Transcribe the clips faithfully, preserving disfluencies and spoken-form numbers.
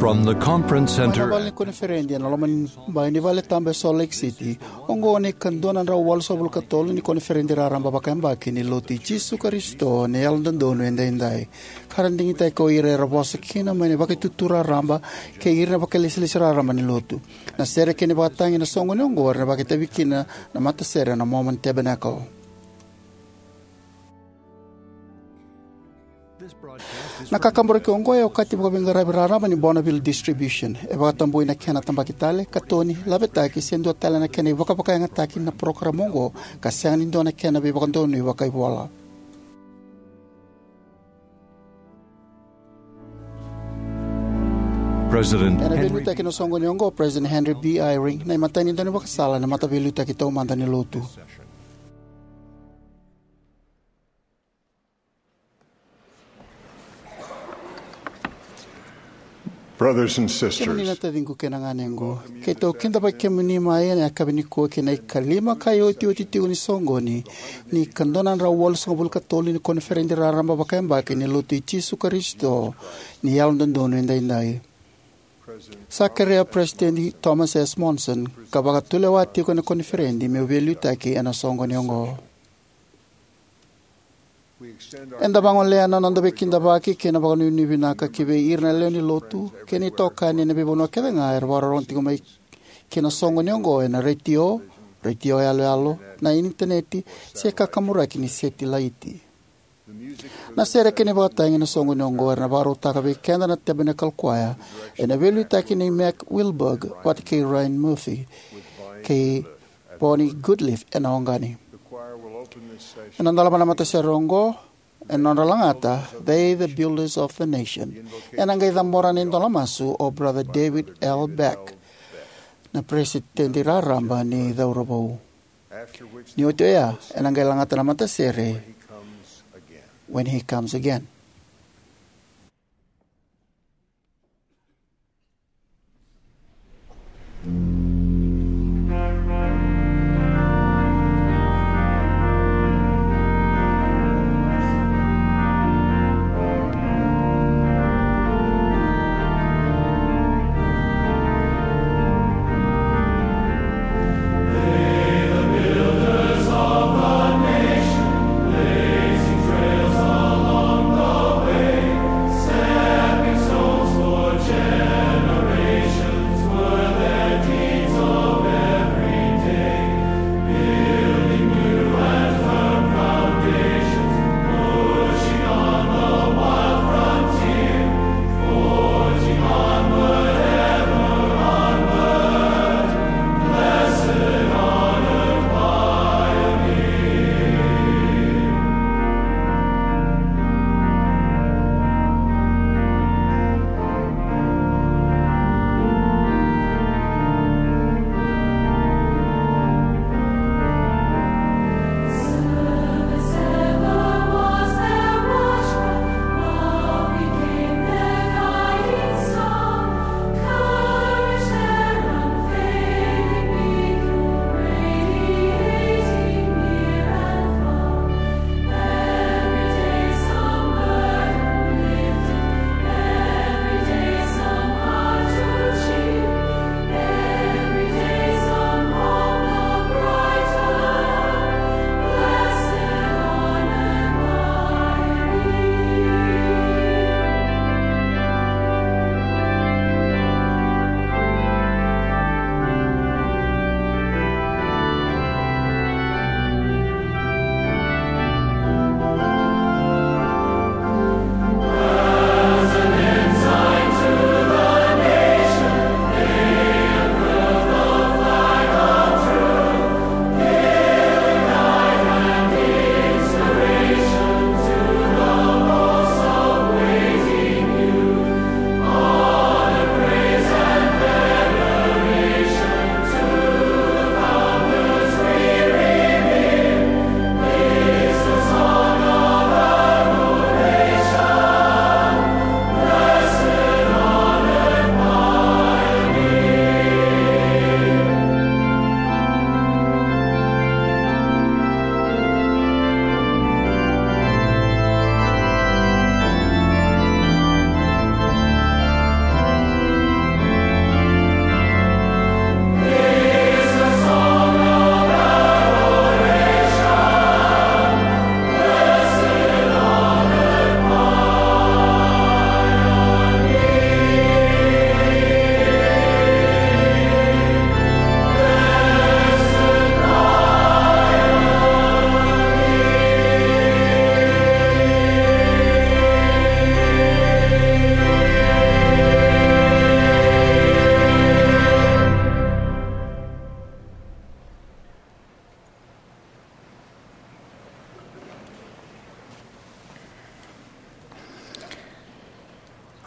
From the conference center. Mai na vale ni koniferedi ena loma ni bai ni vale tabu e Salt Lake City, oqo na ikadua na drau walusagavulu ka tolu ni koniferedi raraba vakayabaki ni Lotu i Jisu Karisito ni Yalododonu Edaidai, ka ra digitaki ko ira era vosa kina mai na vakaitutu raraba kei ira na vakailesilesi raraba ni Lotu. Na sere kei na ivakatagi ena soqoni oqo era na vakaitavi kina na matasere na Mormon Tabernacle. Na kakaburaki oqo e okati vakaveiqaravi raraba ni Bonneville Distribution. E vakatabui na kena tabaki tale, katoni, lavetaki, se dua tale na kena ivakavakayagataki na parokaramu oqo, ka sega ni dua na kena veivakadonui vakaivola. President Ena Henry veiliutaki na soqoni oqo o President Henry B. Eyring, na imatai ni daunivakasala ena mataveiliutaki taumada ni Lotu. Brothers and sisters, kemuni na taciqu kei na ganequ, keitou kidavaki kemuni mai ena yakavi nikua kei na ikalima ka iotioti tiko ni soqoni ni ikadua na drau walusagavulu ka tolu ni koniferedi raraba vakayabaki ni Lotu i Jisu Karisito ni Yalododonu Edaidai. Sa kerea President Thomas S. Monson ka vakatulewa tiko ena koniferedi meu veiliutaki ena soqoni oqo. Eda vagolea na noda veikidavaki kei na vakanuinui vinaka ki vei ira na lewe ni Lotu kei na itokani ena veivanua kece ga era vakarorogo tiko mai ki na soqoni oqo ena retio, retio yaloyalo, na initaneti, se kakaburaki ni setilaiti. Na sere kei na ivakatagi ena soqoni oqo era na vakarautaka vei keda na Tabernacle Choir ena veiliutaki nei Mac Wilberg vata kei Ryan Murphy kei Bonnie Goodliffe ena oqani. Ena dolava na matasere oqo ena nodra lagata They the Builders of the Nation, ena qai cabora na idola masu o Brother David L. Beck, na peresitedi raraba ni cauravou. Ni oti oya ena qai lagata na matasere When He Comes Again.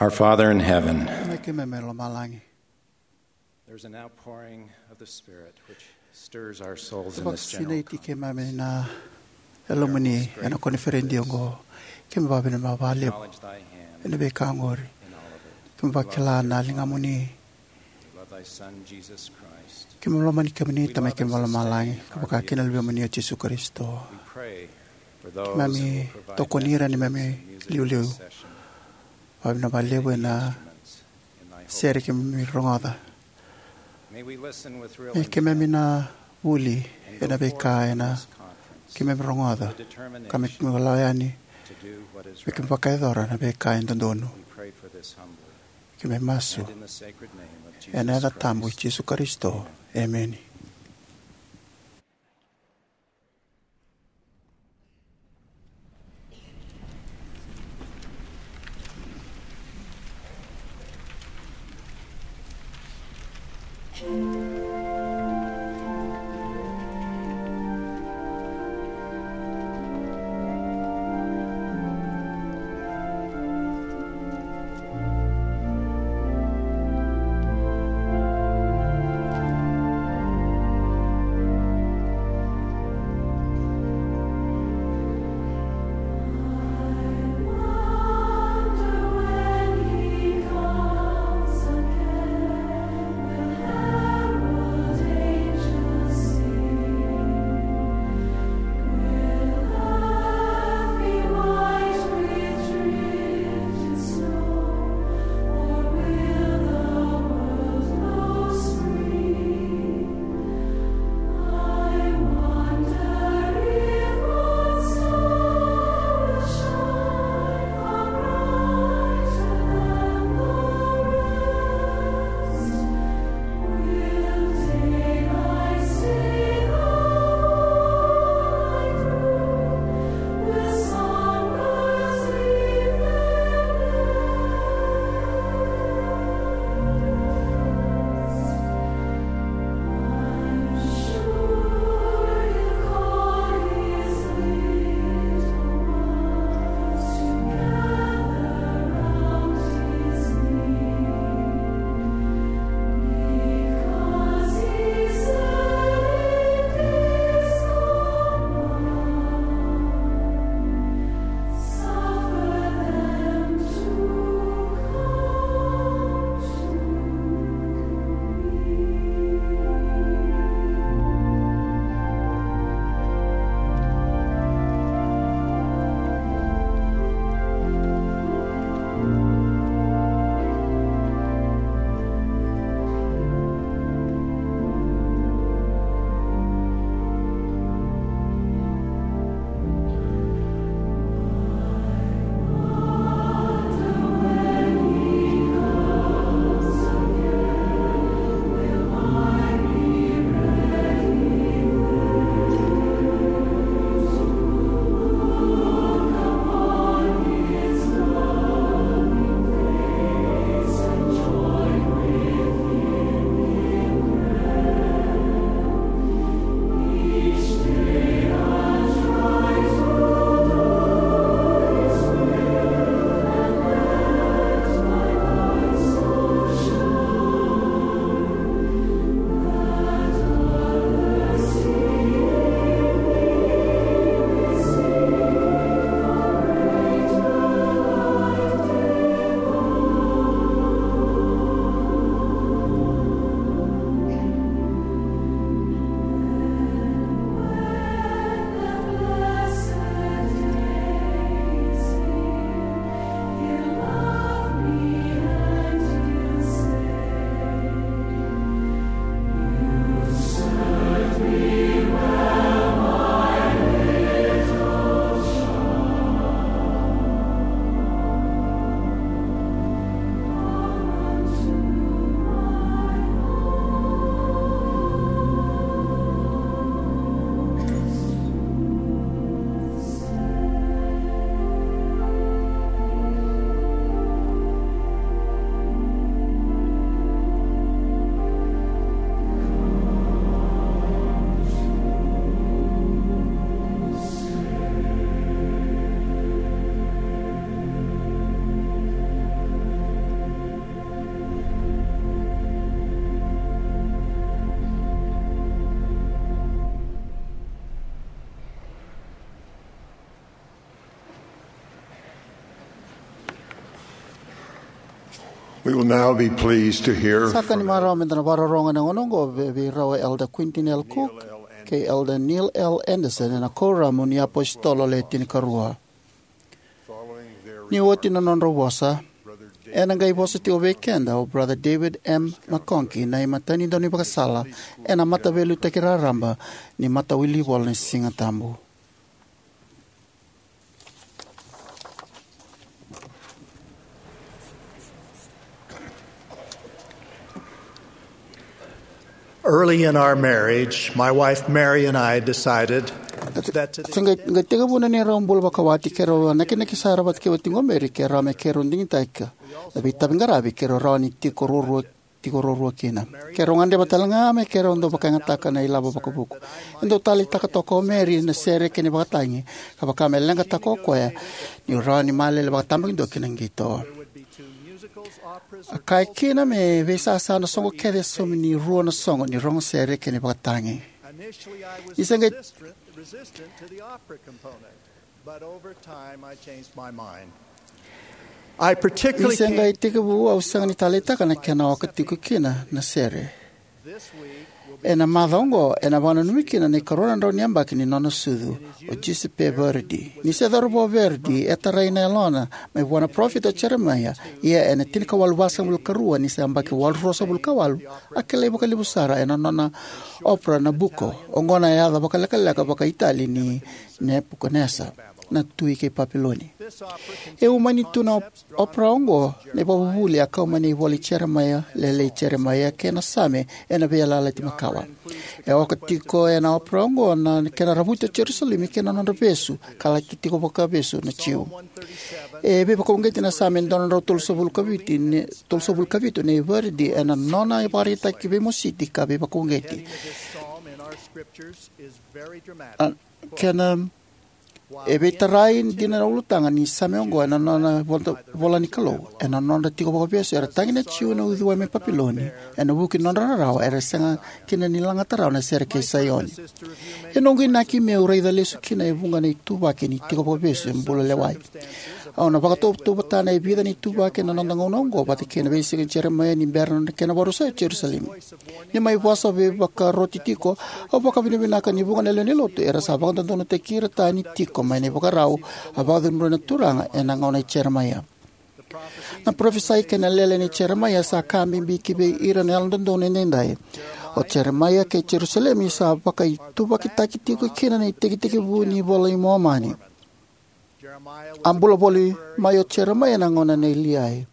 Our Father in heaven, Tamai keimami mai lomalagi, there's an outpouring of the Spirit which stirs our souls in this general vakasinaiti keimami na Yalomuni ena koniferedi oqo. Keimami vakavinavinaka vakalevu ena veika oqori. Keimami vakila na ligamuni. Keimami lomani kemuni, Tamai keimami mai lomalagi, ka vaka kina na Luvemuni o Jisu Karisito. Keimami tokoni ira neimami iliuliu. Vakavinavinaka vakalevu ena sere keimami rogoca. Me keimami na vuli ena veika ena keimami rogoca, ka me keimami lako yani me keimami vakayacora na veika e dodonu. Keimami masu ena yaca tabu i Jisu Karisito. Emeni. We will now be pleased to hear Sa ka ni from marau meda na vakarorogo ena gauna oqo vei, vei rau Elder Quentin L. Cook kei Elder Neil L. Andersen ena Kuoramu ni iApositolo Le Tinikarua. Ni oti na nodrau vosa, ena qai vosa tiko vei keda o Brother David M. McConkie, na imatai ni daunivakasala ena Mataveiliutaki Raraba ni Matailivalivola ni Sigatabu. Early in our marriage, my wife Mary and I decided that to the Se qai, qai tekivu na neirau bula vakawati, keirau a nakinaki sara vata kei watiqu o Mary keirau me keirau digitaka na veitavi qaravi keirau rawa ni tiko ruarua, tiko ruarua kina. Keirau gadreva tale ga me keirau dau vakayagataka na ilavo vakavuku. E dau taleitaka toka o Mary na sere kei na ivakatagi, ka vaka me leqataka o koya niu rawa ni malele vakatabakidua ki na qito. A kaya kina me veisasa na soqo kece e saumi ni rua na soqo ni rogo sere kei na ivakatagi. Ni se qai resistant to the opera component, but over time I changed my mind. I particularly Ni se qai came tekivu au sega ni taleitaka na kena oka tiko kina na sere. This week will be Ena macawa oqo, ena vakananumi kina na ikarua na drau ni yabaki ni nona sucu o Giuseppe Verdi. Ni se cauravou o Verdi, e tarai na yalona mai vua na parofita o Jeremaia, ia ena tinikawalu vasagavulu ka rua ni se yabaki walu ruasagavulu ka walu, a kilai vakalevu sara ena nona opera Nabucco, oqo na yaca vakalekaleka vakaItali ni Nepukanesa, na tui kei Papiloni. E umani tu na op-, opera oqo na ivakavuvuli a kau mai na ivola i Jeremaia, Lele i Jeremaia, kei na Same ena Veiyalayalati Makawa. E oka tiko ena opera oqo na kena ravuti o Jerusalemi kei na nodra vesu, ka laki tiko vakavesu na Jiu. E veivakauqeti na Same dua na drau tolusagavulu ka vitu ne, tolusagavulu ka vitu nei Verdi ena nona ivakaraitaki veimositi ka veivakauqeti. A, kena, e veitarai dina na ulutaga ni Same oqo ena nona vola, vola ni Kalou, ena nodra tiko vakavesu era tagi na Jiu ena uciwai mai Papiloni, ena vuku ni nodra rarawa era sega kina ni lagata rawa na sere kei Saioni. E noqu inaki meu raica lesu kina e vuqa na ituvaki ni tiko vakavesu e bula lewai. Au na vakatautauvatana e vica na ituvaki ena noda gauna oqo vata kei na veisiga i Jeremaia ni bera na kena vakarusai o Jerusalemi. Ni mai vosa veivakaroti tiko, au vakavinavinaka ni vuqa na lewe ni lotu era sa vakadodonutaki ira tani tiko mai na ivakarau a vakacudrua na Turaga ena gauna i Jeremaia. Na parofisai kei na lele nei Jeremaia sa ka bibi ki vei ira na Yalododonu edaidai. O Jeremaia kei Jerusalemi sa vakaituvakitaki tiko kina na itekitekivu ni iVola i Momani. A bula voli mai o Jeremaia ena gauna nei Liai.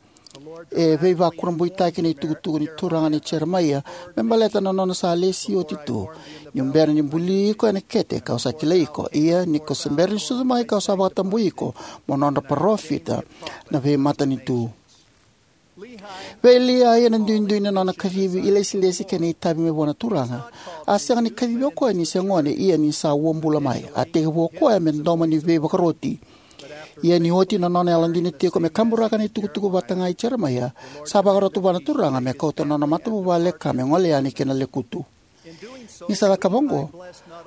E veivakurabuitaki na itukutuku ni Turaga nei Jeremaia me baleta na nona sa lesi oti tu. Niu bera ni buli iko ena kete, kau sa kilai iko. Ia, ni ko se bera ni sucu mai, kau sa vakatabui iko mo nodra parofita na veimatanitu. Vei Liai, ena duidui na nona kacivi, ilesilesi kei na itavi mai vua na Turaga, a sega ni kacivi o koya ni se gone, ia ni sa uabula mai. A tekivu o koya me domo ni veivakaroti. Ia ni oti na nona yalodina tiko me kaburaka na itukutuku vata ga i Jeremaia, sa vakarota vua na Turaga me kauta na nona matavuvale ka me gole yani ki na lekutu. Ni sa cakava oqo,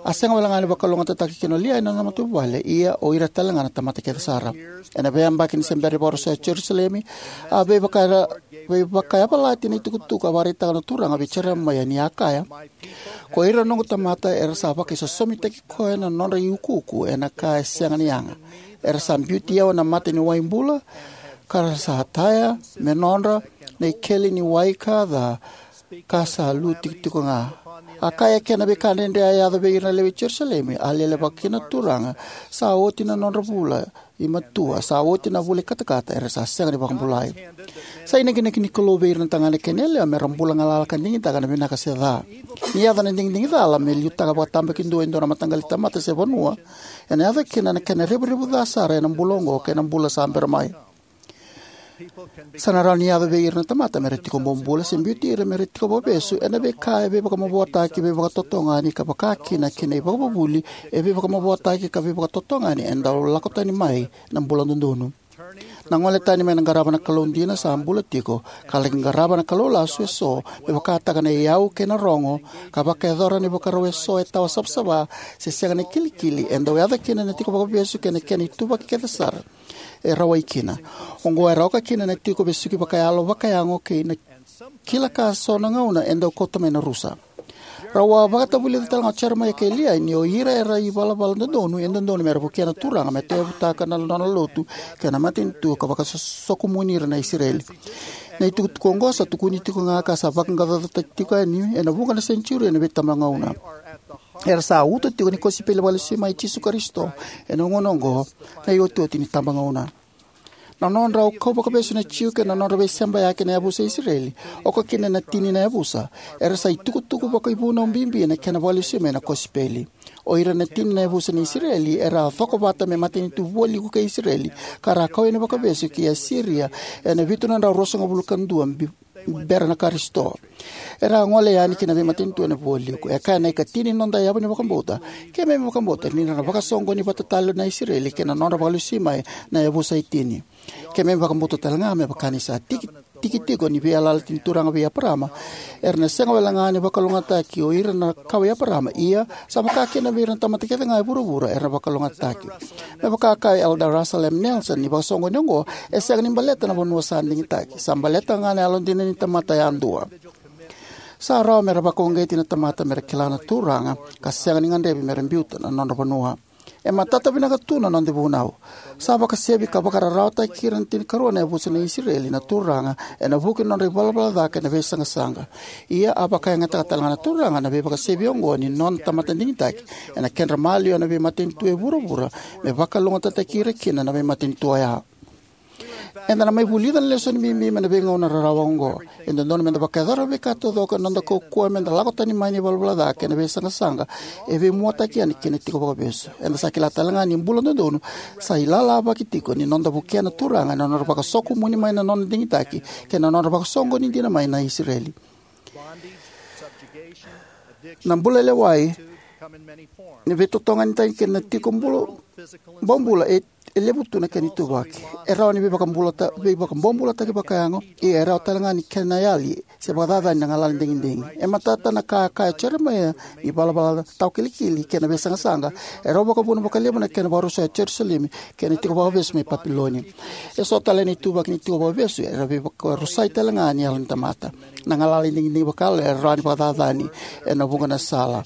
a sega wale ga ni vakalougatataki kina o Liai na nona matavuvale, ia o ira tale ga na tamata kece sara. Ena veiyabaki ni se bera ni vakarusai o Jerusalemi, a veivaka-, veivakayavalati na itukutuku a vakaraitaka na Turaga vei Jeremaia ni a kaya: Ko ira na noqu tamata era sa vakaisosomitaki koya na nodra iukuuku ena ka e sega ni yaga. Era sa biuti au ena mata ni wai bula, ka ra sa taya me nodra na ikeli ni wai ka ca, ka sa lu tikotiko ga. A kaya, kena veika dredre a yaco vei ira na lewe i Jerusalemi, a lelevaka kina na Turaga, sa oti na nodra vula i matua, sa oti na vula i katakata, era sa sega ni vakabulai. Sa inakinaki ni Kalou vei ira na tagane kei na yalewa mera bula galala ka digitaka na vinaka se ca. Ni yaco na digidigi cala me liutaka vakatabakidua e dua na mataqali tamata se vanua, ena yaco kina na kena revurevu ca sara ena bula oqo kei na bula sa bera mai. Sa na rawa ni yaco vei ira na tamata mera tiko bobula se biuti ira mera tiko vakavesu ena veika e veivakamavoataki, veivakatotogani, ka vaka kina kei na ivakavuvuli e veivakamavoataki ka veivakatotogani e dau lako tani mai na bula dodonu. Na gole tani mai na qarava na Kalou dina sa bula tiko ka laki qarava na kalou lasu eso, me vakataka na iyau kei na rogo, ka vakayacora na ivakarau eso e tawa savasava se sega na kilikili, e dau yaco kina na tiko vakavesu kei na kena ituvaki kece sara e rawai kina. Oqo era oka kina na tiko vesuki vakayalo, vakayago, kei na kila ka so na gauna e dau kauta mai na rusa. Rau a vakatavulica tale ga o Jeremaia kei Liai ni o ira era ivalavala dodonu e dodonu mera vukea na Turaga me tauyavutaka na nona lotu kei na matanitu ka vakasokomuni ira na Isireli. Na itukutuku oqo sa tukuni tiko ga ka sa vaqaqacotaki tiko yani ena vuqa na senitiuri ena veitabagauna. Era sa uto tiko ni kosipeli vakalesui mai i Jisu Karisito ena gauna oqo, na iotioti ni tabagauna. Na nodrau kau vakavesu na Jiu kei na nodra veisebayaki na yavusa i Isireli, oka kina na tini na yavusa, era sa itukutuku vakaivunau bibi ena kena vakalesui mai na kosipeli. O ira na tini na yavusa ni Isireli era a cokovata me matanitu vualiku kei Isireli, ka ra a kau yani vakavesu ki Asiria ena vitu na drau ruasagavulu ka dua bi-, bera na Karisito. Era a gole yani ki na veimatanitu ena vualiku. E kaya na ikatini ni noda yavu ni vakabauta: Keimami vakabauta ni ra na vakasoqoni vata tale na Isireli kei na nodra vakalesui mai na yavusa e tini. Keimami vakabauta tale ga me vaka ni sa tiki, tiki tiko ni veiyalayalati ni Turaga vei Eparama, era na sega wale ga ni vakalougatataki o ira na kawa i Eparama, ia sa vaka kina vei ira na tamata kece ga e vuravura era na vakalougatataki. Me vaka kaya Elder Russell M. Nelson, ni vakasoqoni oqo e sega ni baleta na vanua sa digitaki, sa baleta ga na yalodina ni tamata yadua. Sa rawa mera vakauqeti na tamata mera kila na Turaga, ka sega ni gadrevi mera biuta na nodra vanua. E matata vinaka tu na noda vunau. Sa vakasevi ka vakararawataki ira na tinikarua na yavusa ni Isireli na Turaga ena vuku ni nodra ivalavala ca kei na veisaqasaqa. Ia a vakayagataka tale ga na Turaga na veivakasevi oqo ni nona tamata digitaki ena kedra maliwa na veimatanitu e vuravura, me vakalougatataki ira kina na veimatanitu oya. Eda na mai vulica na lesoni bibi mai na veigauna rarawa oqo. E dodonu meda vakayacora na veika taucoko ena noda kaukauwa meda lako tani mai na ivalavala ca kei na veisaqasaqa e veimuataki yani ki na tiko vakavesu. Eda sa kila tale ga ni bula dodonu sa ilalavaki tiko ni noda vukea na Turaga ena nodra vakasokomuni mai na nona digitaki kei na nodra vakasoqoni dina mai na Isireli. Na bula lewai, ni veitotogani tani kei na tiko bula, bobula e, e levu tu na kena ituvaki. E rawa ni veivakabulata-, veivakabobulataki vakayago, ia e rawa tale ga ni kena yali se vakacacani na galala ni digidigi. E matata na ka a kaya o Jeremaia ni valavala tawakilikili kei na veisaqasaqa e rau vakavuna vakalevu na kena vakarusai o Jerusalemi kei na tiko vakavesu mai Papiloni. E so tale na ituvaki ni tiko vakavesu era veivakarusai tale ga ni yalo ni tamata. Na galala ni digidigi vakayalo e rawa ni vakacacani ena vuqa na sala.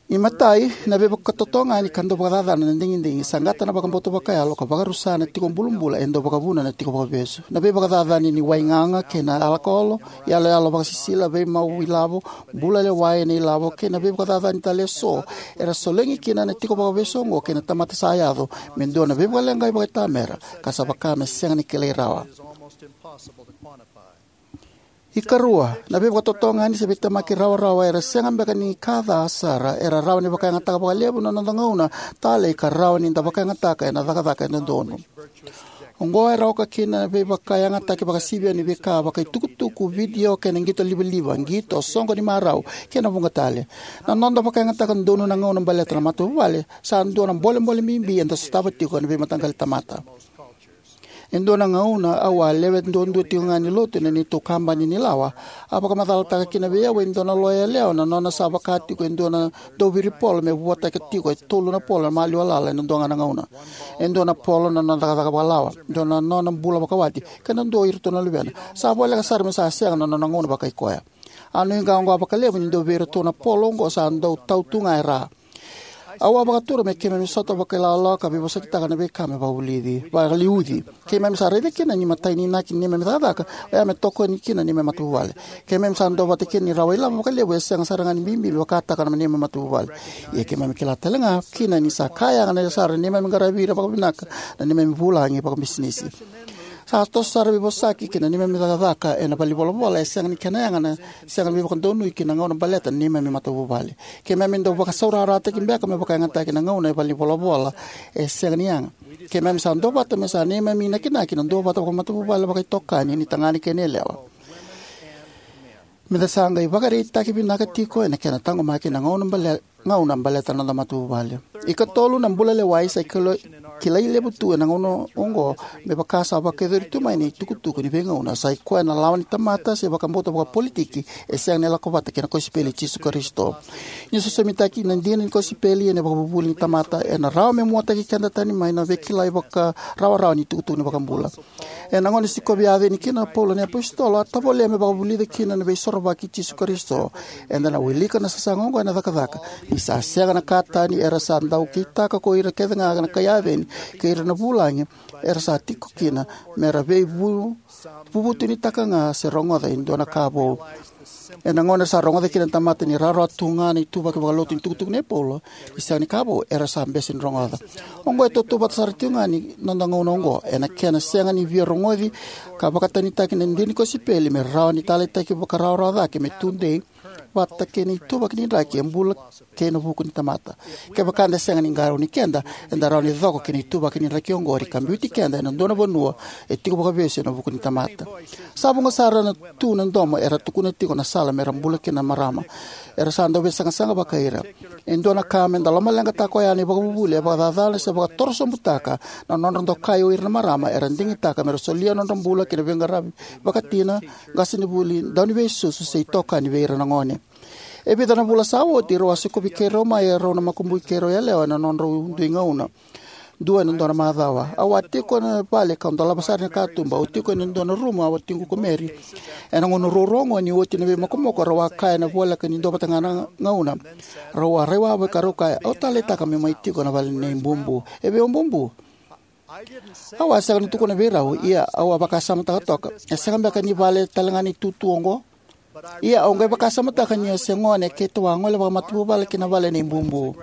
Imatai, na veivakatotogani ka dau vakacacana na digidigi, saqata na vakabauta vakayalo ka vakarusa na tiko bulabula e dau vakavuna na tiko vakavesu. Na veivakacacani ni waigaga kei na alakolo, iyaloyalo vakasisila, veimau ilavo, bula lewai ena ilavo, kei na veivakacacani tale eso era solegi kina na tiko vakavesu oqo kei na tamata sa yaco me dua na veivakaleqai vakaitamera ka sa vaka me sega ni kilai rawa. Ikarua, na veivakatotogani se veitemaki rawarawa era sega beka ni ka ca sara, era rawa ni vakayagataka vakalevu na noda gauna talei ka rawa ni da vakayagataka ena cakacaka e dodonu. Oqo era oka kina na veivakayagataki vakasivia ni veika vakaitukutuku, vidio kei na qito livaliva, qito, soqo ni marau kei na vuqa tale. Na noda vakayagataka donu na gauna baleta na matavuvale sa dua na bolebole bibi eda sotava tiko ena veimataqali tamata. E dua na gauna au a lewe duadua tiko ga ni lotu ena neitou kabani ni lawa. A vakamacalataka kina vei au e dua na loya yalewa na nona sa vaka tiko e dua na dauviri polo me vuataka tiko e tolu na polo na maliwa lala ena dua ga na gauna. E dua na polo na nona cakacaka vakalawa, dua na nona bula vakawati, kei na dua o iratou na luvena. Sa voleka sara me sa sega na nona gauna vakai koya. A nuiqawaqawa vakalevu ni dua vei iratou na polo oqo sa dau tau tu ga e ra. Au a vakatura me keimami sota vakailawalawa ka veivosakitaka na veika me vakavulici, vakaliuci. Keimami sa raica kina ni matai ni inaki ni neimami cakacaka oya me tokoni kina na neimami matavuvale. Keimami sa duavata kina ni rawa ilavo vakalevu e sega sara ga ni bibi me vakataka na neimami matavuvale. Ia keimami kila tale ga kina ni sa ka yaga sara na neimami qaravi ira vakavinaka na neimami vulagi vakabisinisi. Sa toso sara veivosaki ki na neimami cakacaka ena valenivolavola e sega ni kena yaga na sega ni veivakadonui ki na gauna baleta na neimami matavuvale. Keimami dau vakasaurarataki beka me vakayagataki na gauna e valenivolavola e sega ni yaga. Keimami sa duavata me sa neimami inakinaki na duavata vakamatavuvale vakaitokani ni tagane kei na yalewa. Meda sa qai vakaraitaki vinaka tiko ena kena taqomaki na gauna bale-, gauna baleta na noda matavuvale. Ikatolu, na bula lewai sa ikalo-, kilai levu tu ena gauna oqo, me vaka sa vakayacori tu mai na itukutuku ni veigauna, sa i koya na lawa ni tamata se vakabauta vakapolitiki e sega ni lako vata kei na kosipeli i Jisu Karisito. Ni sosomitaki na dina ni kosipeli ena ivakavuvuli ni tamata, ena rawa me muataki keda tani mai na veikilai vakarawarawa ni itukutuku ni iVakabula. Ena gauna e sikovi Aceni kina o Paula na iapositolo, a tovolea me vakavulica kina na Veisorovaki i Jisu Karisito. Eda na wilika na sasaga oqo ena Cakacaka: Ni sa sega na ka tani, era sa dau kitaka ko ira kecega na kai Aceni kei ira na vulagi era sa tiko kina, me ra veivuvutunitaka ga se rogoca e dua na ka vou. Ena gauna era sa rogoca kina na tamata ni rawarawa tu ga na ituvaki vakalotu ni itukutuku nei Paula ni sega ni ka vou, era sa bese ni rogoca. Oqo e tautauvata sara tiko ga ni noda gauna oqo, ena kena sega ni via rogoci ka vakatanitaki na dina ni kosipeli me rawa ni taleitaki vakarawarawa cake me tudei vata kei na ituvaki ni draki e bula kei na vuku ni tamata. Kevaka eda sega ni qarauni keda, eda rawa ni coko ki na ituvaki ni draki oqori ka biuti keda ena dua na vanua e tiko vakavesu ena vuku ni tamata. Sa vuqa sara tu na domo era tukuna tiko na sala me ra bula kina na marama. Era sa dau veisaqasaqa vakai ira. E dua na ka me da lomaleqataka oya na ivakavuvuli e vakacacana se vakatorosobutaka na nodra dokai o ira na marama era digitaka me ra solia nodra bula ki na veiqaravi vakatina, qasenivuli, dauniveisusu, se itokani vei ira na gone. E vica na vula sa oti, rau a sikovi keirau mai e rau na makubui keirau yalewa ena nodrau dui gauna. Dua ena dua na macawa, au a tiko ena vale kau dolava sara na katuba. Au tiko ena dua na rumu a watiqu ko Mary. Ena gauna ruarua oqo ni oti na veimokomoko, rau a kaya ena voleka ni dua vata ga na gauna. Rau a rai wavoki ka rau kaya, "Au taleitaka meu mai tiko na vale nei Bubu. E vei o Bubu?" Au a sega ni tukuna vei rau, ia au a vakasamataka toka, "E sega beka ni vale tale ga ni tutu oqo?" Ia au qai vakasamataka ni o se gone keitou a gole vakamatavuvale ki na vale nei Bubu.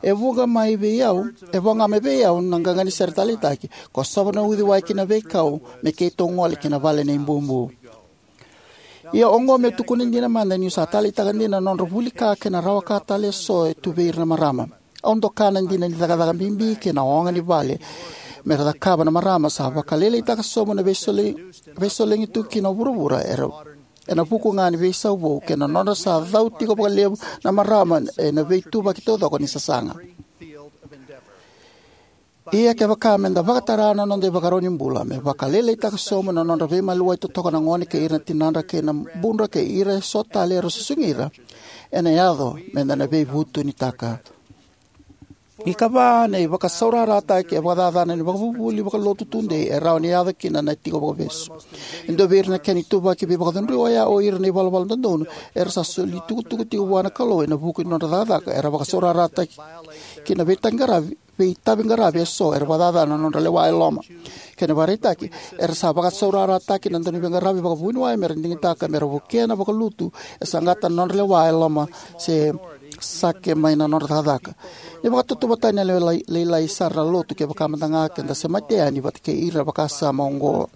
E vuqa mai vei au, e vuqa mai vei au na qaqa ni sere taleitaki, kosova na uciwai ki na veikau me keitou gole ki na vale nei Bubu. Ia oqo meu tukuna dina mada niu sa taleitaka dina na nodra vuli ka kei na rawa ka tale eso e tu vei ira na marama. Au doka na dina ni cakacaka bibi kei na oga ni vale me ra cakava na marama sa vakalailaitaka sobu na veisole-, veisolegi tu kina o vuravura era, ena vuku ga ni veisau vou kei na nodra sa cau tiko vakalevu na marama ena veituvaki taucoko ni sasaga. Ia kevaka me da vakatara na noda ivakarau ni bula me vakalailaitaka sobu na nodra veimaliwai totoka na gone kei ira na tinadra kei na budra kei ira eso tale era susugi ira, ena yaco me da na veivutunitaka. Ikava, na ivakasaurarataki e vakacacana ni vakavuvuli vakalotu tudei e rawa ni yaco kina na tiko vakavesu. E dua vei ira na kena ituvaki veivakacudrui oya o ira na ivalavala dodonu era sa soli tukutuku tiko vua na Kalou ena vuku ni nodra cakacaka era vakasaurarataki ki na veitaqaravi, veitaviqaravi eso era vakacacana na nodra lewa e loma. Kena ivakaraitaki, era sa vakasaurarataki na dauniveiqaravi vakavuniwai me ra digitaka me ra vukea na vakalutu e saqata na nodra lewa e loma se sake mai na nodra cakacaka. Ni vakatautauvatataki na lewe lai-, lailai sara na lotu kevaka mada ga ke da semati yani vata kei ira vakasama oqo.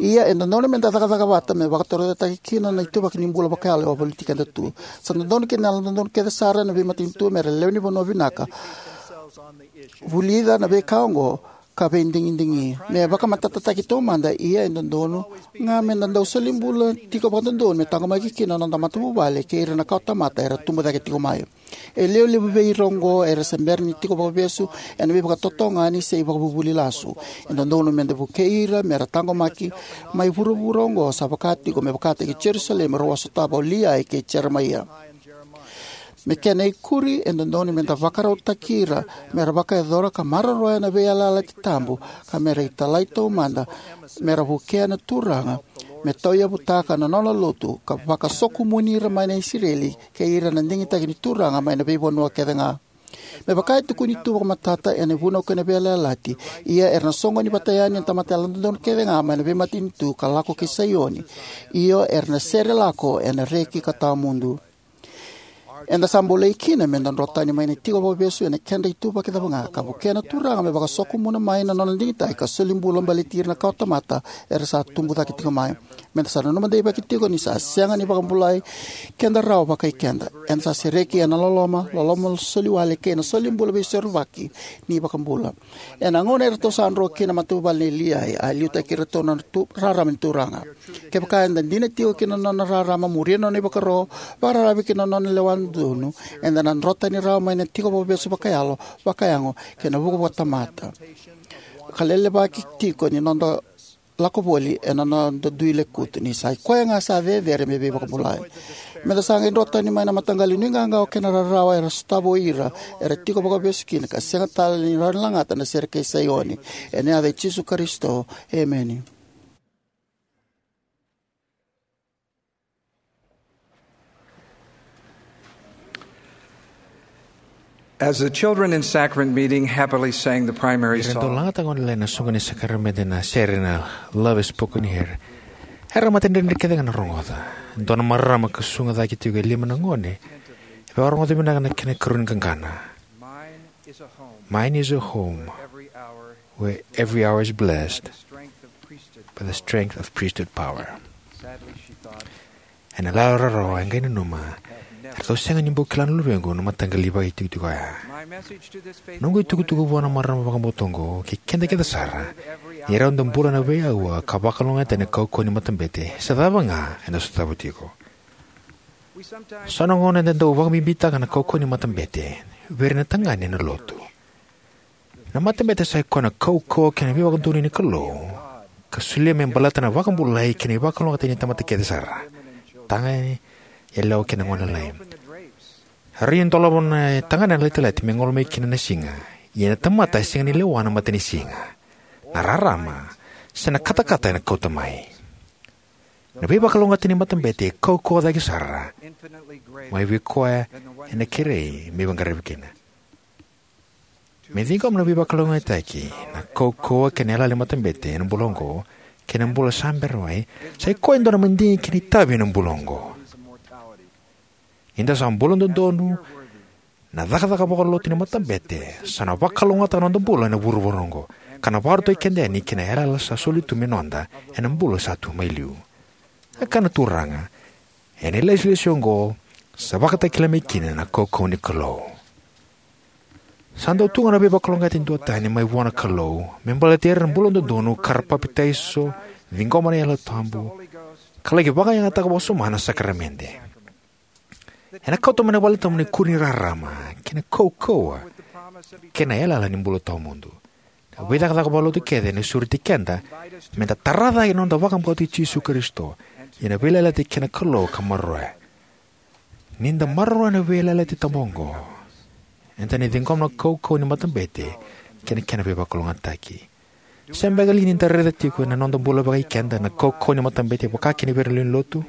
Ia e dodonu me da cakacaka vata me vakatorocaketaki kina na ituvaki ni bula vakayalo e wavoliti keda tu. Sa dodonu kina na yalododonu kece sara na veimatanitu me ra lewe ni vanua vinaka, vulica na veika oqo, ka veidigidigi. Me vakamatatataki taumada, ia e dodonu ga me da dau soli bula tiko vakadodonu me taqomaki kina na noda matavuvale kei ira na kawatamata era tubu cake tiko mai. E lewe levu vei ira oqo era se bera ni tiko vakavesu ena veivakatotogani se ivakavuvuli lasu. E dodonu me da vukei ira me ra taqomaki mai vuravura oqo sa vaka tiko me vakataki Jerusalemi rau a sotava o Liai kei Jeremaia. Me kena ikuri, e dodonu me da vakarautaki ira me ra vakayacora ka maroroya na veiyalayalati tabu, ka me ra italai taumada me ra vukea na Turaga me tauyavutaka na nona lotu ka vakasokumuni ira mai na Isireli kei ira na digitaki ni Turaga mai na veivanua kece ga. Me vaka e tukuni tu vakamatata ena Vunau kei na Veiyalayalati, ia era na soqoni vata yani na tamata yalododonu kece ga mai na veimatanitu ka lako ki Saioni. Io, era na sere lako ena reki ka tawamudu. Eda sa bolei kina me da dro tani mai na tiko vakavesu ena kedra ituvaki cava ga, ka vukea na Turaga me vakasokumuna mai na nona digitaki ka soli bula baleti ira na kawatamata era sa tubu cake tiko mai. Meda sa nanuma deivaki tiko ni sa sega ni vakabulai keda rawa vakai keda. Eda sa sereki ena loloma, loloma soliwale kei na solibula veisorovaki ni iVakabula. Ena gauna eratou sa dro kina na matavuvale nei Liai, a liutaki iratou na tu, rarama ni Turaga. Kevaka eda dina tiko ki na nona rarama, muria na nona ivakaro, vakararavi ki na nona lewa donu, eda na drotani rawa mai na tiko vakavesu vakayalo, vakayago, kei na vuku vakatamata ka lelevaki tiko ni noda lako voli ena noda dui lekutu ni sa i koya ga sa cecere me veivakabulai. Meda sa qai drotani mai na mataqali nuiqawaqawa kei na rarawa era sotava o ira era tiko vakavesu kina ka sega tale ni rawa ni lagata na sere kei Saioni. Ena yaca i Jisu Karisito, emeni. As the children in sacrament meeting happily sang the primary song, ira dau lagataka gone lalai na soqo ni sakaramede na sere na Love is Spoken Here. Era matadredre kece ga na rogoca. Dua na marama ka susuga cake tiko e lima na gone e vakarogoca vinaka na kena ikarua ni qaqana. Mine is a home. Mine is a home where every hour is blessed by the strength of priesthood power. Ena lala rarawa e qai nanuma, eratou sega ni bau kila na luvequ na mataqali vakaitikotiko oya. Noqu itukutuku vua na marama vakabauta oqo kei keda kece sara, ni rawa ni da bula ena veiaua ka vakalougatataki ena kaukauwa ni matabete se cava ga eda sotava tiko. So na gauna eda dau vakabibitaka na kaukauwa ni matabete vei ira na tagane ena lotu. Na matabete sa i koya na kaukauwa kei na veivakadonui ni Kalou ka solia me baleta na vakabulai kei na ivakalougatataki ni tamata kece sara, tagane, yalewa kei na gone lalai. Rawa ni dolava na tagane na latilati me gole mai kina na siga, ia na tamata e sega ni lewa na matanisiga, na rarama, se na katakata ena kauta mai. Na veivakalougatataki ni matabete e kaukauwa cake sara mai vei koya ena kerei me veiqaravi kina. Me ciqoma na veivakalougatataki, na kaukauwa kei na yalayala ni matabete ena bula oqo kei na bula sa bera mai, sa i koya e dua na madigi kei na itavi ena bula oqo. Ni da sa bula dodonu, na cakacaka vakalotu ni matabete sa na vakalougatataka na noda bula ena vuravura oqo, ka na vakarautaki keda yani ki na yalayala sa soli tu me noda ena bula sa tu mai liu. A kaya na Turaga, ena ilesilesi oqo sa vakatakila mai kina na kaukauwa ni Kalou. Sa dau tu ga na veivakalougatataki duatani mai vua na Kalou me baleti ira na bula dodonu ka ra papitaiso, ciqoma na Yalo Tabu, ka laki vakayagataka vakasoma na sakaramede. Ena kauta mai na valetabu na ikuri ni rarama kei na kaukauwa kei na yalayala ni bula tawamudu. Na veicakacaka vakalotu kece ena sureti keda meda tara cake na noda vakabauti Jisu Karisito, ia na veiyalayalati kei na Kalou ka maroroya. Ni da maroroya na veiyalayalati tabu oqo, eda na ciqoma na kaukauwa ni matabete kei na kena veivakalougatataki. Se beka li ni da raica tiko ena noda bula vakai keda na kaukauwa ni matabete vaka kina vei ira na lewe ni lotu?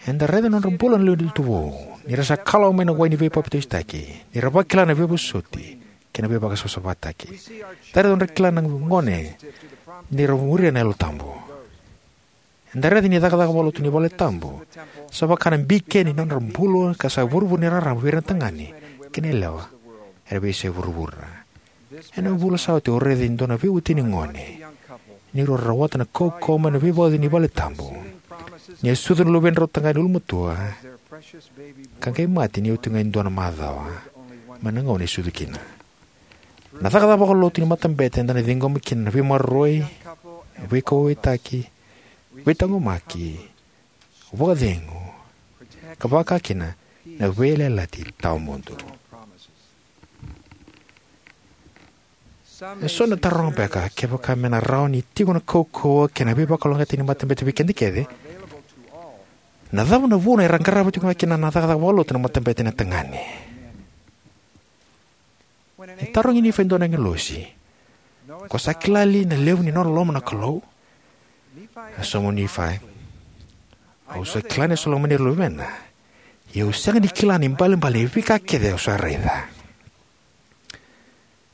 Eda raica na nodra bula na lewe ni lotu vou, ni ra sa kalawa mai na wai ni veipapitaisotaki, ni ra vakila na veivosoti kei na veivakasavasavataki. Eda raica nodra kila na gone ni ra muria na Yalo Tabu. Eda raica ni cakacaka vakalotu ni valetabu sa vaka na bikeni ni nodra bula ka sa ivurevure ni rarama vei ira na tagane kei na yalewa era veiyasai vuravura. Ena vula sa oti au raica e dua na veiwatini gone ni rau rawata na kaukauwa mai na veivauci ni valetabu, ni a sucu na luvedrau tagane ulumatua ka qai mate ni oti ga e dua na macawa mai na gauna e sucu kina. Na cakacaka vakalotu ni matabete eda na ciqoma kina na veimaroroi, veikauwaitaki, veitaqomaki, vakacegu, ka vaka kina na veiyalayalati tawamudu. E so na taroga beka kevaka me na rawa ni tiko na kaukauwa kei na veivakalougatataki ni matabete vei keda kece. Na cava na vuna era qarava tiko ga kina na cakacaka vakalotu na matabete na tagane? E tarogi Nifai e dua na agilosi, ko sa kila li na levu ni nona loloma na Kalou? E sauma o Nifai, au sa kila ni sa lomani ira na luvena, ia au sega ni kila na ibalebale ni veika kece au sa raica.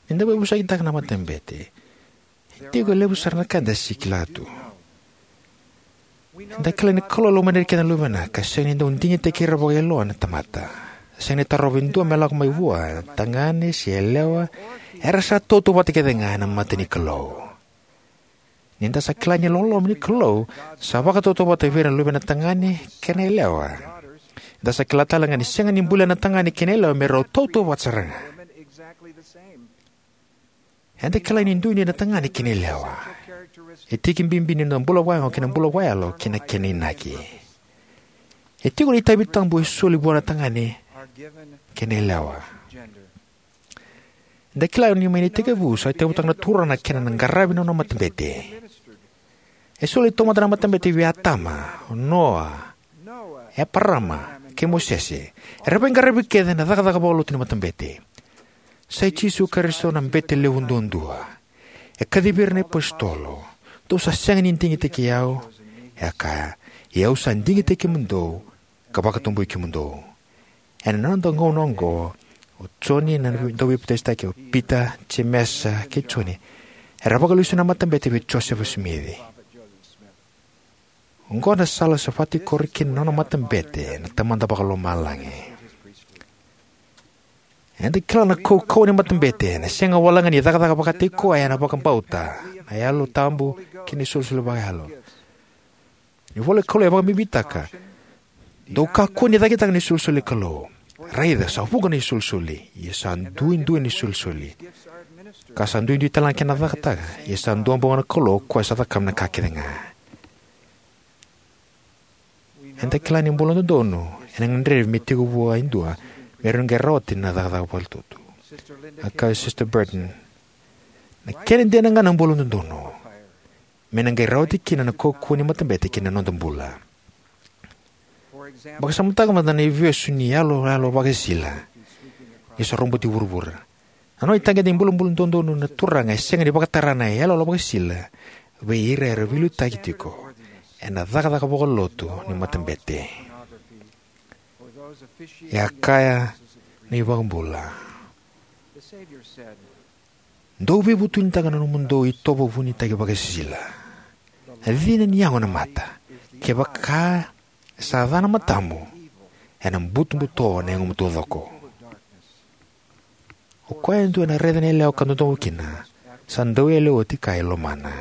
Ni da veivosakitaka na matabete, e tiko e levu sara na ka eda sega ni kila tu. Eda kila ni Kalou e lomani ira kece na luvena ka sega ni dau digitaki ira vakailoa na tamata. E sega ni tarova e dua me lako mai vua, tagane se yalewa, era sa tautauvata kece ga ena mata ni Kalou. Ni da sa kila ni loloma ni Kalou sa vakatautauvata vei ira na luvena tagane kei na yalewa, eda sa kila tale ga ni sega ni bulia na tagane kei na yalewa me rau tautauvata sara ga. Eda kila ni duidui na tagane kei na yalewa. E tiki bibi ni noda bula vakayago kei na bula vakayalo kei na kena inaki. E tiko na itavi tabu e soli vua na tagane kei na yalewa. Eda kila ni mai na itekivu sa tauyavutaka na Turaga na kena na qaravi na nona matabete. E soli taumada na matabete vei Atama, Noa, Eparama, kei Mosese. Era veiqaravi kece ena cakacaka vakalotu ni matabete. Sa i Jisu Karisito na bete levu duadua. E kacivi ira na iapositolo. Dou sa sega ni digitaki au, e a kaya, ia au sa digitaki kemudou ka vakatabui kemudou. Ena noda gauna oqo, o Joni na dauveipapaitaisotaki, o Pita, Jemesa, kei Joni, era vakalesui na matabete vei Josefa Simici. Oqo na sala sa vakatikora kina na nona matabete na Tamada Vakalomalagi. Eda kila na kaukauwa ni matabete ena sega walega ni cakacaka vakataki koya ena vakabauta, na Yalo Tabu, kei na isolisoli vakayalo. Na ivola ni Kalou e vakabibitaka: Dou kakua ni cakitaka na isolisoli ni Kalou. Raica, sa vuqa na isolisoli, ia sa duidui na isolisoli, ka sa duidui tale ga na kena cakacaka, ia sa duabau ga na Kalou, o koya sa cakava na ka kece ga. Eda kila ni bula dodonu ena gadrevi me tiko vua e dua me rawa ni qai rawati na cakacaka vakalotu. A kaya o Sister Burton, na kena dina ga na bula dodonu me na qai rawati kina na kaukauwa ni matabete ki na noda bula. Vakasamataka mada na ivesu ni iyaloyalo vakasisila ni sa roboti vuravura. Na nona itagede ni bulabula dodonu na Turaga e sega ni vakatara na iyaloyalo vakasisila vei ira era veiliutaki tiko ena cakacaka vakalotu ni matabete. E a kaya na iVakabula, dou veivutunitaka na nomudou itovo vunitaki vakasisila. A cina ni yago na mata, kevaka sa ca na matamu, ena butobuto na yagomu taucoko. O koya e dua ena raica na yalewa ka dodomo kina, sa dau yalewa oti ka e lomana.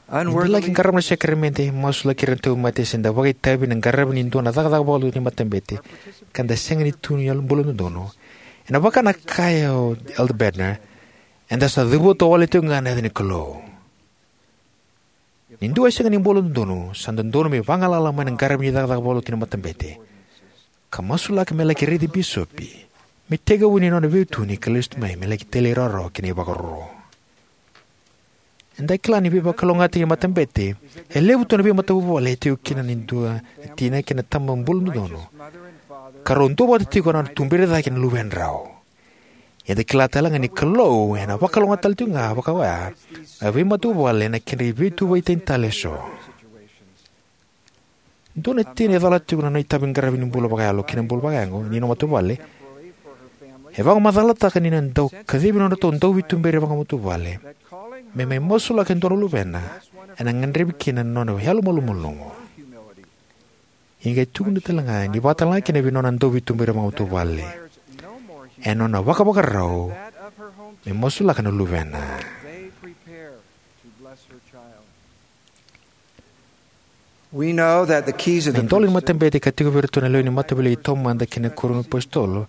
Ni da laki qarava na sakaramede, masulaki ira na tauvimate, se da vakaitavi ena qaravi ni dua na cakacaka vakalotu ni matabete, ka da sega ni tu ni bula dodonu, ena vaka na kaya o Elder Bednar, eda sa cavuta wale tiko ga na yaca ni Kalou. Ni dua e sega ni bula dodonu, sa dodonu me vagalala mai na qaravi ni cakacaka vakalotu ni matabete, ka masulaka me laki raici bisopi me tekivu ni nona veituberi ka lesu mai me laki talairawarawa ki na ivakaro. Eda kila ni veivakalougatataki ni matabete, e levu tu na veimatavuvale e tiko kina ni dua na tina kei na tama bula dodonu, ka rau duavata tiko ena nona tuberi cake na luvedrau. Eda kila tale ga ni Kalou ena vakalougatataka tale tiko ga vaka oya na veimatavuvale ena kedra veituvai tani tale eso. Dua na tina e colata tiko na nona itavi qaravi ni bula vakayalo kei na bula vakayago ni nona matavuvale, e vakamacalataka ni na dau kacivi nodratou dauveituberi vakamatavuvale me mai masulaka e dua na luvena ena gadrevi kina na nona yalomalumalumu. E qai tukuna tale ga ni vakatalega kina vei nona dauveituberi vakamatavuvale ena nona vakavakarau me masulaka na luvena. Na idola ni matabete ka tiko vei iratou na lewe ni Mataveilegi Taumada kei na iKarua ni iApositolo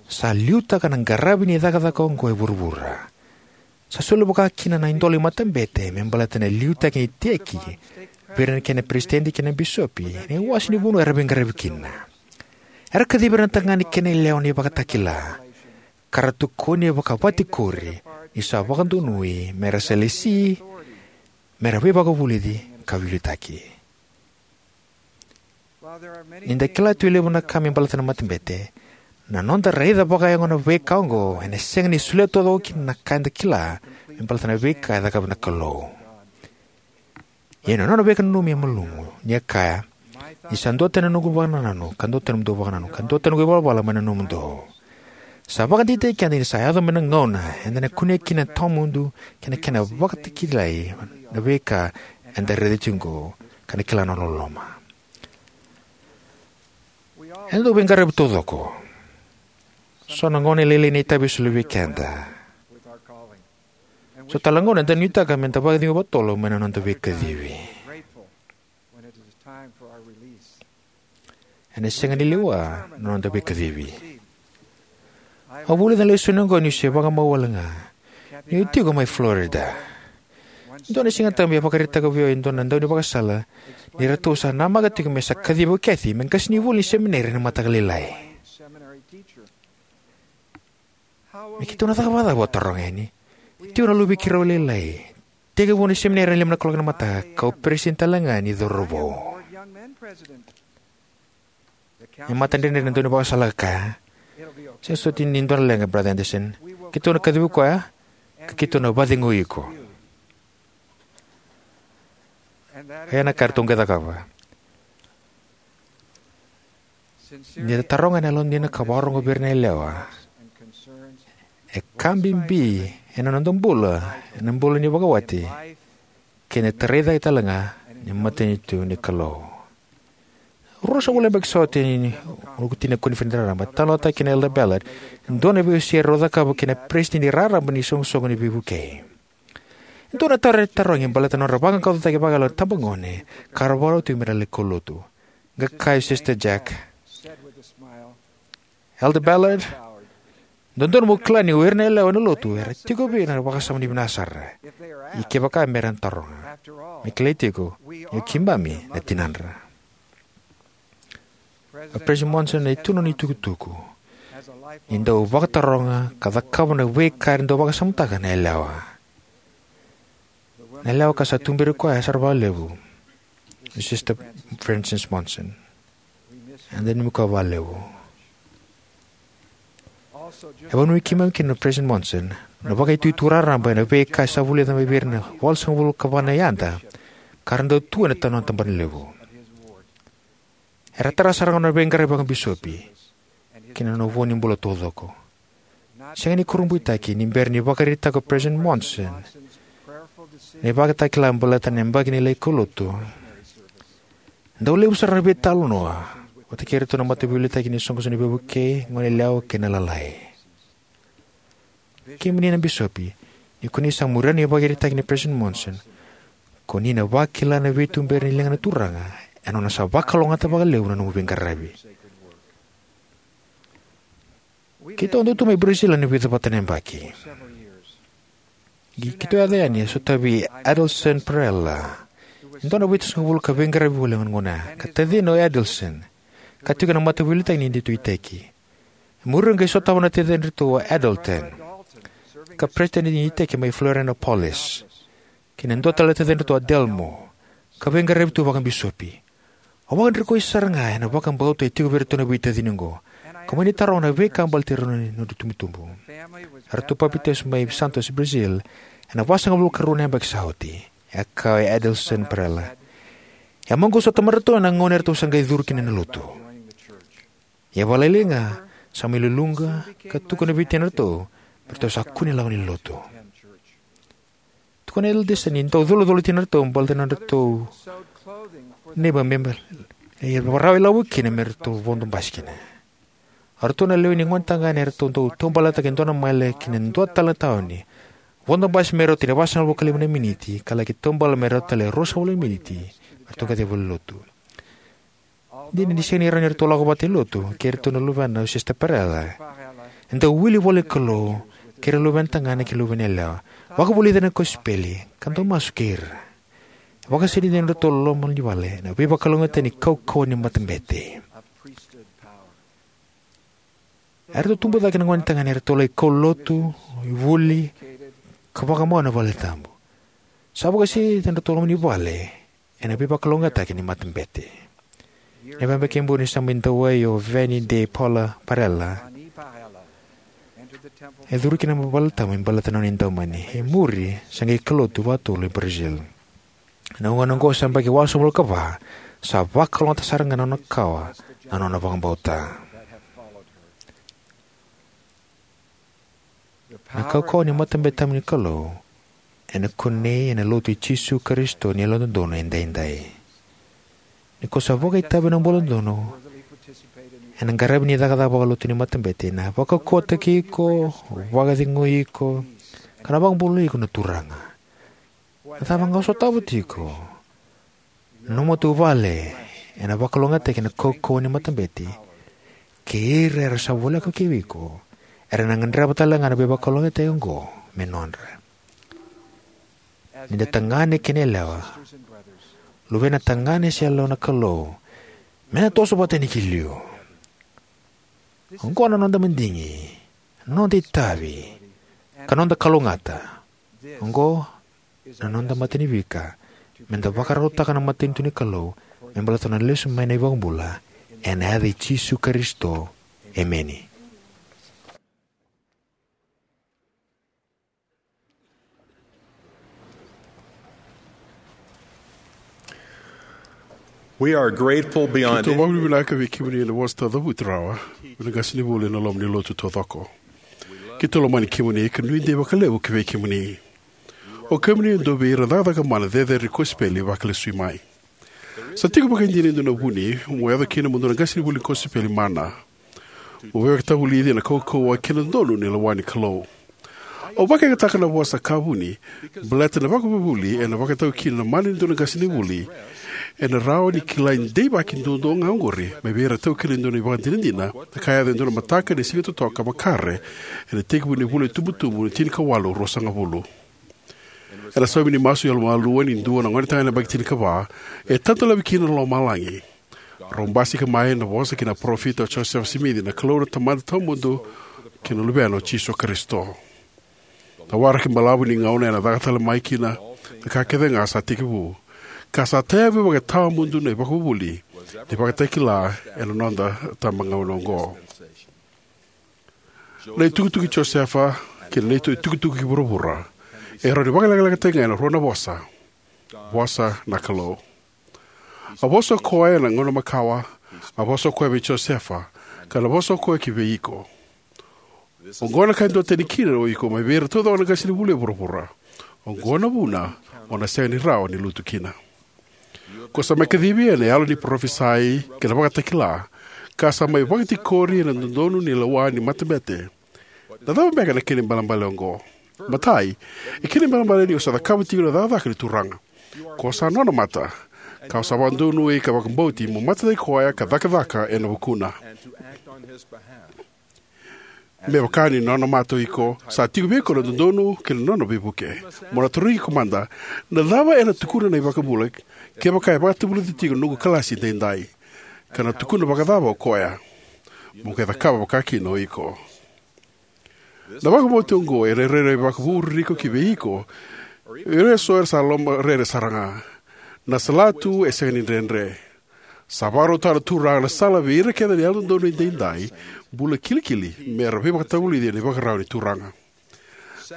sa liutaka na qaravi ni cakacaka oqo e vuravura. Sa soli vaka kina na idola ni matabete me baleta na liutaki ni iteki vei ira na kena peresitedi kei na bisopi ena iwase ni vanua era veiqaravi kina. Era kacivi ira na tagane kei na yalewa na ivakatakila, ka ra tukuni vakavakatikori ni sa vakadonui me ra sa lesi me ra veivakavulici ka veiliutaki. Ni da kila tu e levu na ka me baleta na matabete, na noda raica vakayago na veika oqo ena sega ni solia taucoko kina na ka eda kila me baleta na veika e cakava na Kalou. Ia na nona veivakananumi e malumu, ni a kaya, ni sa duatani na noqu vakanananu ka duatani na nomudou vakanananu ka duatani na noqu ivalavala mai na nomudou. Sa vakadeitaki keda ni sa yaco mai na gauna eda na kunea kina na tawamudu kei na kena vakatakilai na veika eda raica tiko oqo ka na kila na nona loloma. Eda dau veiqaravi taucoko. So na gauna e lailai na itavi e soli vei keda. So tale na gauna eda nuitaka me da vakacegu vakatotolo mai na noda veikacivi. Ena sega ni lewa na noda veikacivi. Au vulica na lesoni oqo niu se vakamau wale ga niu tiko mai Florida. Dua na Siga Tabu e vakaraitaka vei au e dua na daunivakasala ni ratou sa namaka tiko me sa kacivi o Kathy me qasenivuli ni semineri ena mataka lailai. Me keitou na caka vakacava, au taroga yani. E tiko na luve i keirau lailai, tekivu na semineri ena lima na kaloko ena mataka, ka o peresitedi tale ga ni cauravou. E matadredredre na daunivakasala ka kaya, "Sega soti ni dua na leqa, Brother Anderson. Keitou na kacivi koya, ka keitou na vakacegui iko." Ia na ka eratou qai cakava. Ni da taroga ena yalodina ka vakarogo vei ira na yalewa, e ka bibi ena noda bula, ena bula ni vakawati, kei na tarai cake tale ga ni matanitu ni Kalou. Ruasagavulu na yabaki sa oti, ni oti na koniferedi raraba, talanoataki kina o Elder Ballard e dua na veiwasei erau cakava kei na peresitedi raraba ni soqosoqo ni veivukei. E dua na taro e tarogi baleta na nodra vaqaqacotaki vakayalo na itabagone ka ra vakarau tiko me ra lai kaulotu. Qai kaya o Sister Jack, "Elder Ballard, dodonu mo kila ni o ira na yalewa ena lotu era tiko vei ira na vakasama ni vinaka sara, ia kevaka me ra na taroga. Me kilai tiko ni o keimami na tinadra." O President Monson e tu na nona itukutuku ni dau vakataroga ka cakava na veika era dau vakasamataka na yalewa. Na yalewa ka sa tuberi koya sara vakalevu, o Sister Frances Monson. Eda nanumi koya vakalevu. E vakananumi keimami kina o President Monson na vakaitutu raraba ena veika sa vulica mai vei ira na walusagavulu ka va na yada ka ra dau tu ena nona tabanalevu. Era tara sara ga na nona veiqaravi vakabisopi kei na nona vo ni bula taucoko. Sega ni kurabuitaki ni bera ni vakaraitaka o President Monson na ivakatakila baleta na yabaki ni lai kaulotu, dau levu sara na veitalanoa vata kei iratou na mataveiliutaki ni soqosoqo ni veivukei, goneyalewa kei na lalai. Kemuni na bisopi, ni ko ni sa muria na ivakaraitaki nei President Monson, ko ni na vakila na veituberi ni liga ni Turaga ena nona sa vakalougatataka vakalevu na nomu veiqaravi. Keitou a dau tu mai Brazil ena vica vata na yabaki. Keitou yaco yani e sotavi Adelson Pereira, e dua na vitusagavulu ka veiqaravi voli ena gauna, ka tacina o Adelson, ka tiko ena mataveiliutaki ni deitoitaki. E muri qai sotava na tacidratou o Adelton, ka peresitedi ni iteki mai Florianopolis, kei na dua tale na tacidratou o Adelmo, ka veiqaravi tu vakabisopi. Au vakadrikoi sara ga ena vakabauta e tiko vei iratou na veitacini oqo, ka mani taroga na veika baleti rau na nodrau itubutubu. Eratou papitaiso mai Santos, Brazil, ena vasagavulu ka rua na yabaki sa oti, e kaya o Adelson Pereira. E a maqosa o tamadratou ena gauna eratou sa qai curu kina ena lotu. Ia vakalailai ga, sa mai luluqa ka tukuna vei tinadratou me ratou sa kune lako ni lotu. Tukuna o Adelson ni dau colocolo o tinadratou baleta na nodratou neiba me rawa ilavo kina me ratou vodo basi kina. O ratou na lewe ni gonetagane eratou dau taubaletaka e dua na mile ki na dua tale na tauni, vodo basi me rauta ni vasagavulu ka lima na miniti, ka laki taubale me rauta tale e ruasagavulu na miniti me ratou qai yaco i valenilotu. Dina ni sega ni rawa ni ratou lako vata i lotu kei iratou na luvena o Sister Pereira, e dau wili ivolanikalou kei ira na luvena tagane kei na luvena yalewa, vakavulica na kosipeli, ka dau masu kei ira. E vakasainitaka na nodratou loma ni vale na veivakalougatataki ni kaukauwa ni matabete. Eratou tubu cake na gonetagane, eratou lai kaulotu, ivuli, ka vakamau ena valetabu. Sa vakasainitaka na nodratou loma ni vale ena veivakalougatataki ni matabete. Na yabaki e buli ni sa mai dawai o Vani de Paula Pereira, e curu kina na valetabu me baleta na nona idaumani. E muri sa qai kaulotu vakatotolo i Brazil. Na gauna oqo sa yabaki walusagavulu ka va, sa vakalougatataka sara ga na nona kawa na nona vakabauta. Na kaukauwa ni matabete tabu ni Kalou ena kunei ena Lotu i Jisu Karisito ni Yalododonu Edaidai. Ni ko sa vakaitavi ena buladodonu, Ena qaravi ni cakacaka vakalotu ni matabete, na vakaukauwataki iko, vakacegui iko, ka na vakabulai iko na Turaga. Na cava ga o sotava tiko, na nomu matavuvale ena vakalougatataki ena kaukauwa ni matabete, kei ira era sa voleka kei iko era na gadreva tale ga na veivakalougatataki oqo me nodra. Ni da tagane kei na yalewa, luvena tagane se yalewa na Kalou, me na toso vata yani ki liu. Oqo na noda madigi, noda itavi, ka noda kalougata. Oqo na noda matanifika me da vakarautaka na matanitu ni Kalou me baleta na lesu mai na iVakabula. Ena yaca i Jisu Karisito, emeni. We are grateful beyond Keitou vakavinavinaka vei kemuni ena vosa taucavuti rawa mai na qasenivuli ena loma ni lotu taucoko. Keitou lomani kemuni ka nuidei vakalevu ki vei kemuni. O kemuni e dua vei ira cakacaka mana cecere ni kosipeli vakalesui mai. Sa tiko vakaidina e dua na vuni mo yaco kina mo dua na qasenivuli ni kosipeli mana. Mo veivakatavulici ena kaukauwa kei na dodonu ni lewa ni Kalou. Au vakayagataka na vosa ka vuni, baleta na vakavuvuli ena vakatau kina na mana ni dua na qasenivuli ena rawa ni kilai deivaki duadua ga oqori mai vei ira taukena e dua na ivakadinadina na ka e yaco e dua na mataka ni Siga Totoka Makare ena itekivu ni vula itubutubu ni tinikawalu ruasagavulu. Ena saumi ni masu yalomalua ni dua na gonetagane yabaki tinikava, e tadolavi kina na lomalagi. Rau basika mai na vosa kei na parofita o Josefa Simici, na Kalou na Tamada Tawamudu kei na Luvena o Jisu Karisito. Na waraki balavu ni gauna ena caka tale mai kina na ka kece ga sa tekivu, ka sa tayavu vakatawamudu na ivakavuvuli ni vakatakila ena noda tabagauna oqo. Na itukutuku i Josefa kei na neitou itukutuku ki vuravura e rawa ni vakalekalekataki ga ena rua na vosa: vosa na Kalou. A vosa o koya ena gauna makawa, a vosa o koya vei Josefa, ka na vosa o koya ki vei iko. Oqo na ka e duatani kina o iko mai vei ira taucoko na qasenivuli e vuravura. Oqo na vuna o na sega ni rawa ni lutu kina. Ko sa mai kacivi ena yalo ni parofisai kei na vakatakila, ka sa mai vakatikori ena dodonu ni lewa ni matabete. Na cava beka na kena ibalebale oqo? Matai, e kena ibalebale ni o sa cakava tiko na cakacaka ni Turaga. Ko sa nona mata, ka o sa vakadonui ka vakabauti mo matataki koya ka cakacaka ena vukuna. Me vaka ni nona mata o iko, sa tiko vei iko na dodonu kei na nona veivuke. Mo na tarogi iko mada, na cava ena tukuna na iVakabula kevaka e vakatavulica tiko na noqu kalasi edaidai? Ka na tukuna vakacava o koya? Mo qai cakava vakakina o iko. Na vakabauti oqo e rairai vakavu ririko ki vei iko, ira eso era sa loma rere sara ga. Na salatu e sega ni dredre. Sa vakarautaka na Turaga na sala vei ira kece na yalododonu edaidai, bula kilikili, me ra veivakatavulici ena ivakarau ni Turaga.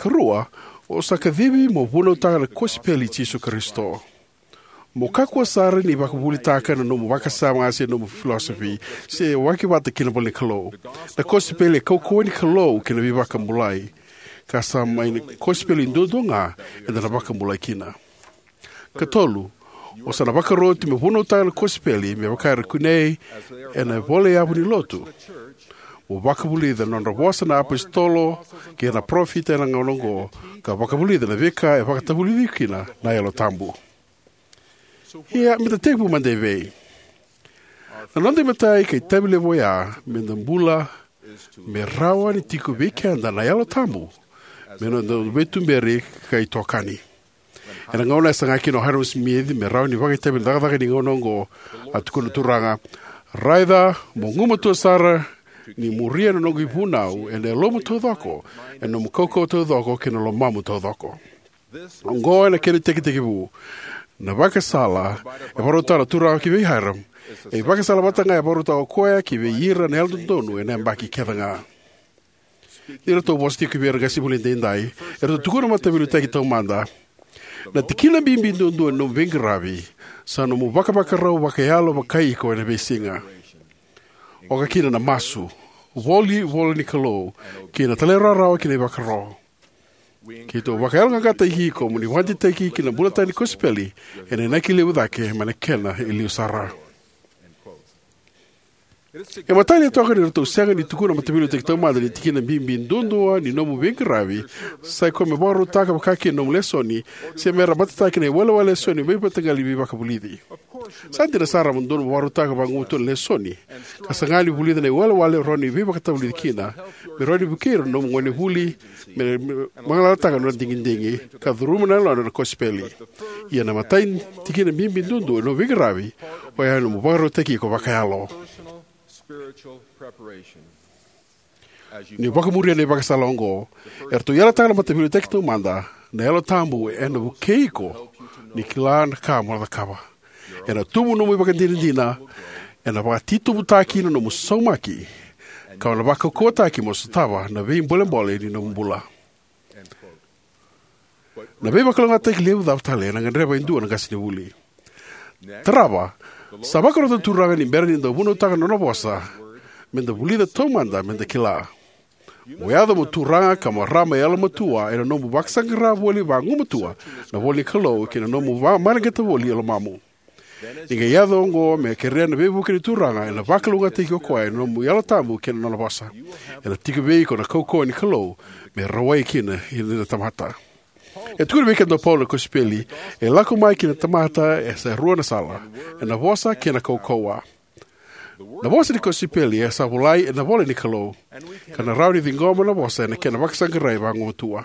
Karua, o sa kacivi mo vunautaka na kosipeli i Jisu Karisito. Mo kakua sara ni vakavuvulitaka na nomu vakasama se nomu filosofi, se waki vata kei na ivolanikalou. Na kosipeli e kaukauwa ni Kalou kei na veivakabulai. Ka sa mai na kosipeli duadua ga eda na vakabulai kina. Katolu, o sa na vakaroti me vunautaka na kosipeli me vaka era kunei ena ivola yavu ni lotu. Mo vakavulica na nodra vosa na apositolo kei na parofita ena gauna oqo, ka vakavulica na veika e vakatavulici kina na Yalo Tabu. Ia, meda tekivu mada evei? Na noda imatai ka itavi levu oya meda bula me rawa ni tiko vei keda na Yalo Tabu me noda veituberi ka itokani. Ena gauna e saga kina o Hyrum Smith me rawa ni vakaitavi ena cakacaka ni gauna oqo, a tukuna na Turaga: "Raica, mo gumatua sara ni muria na noqu ivunau ena yalomu taucoko, ena nomu kaukauwa taucoko, kei na lomamu taucoko." Oqo ena kena itekitekivu. Na ivakasala e vakarautaka na Turaga ki vei Hyrum, e ivakasala vata ga e vakarautaka o koya ki vei ira na yalododonu ena yabaki kece ga. Ni ratou vosa tiko vei ira na qasenivuli edaidai, eratou tukuna na Mataveiliutaki Taumada: "Na tikina bibi duadua ni nomu veiqaravi sa nomu vakavakarau vakayalo vakai iko ena veisiga, oka kina na masu, voli ivolanikalou, kei na talairawarawa ki na ivakaro." Keitou vakayaloqaqataki iko mo ni vakadeitaki ki na bulataka ni kosipeli ena inaki levu cake mai na kena e liu sara. E matani toka ni ratou sega ni tukuna na Mataveiliutaki Taumada ni tikina bibi duadua ni nomu veiqaravi sa ikoya me vakarautaka vakakina na nomu lesoni, se me ra matataki na iwalewale lesoni mai vei mataqali veivakavulici. Sa dina sara mo dodonu mo vakarautaka vagumatua na lesoni, ka saga ni vulica na iwalewale rawa ni veivakatavulici kina, me rawa ni vukei ira na nomu gonevuli me, me vagalalataka na nodra digidigi, ka curuma na yalodra na kosipeli. Ia na imatai ni tikina bibi duadua ni nomu veiqaravi, oya na nomu vakarautaki iko vakayalo. Ni vakamuria na ivakasala oqo, eratou yalataka na Mataveiliutaki Taumada, na Yalo Tabu ena vukei iko ni kila na ka mo na cakava. Ena tubu nomu ivakadinadina, ena vakatitobutaki na nomu saumaki, ka o na vakaukauwataki mo sotava na veibolebole ni nomu bula. Na veivakalougatataki levu cava tale ena gadreva e dua na qasenivuli? Tarava, sa vakarota na Turaga ni bera ni da vunautaka na nona vosa, me da vulica taumada me da kila. Mo yaco mo turaga ka marama yalomatua ena nomu vakasaqara voli vagumatua na ivola ni Kalou kei na nomu vakamareqeta voli e lomamu. Ni qai yaco oqo, me kerea na veivuke ni Turaga, ena vakalougatataki o koya ena nomu Yalo Tabu kei na nona vosa. Ena tiko vei iko na kaukauwa ni Kalou me rawai kina na tamata. E tukuna vei keda o Paula na kosipeli e lako mai ki na tamata e sa rua na sala, ena vosa kei na kaukauwa. Na vosa ni kosipeli e sa volai ena ivola ni Kalou, ka na rawa ni ciqoma na vosa ena kena vakasaqarai vagumatua.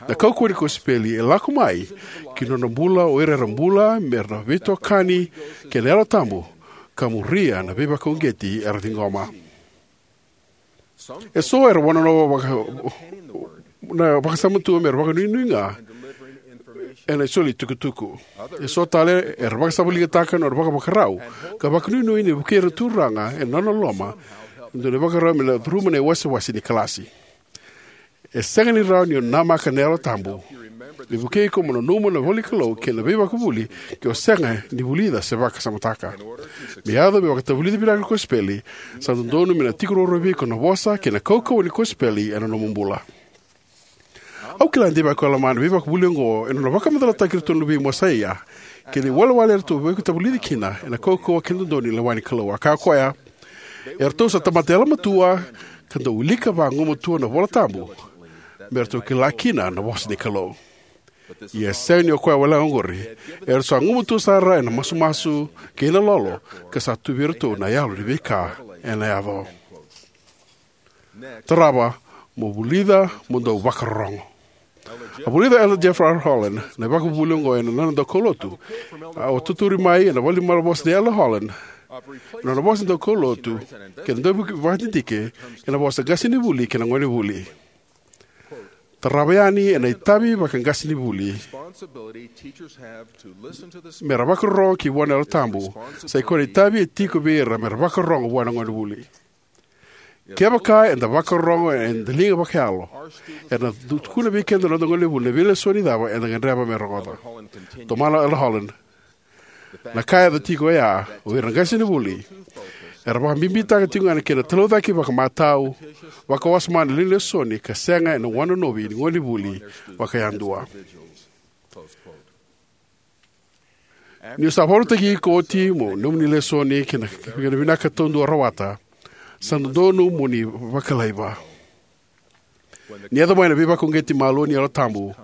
Na kaukauwa ni kosipeli e lako mai ki na nona bula o ira era bula me ra na veitokani kei na Yalo Tabu, ka muria na veivakauqeti era ciqoma. Eso era wanonova vaka, na vakasama tu me ra vakanuinui ga ena soli tukutuku. Eso tale era vakasavaligataka na nodra vakavakarau ka vakanuinui ni vukei ira na Turaga ena nona loloma, e dua na ivakarau me na curuma na iwasewase ni kalasi. E sega ni rawa ni o namaka na Yalo Tabu me vukei iko mo nanuma na ivola ni Kalou kei na veivakavuvuli ke o sega ni vulica se vakasamataka. Me yaco me vakatavulici vinaka na kosipeli, sa dodonu me na tiko ruarua vei iko na vosa kei na kaukauwa ni kosipeli ena nomu bula. Au kila de vaka o Alama na veivakavuvuli oqo ena nona vakamacalataki iratou na luvei Mosaia kei na iwalewale eratou veivakatavulici kina ena kaukauwa kei na dodonu ni lewa ni Kalou. A kaya o koya, eratou sa tamata yalomatua ka dau wilika vagumatua na iVola Tabu me ratou kila kina na vosa ni Kalou. Ia e sega ni o koya walega oqori, eratou sa gumatua sara ena masumasu kei na lolo, ka sa tu vei iratou na yalo ni veika ena yaco. Tarava, mo vulica, mo dau vakarorogo. A vulica o Elder Jeffrey R. Holland na ivakavuvuli oqo ena nona daukaulotu. A, a tautauri mai ena ivola ni malavosa nei Elder Holland na nona vosa ni daukaulotu kei na dauvakadidike ena vosa qasenivuli kei na gonevuli. Tarava yani ena itavi vakaqasenivuli me ra vakarorogo ki vua na Yalo Tabu, sa ikoya na itavi e tiko vei ira me ra vakarorogo vua na gonevuli. Kevaka eda vakarorogo ena daliga vakayalo, ena tukuna vei keda na noda gonevuli na veilesoni cava eda gadreva me rogoca. Tomana o Elder Holland, na ka e yaco tiko oya, o ira na qasenivuli era vakabibitaka tiko ga na kena talaucaki vakamatau, vakawasoma na lewe ni lesoni, ka sega ena wanonovi ni gonevuli vakayadua. Ni o sa vakarautaki iko oti mo nomuni lesoni kei na, kei na vinaka taudua o rawata, sa dodonu mo ni vakalaiva. Ni yaco mai na veivakauqeti malua ni Yalo Tabu,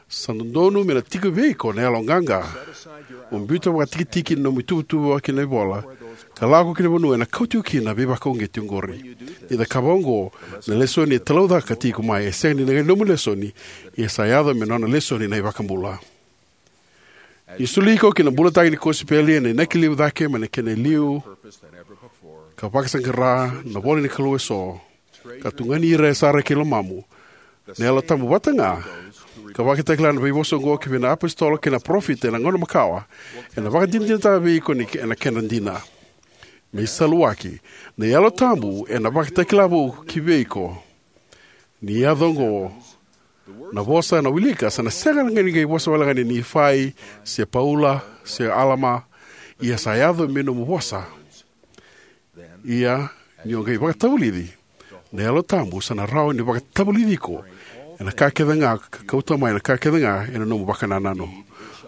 sa dodonu me na tiko vei iko na yaloqaqa mo biuta vakatikitiki na nomu ituvatuva kei na ivola, ka lako ki na vanua ena kau tiko kina na veivakauqeti oqori. Ni cakava oqo, na lesoni e talaucaka tiko mai e sega ni na qai nomu lesoni, ia sa yaco me nona lesoni na iVakabula. Ni soli iko ki na bulataki ni kosipeli ena inaki levu cake mai na kena e liu, ka vakasaqara na ivola ni Kalou eso, ka tugani ira sara ki lomamu na Yalo Tabu vata ga, ka vakatakila na veivosa oqo ki vei na iapositolo kei na parofita ena gauna makawa, ena vakadinadinataka vei iko ni, ena kena dina. Me isaluwaki, na Yalo Tabu ena vakatakila vou ki vei iko. Ni yaco oqo, na vosa ena wilika sa na sega ga ni qai vosa walega nei Nifai, se Paula, se Alama, ia sa yaco me nomu vosa. Ia, ni o qai vakatavulici, na Yalo Tabu sa na rawa ni vakatavulici iko ena ka kece ga, ka kauta mai na ka kece ga ena nomu vakanananu.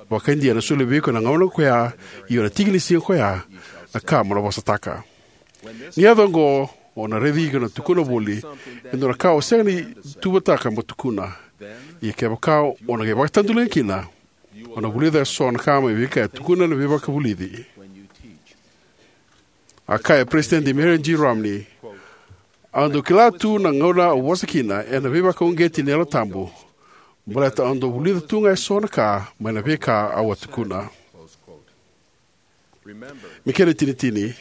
Vakaidina ena solia vei iko ena gauna koya, io ena tiki ni siga koya, na ka mo na vosataka. Ni yaco oqo, o na raici iko na tukuna voli e dua na ka o sega ni tuvataka mo tukuna. Ia kevaka o na qai vakatadulaga kina, o na vulica eso na ka mai veika e tukuna na veivakavulici. A kaya Peresitedi Marion G. Romney, "Au dau kila tu na gauna au vosa kina ena veivakauqeti ni Yalo Tabu, baleta au dau vulica tu ga eso na ka mai na veika au a tukuna." Me kena itinitini,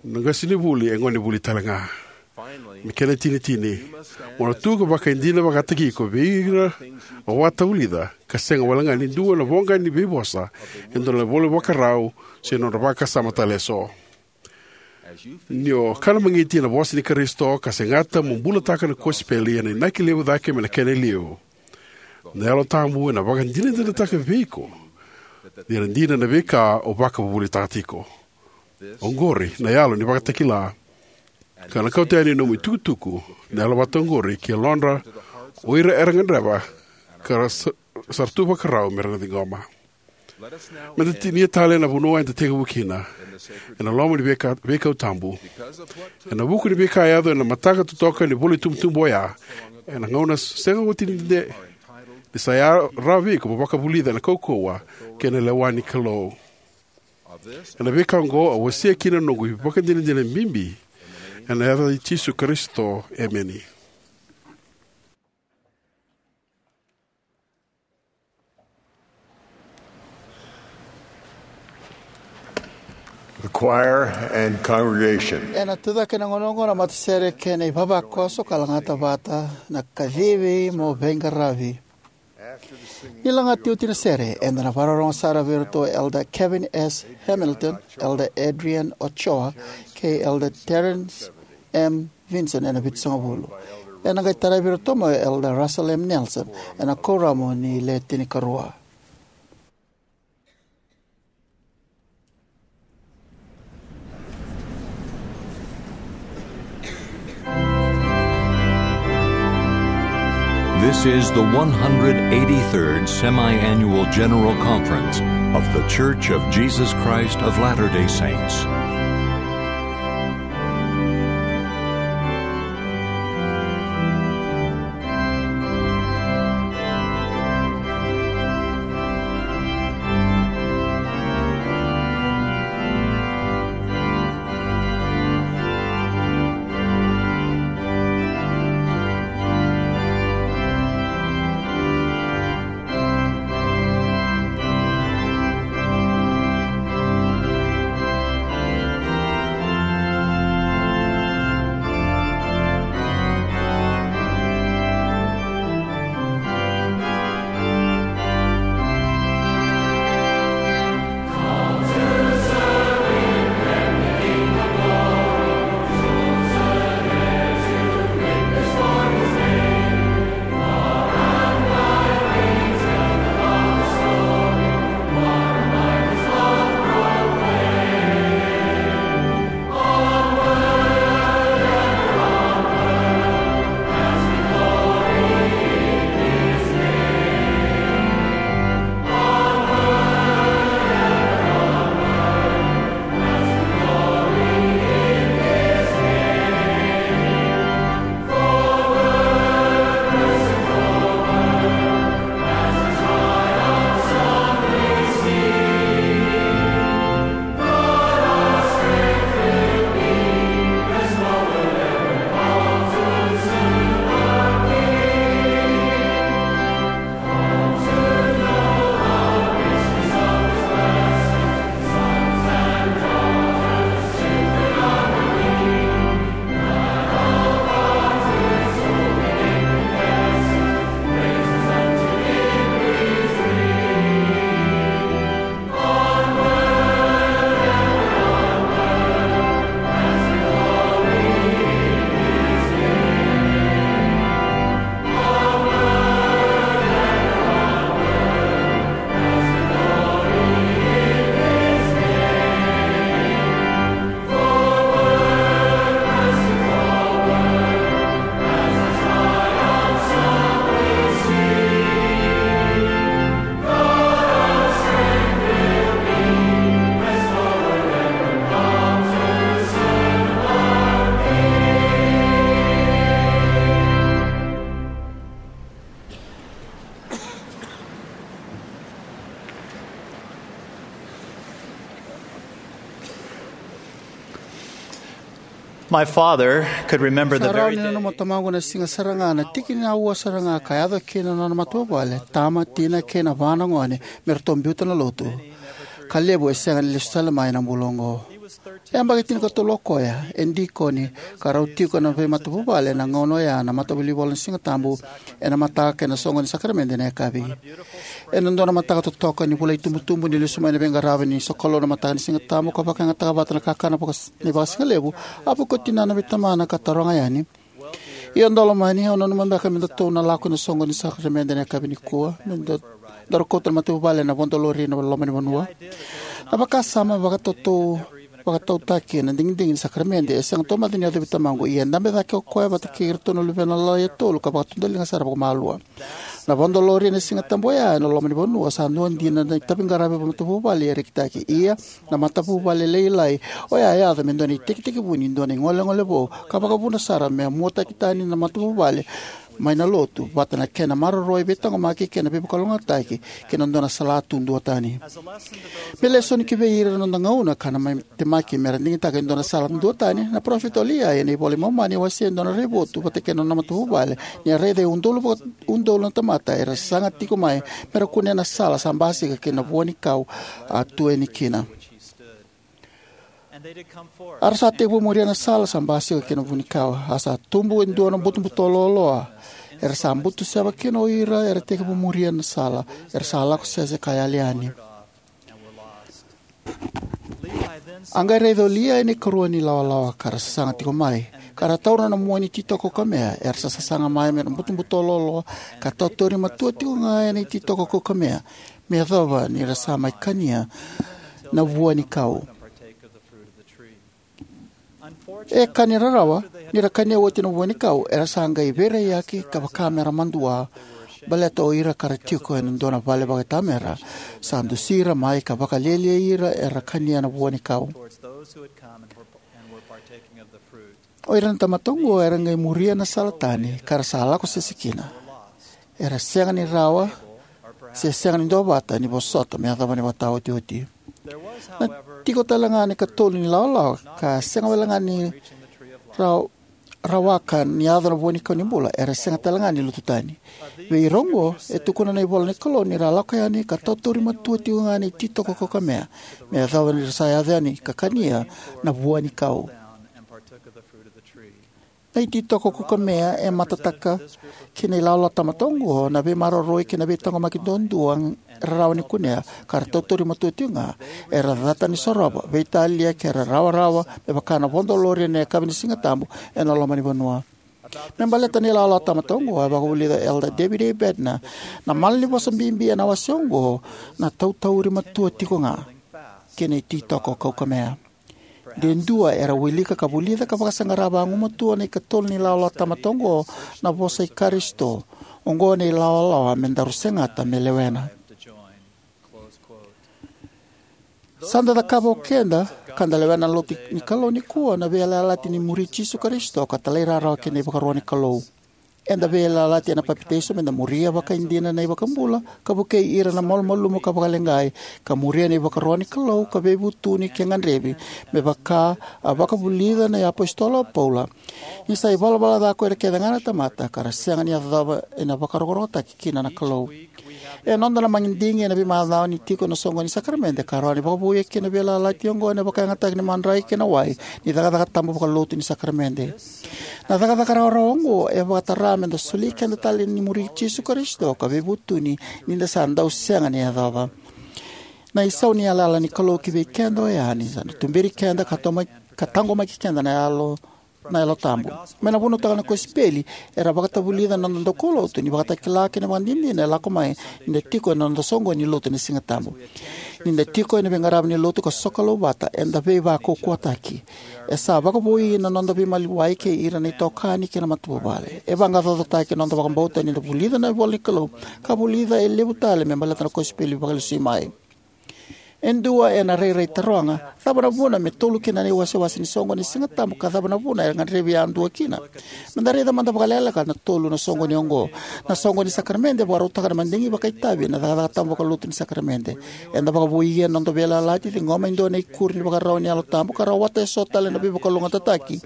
na qasenivuli e gonevuli tale ga. Me kena itinitini, mo na tu ka vakaidina vakataki iko vei ira o vakatavulica, ka sega wale ga ni dua na voqa ni veivosa e dua na ivola vakarau se nodra vakasama tale eso. Ni o kana magiti na vosa ni Karisito ka segata mo bulataka na kosipeli ena inaki levu cake mai na kena e liu, na Yalo Tabu ena vakadinadinataka vei iko ni ra dina na veika o vakavuvulitaka tiko. Oqori na yalo ni vakatakila, ka na kauta yani nomu itukutuku na yalo vata oqori ki yalodra o ira era gadreva ka ra sa-, sa ra tu vakarau me ra na ciqoma. Me da tinia tale na vanua eda tekivu kina, ena loma ni veika-, veikau tabu. Ena vuku ni veika e yaco ena mataka totoka ni vula itubutubu oya, ena gauna sega oti ni dede, ni sa ya-, rawa vei iko mo vakavulica ena kaukauwa kei na lewa ni Kalou. Ena veika oqo au wasea kina na noqu ivakadinadina bibi, ena yaca i Jisu Karisito, emeni. The choir and congregation. Ena tucake na gauna oqo na matasere kei na ivavakoso ka lagata vata na kacivi mo veiqaravi. Ni lagati oti na sere, eda na vakarorogo sara vei iratou o Elder Kevin S. Hamilton, Elder Adrian Ochoa, kei Elder Terence M. Vinson ena vitusagavulu. Ena qai taravi iratou mai o Elder Russell M. Nelson ena kuoramu ni Le Tinikarua. This is the one hundred eighty-third Semi-Annual General Conference of The Church of Jesus Christ of Latter-day Saints. My father could remember the Sa rawa very ni day nanuma o tamaqu na siga sara ga, na tiki ni aua sara ga ka yaco kina na nona matavuvale, tama, tina, kei na va na gone me ratou biuta na lotu. Ka levu e sega ni lesu tale mai na bula oqo. E yabaki tinikatolu o koya, e dikoni, ka rau tiko ena veimatavuvale ena gauna oya na Matavulivola ni Siga Tabu, ena mataka kei na soqo ni sakaramede ena yakavi. Ena dua na mataka totoka ni vula itubutubu ni lesu mai na veiqaravi ni sokalou na mataka ni Siga Tabu ka vakayagataka vata na kakana vaka, ni vakasigalevu, a vuki o tinana vei tamana ka taroga yani: "Ia, Dolomani, o nanuma beka me datou na lako ena soqo ni sakaramede ena yakavi nikua, me da, daru kauta na matavuvale ena vodo lori ena loma ni vanua?" Na vakasama vakatautau, vakatautaki ena digidigi ni sakaramede e sega taumada ni yacovi tamaqu, ia e dabe cake o koya vata kei iratou na luvena lalai e tolu ka vakatudaliga sara vakamalua. Na vodo lori ena Siga Tabu oya ena loma ni vanua sa dua dina na itaviqaravi vakamatavuvale e rekitaki. Ia, na matavuvale lailai oya e yaco me dua na itekitekivu ni dua na igolegole vou, ka vakavuna sara me a muataki tani na matavuvale mai na lotu, vata na kena maroroi, veitaqomaki kei na veivakalougatataki ki na dua na sala tu duatani. Me lesoni ki vei ira na noda gauna ka na mai temaki me ra digitaka e dua na sala duatani, na parofita o Liai ena iVola i Momani e wasea e dua na raivotu vata kei na nona matavuvale ni a raica e udolu vaka, udolu na tamata era saga tiko mai me ra kunea na sala sa basika kei na vua ni kau a tu yani kina. A ra sa tekivu muria na sala sa basika kei na vua ni kau, a sa tubu e dua na butobuto loaloa. Era sa butu seva kina o ira era tekivu muria na sala, era sa lako sese ka yali yani. A qai raica o Liai na ikarua ni lawalawa ka ra sasaga tiko mai, ka ra taura na mua ni ititoko kaukamea era sa sasaga mai mai na butobuto loaloa, ka tautauri matua tiko ga ena ititoko kaukamea, me yacova ni ra sa mai kania na vua ni kau. E ka ni rarawa, ni ra kania oti na vua ni kau, era sa qai veiraiyaki ka vaka me ra madua, baleta o ira ka ra tiko ena dua na vale vakaitamera sa dusi ira mai ka vakalialiai ira era kania na vua ni kau. O ira na tamata oqo era qai muria na sala tani ka ra sa lako sese kina. Era sega ni rawa se sega ni duavata ni vosota me yacova na ivakataotioti. Na tiko tale ga na ikatolu ni lawalawa ka sega wale ga ni raw-, rawaka ni yaco na vua ni kau ni bula, era sega tale ga ni lutu tani. Vei ira oqo, e tukuna na ivola ni Kalou ni ra lako yani ka tautauri matua tiko ga na ititoko kaukamea, me yacova ni ra sa yaco yani ka kania na vua ni kau. Na ititoko kaukamea e matataka ki na ilawalawa tamata oqo na veimaroroi kei na veitaqomaki duadua era rawa ni kunea, ka ra tautauri matua tiko ga. Era cata ni sorova, veitalia, ke ra rawarawa me vaka na vodo lori ena yakavi ni Siga Tabu ena loma ni vanua. Me baleta na ilawalawa tamata oqo, e vakavulica o Elder David A. Bednar na malanivosa bibi ena wase oqo: na tautauri matua tiko ga kei na ititoko kaukamea. De dua era wilika ka vulica ka vakasaqara vagumatua na ikatolu ni lawalawa tamata oqo na vosa i Karisito: "Oqo na ilawalawa me daru segata me lewena." Sa da cakava o keda ka da lewena na lotu ni Kalou nikua na veiyalayalati ni muri Jisu Karisito ka talairawarawa ki na ivakaro ni Kalou. Eda veiyalayalati ena papitaiso me da muria vakaidina na iVakabula ka vukei ira na malumalumu ka vakaleqai, ka muria na ivakaro ni Kalou ka veivutuni ke gadrevi, me vaka a vakavulica na iapositolo o Paula: "Ni sa ivalavala ca ko ira kece ga na tamata, ka ra sega ni yacova ena vakarokorokotaki kina na Kalou." E noda na madigi ena veimacawa ni tiko ena soqo ni sakaramede ka rawa ni vakavouya kina na veiyalayalati oqo ena vakayagataki ni madrai kei na wai ni cakacaka tabu vakalotu ni sakaramede. Na cakacaka rawarawa oqo e vakatara me da soli keda tale ni muri Jisu Karisito ka veivutuni ni da sa dau sega ni yacova. Na isau ni yalayala ni Kalou ki vei keda oya ni sa na tuberi keda ka toma-, ka taqomaki keda na Yalo, na Yalo Tabu. Me na vunautaka na kosipeli, era vakatavulica na noda daukaulotu ni ivakatakila kei na ivakadinadina e lako mai ni da tiko ena noda soqoni ni lotu ena Siga Tabu. Ni da tiko ena veiqaravi ni lotu ka sokalou vata, eda veivakaukauwataki. E sa vakavoui na noda veimaliwai kei ira na itokani kei na matavuvale. E vaqaqacotaki na noda vakabauta ni da vulica na ivola ni Kalou ka vulica e levu tale me baleta na kosipeli vakalesui mai. E dua ena rairai taroga, cava na vuna me tolu kina na iwasewase ni soqoni ni Sigatabu ka cava na vuna e gadrevi yadua kina? Meda raica mada vakalekaleka na tolu na soqoni oqo. Na soqoni ni sakaramede e vakarautaka na madigi vakaitavi ena cakacaka tabu vakalotu ni sakaramede. Eda vakavoui ena noda veiyalayalati, ciqoma e dua na ikuri ni vakarau ni Yalo Tabu, ka rawata eso tale na veivakalougatataki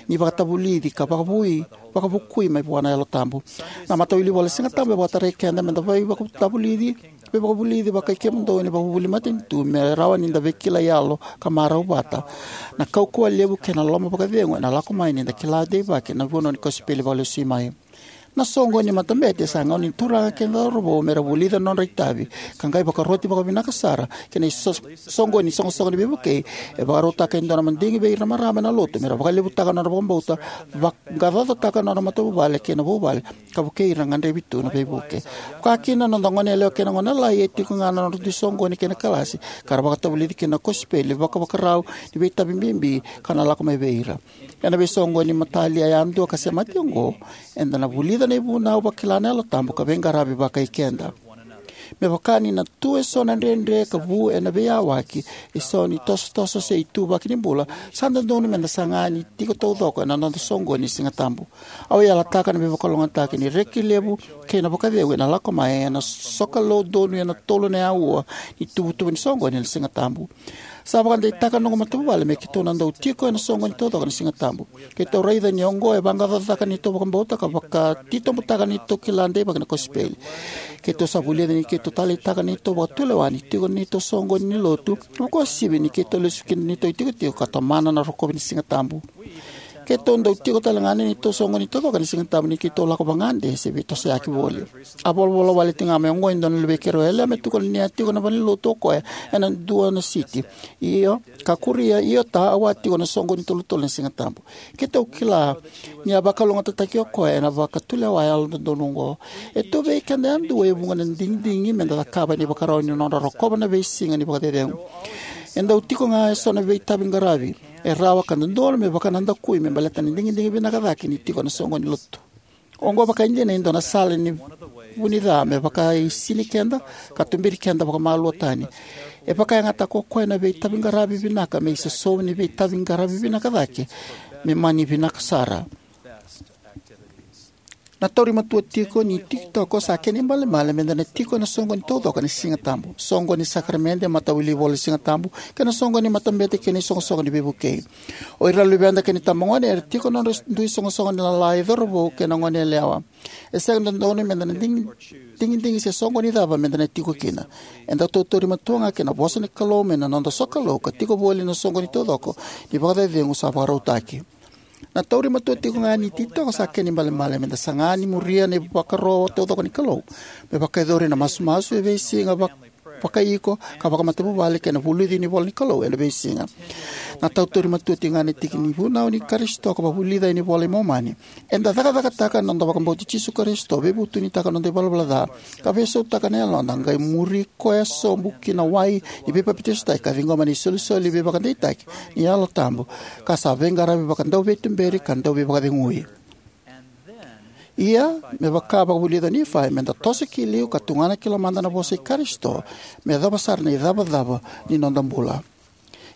ni vakatavulici ka vakavui, vakavukui mai vua na Yalo Tabu. Na Matawilivola ni Sigatabu e vakatarai keda meda veivakatavulici, veivakavulici vakai kemudou ena ivakavuvuli matanitu me rawa ni da veikilai yalo ka marau vata. Na kaukauwa levu kei na loloma vakacegu ena lako mai ni da kila deivaki na vunau ni kosipeli vakalesui mai. Na soqoni ni matabete sa gauna ni turaga kei na cauravou mera vulica na nodra itavi ka qai vakaroti vakavinaka sara ki na iso-, soqoni ni soqosoqo ni veivukei. E vakarautaka e dua na madigi vei ira na marama ena lotu mera vakalevutaka na nodra vakabauta, vaqaqacotaka na nodra matavuvale kei na vuvale, ka vukei ira gadrevi tu na veivuke. Vaka kina na noda goneyalewa kei na gonelai, e tiko ga na nodra dui soqoni kei na kalasi ka ra vakatavulici kina na kosipeli, vakavakarau ni veitavi bibi ka na lako mai vei ira. Ena veisoqoni ni matalia yadua ka semati oqo, eda na vulica na ivunau, vakila na Yalo Tabu, ka veiqaravi vakai keda. Me vaka ni na tu eso na dredre ka vu ena veiyawaki, isau ni tosotoso se ituvaki ni bula, sa dodonu meda saga ni tiko taucoko ena noda soqoni ni Sigatabu. Au yalataka na veivakalougatataki ni reki levu kei na vakacegu ena lako mai ena sokalou donuya na tolu na aua ni ituvatuva ni soqoni ni Sigatabu. Sa vakadeitaka na noqu matavuvale me keitou na dau tiko ena soqoni taucoko ni Sigatabu. Keitou raica ni oqo e vaqaqacotaka na neitou vakabauta ka vakatitobutaka na neitou kila deivaki na kosipeli. Keitou sa vulica ni keitou taleitaka na neitou vakatulewa ni tiko ena neitou soqoni ni lotu, ka vakauasivi ni keitou lesu ki na neitou itikotiko ka tomana na rokovi ni Sigatabu. Keitou dau tiko talega ena neitou soqoni taucoko ni Sigatabu ni keitou lako vagade se veitosoyaki voli. A volavola wale tiko ga mai oqo e dua na luvei keirau yalewa me tukuna ni a tiko na valenilotu o koya ena dua na siti. Io, ka kuria, io ta, au a tiko ena soqoni tolutolu ni Sigatabu. Keitou kila ni a vakalougatataki o koya ena vakatulewa yalododonu oqo. E tu vei keda yadua e vuqa na digidigi meda cakava ena ivakarau ni nodra rokova na veisiga ni vakacecegu. E dau tiko ga eso na veitavi qaravi. E rawa ka dodonu me vakanadakui me baleta na digidigi vinaka cake ni tiko ena soqoni lotu. Oqo vakaidina e dua na sala ni vu ni ca me vakaisini keda ka tuberi keda vakamalua tani. E vakayagataka o koya na veitavi qaravi vinaka me isosomi ni veitavi qaravi vinaka cake me mani vinaka sara. Na tauri matua tiko ni titoko sa kena ibalebale meda na tiko ena soqoni taucoko ni Sigatabu, soqoni ni sakaramede, matawilivola ni Sigatabu, kei na soqoni ni matabete kei na isoqosoqo ni veivukei. O ira na luveda kei na itabagone era tiko ena nodra dui soqosoqo ni lala, e cauravou kei na goneyalewa. E sega ni dodonu meda na digi-, digidigi se soqoni cava meda na tiko kina. Eda tautauri matua ga ki na vosa ni Kalou mai na noda sokalou ka tiko voli ena soqoni taucoko ni vakacecegu sa vakarautaki. Na tauri matua tiko ga ni titoko sa kena ibalebale meda saga ni muria na ivakaro taucoko ni Kalou, me vakayacori na masumasu e veisiga vak-, vakaiko ka vakamatavuvale kei na vulici ni ivola ni Kalou ena veisiga. Na tautauri matua tiko ga ni tiki ni vunau ni Karisito ka vakavulica ena iVola i Momani. Eda cakacakataka na noda vakabauti Jisu Karisito, veivutunitaka na noda ivalavala ca, ka veisautaka na yaloda, qai muri koya sobu ki na wai ni veipapitaisotaki ka ciqoma na isolisoli veivakadeitaki ni Yalo Tabu, ka sa veiqaravi vakadauveituberi ka dauveivakacegui. Ia, me vaka vakavulica o Nifai, meda toso ki liu ka tugana ki lomada na vosa i Karisito, me yacova sara na icavacava ni noda bula.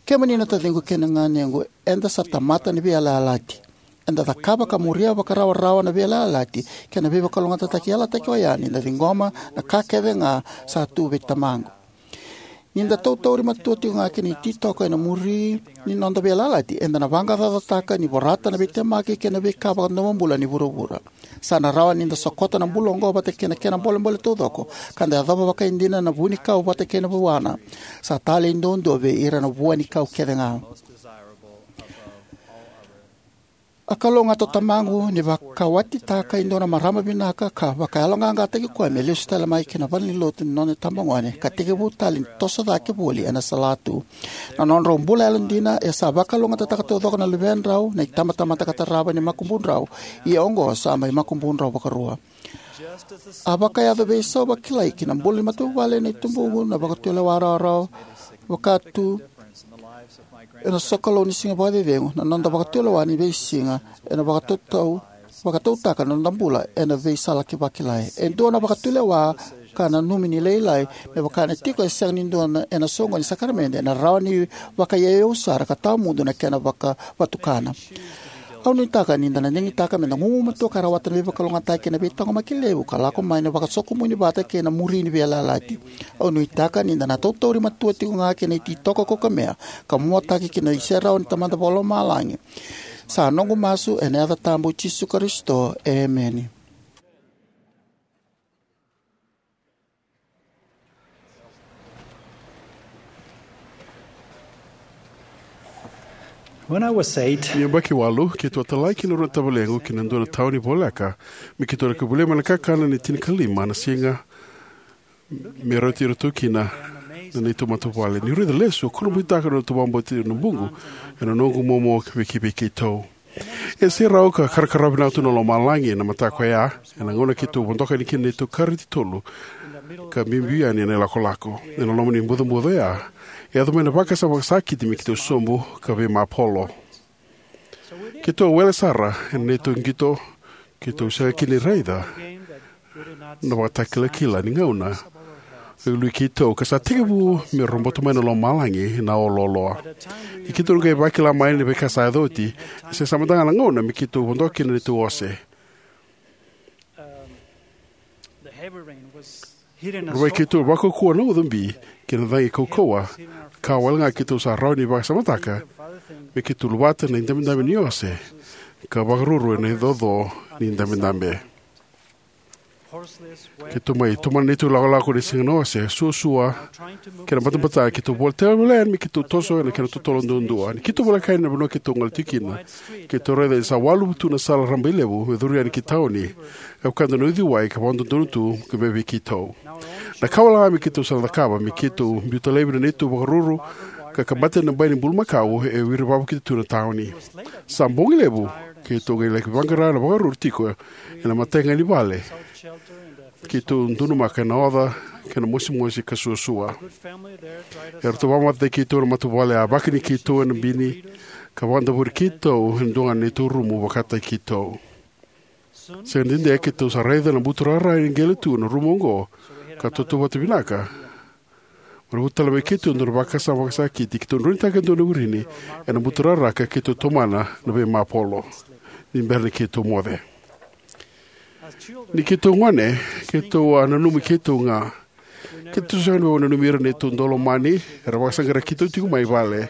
Kemuni na taciqu kei na ganequ, eda sa tamata ni veiyalayalati. Eda cakava ka muria vakarawarawa na veiyalayalati kei na veivakalougatataki yalataki oya ni da ciqoma na ka kece ga sa tu vei Tamaqu. Ni da tautauri matua tiko ga ki na ititoko ena muri ni noda veiyalayalati, eda na vaqaqacotaka ni vorata na veitemaki kei na veika vakadomobula ni vuravura. Sa na rawa ni da sokota na bula oqo vata kei na kena bolebole taucoko, ka da yacova vakaidina na vunikau vata kei na vuana. Sa talei duadua vei ira na vuanikau kece ga. A kalougata o Tamaqu ni vakawatitaka e dua na marama vinaka ka vakayaloqaqataki koya me lesu tale mai ki na valenilotu ni nona itabagone, ka tekivu tale ni toso cake voli ena salatu. Na nodrau bula yalodina e sa vakalougatataka taucoko na luvedrau, na itabatamata ka tarava ni makubudrau, ia oqo sa mai makubudrau vakarua. A vakayaco veisau vakilai ki na bula ni matavuvale na itubuqu na vakatulewa rawarawa, vaka tu ena sokalou ni siga vakacecegu, na noda vakatulewa ni veisiga, ena vakatautau, vakatautaka na noda bula ena veisala ki vakilai. E dua na vakatulewa ka nanumi ni lailai, me vaka na tiko e sega ni dua na, ena soqoni ni sakaramede, ena rawa ni vakaiyauyau sara ka tawamudu na kena vakavatukana. Au nuitaka ni da na digitaka me da gugumatua ka rawata na veivakalougatataki kei na veitaqomaki levu ka lako mai na vakasokomuni vata kei na muri ni veiyalayalati. Au nuitaka ni da na tautauri matua tiko ga kei na ititoko kaukamea ka muataki ki na iserau ni Tamada Vakalomalagi. Sa noqu masu ena yaca tabu i Jisu Karisito. Emeni. When I was eight, ni yabaki walu, keitou a talai kina rua na tavalequ ki na dua na tauni voleka, me keitou laki volia mai na kakana ni tinikalima na siga, me rauti iratou kina na neitou matavuvale. Niu raica lesu, au kurabuitaka na neitou vakabauti na buqu ena noqu momo vei keitou. E serau ka karakarawa vinaka tu na lomalagi ena mataka oya, ena gauna keitou vodoka yani kina na neitou kareti tolu ka biubiu yani ena ilakolako. Ena loma ni bucabuca oya, e yaco mai na vakasama vakasakiti me keitou sobu ka veimapolo. Keitou a wele sara ena neitou qito, keitou sega kina ni raica na ivakatakilakila ni gauna e ului keitou, ka sa tekivu me robota mai na lomalagi na o loaloa. Ni keitou qai vakila mai na veika sa yaco oti, e se sa mada ga na gauna me keitou vodoka kina na neitou ose. Rau vei keitou vakaukauwa na uca bi kei na cagi kaukauwa, ka wale ga keitou sa rawa ni vakasamataka me keitou luvata na idabedabe ni ose ka vakaruru ena icoco ni idabedabe. Keitou mai tomana na neitou lakolako ni siga na ose, suasua kei na batabata, keitou voleka tale yani me keitou toso ena kena totolo duadua. Ni keitou voleka yani na vanua keitou gole tiko kina, keitou raica ni sa waluvu tu na sala rabailevu me curu yani ki tauni, ka vaka e dua na uciwai ka vakadodonu tu ka mai vei keitou. Na ka wale ga me keitou sa na cakava me keitou biuta laivi na neitou vakaruru ka kabata na bai ni bulumakau e wiri vavakita tu na tauni. Sa bogi levu, keitou qai laki vaqara na vakaruru tiko ena imatai ga ni vale. Keitou donumaka ena oca kei na mosimosi ka suasua. Eratou vakamatataki keitou na matavuvale, a vakani keitou ena bini ka vakadavori keitou ena dua ga na neitou rumu vakataki keitou. Sega ni dede, keitou sa raica na buturara e qele tu na rumu oqo, ka tautauvata vinaka. Maravu tale mai keitou e dua na vakasama vakasakiti, keitou droinitaka e dua na wirini ena buturara ka keitou tomana na veimapolo ni bera ni keitou moce. Ni keitou gone, keitou a nanumi keitou ga. Keitou sega ni vakananumi ira na neitou daulomani era vakasaqarai keitou tiko mai vale.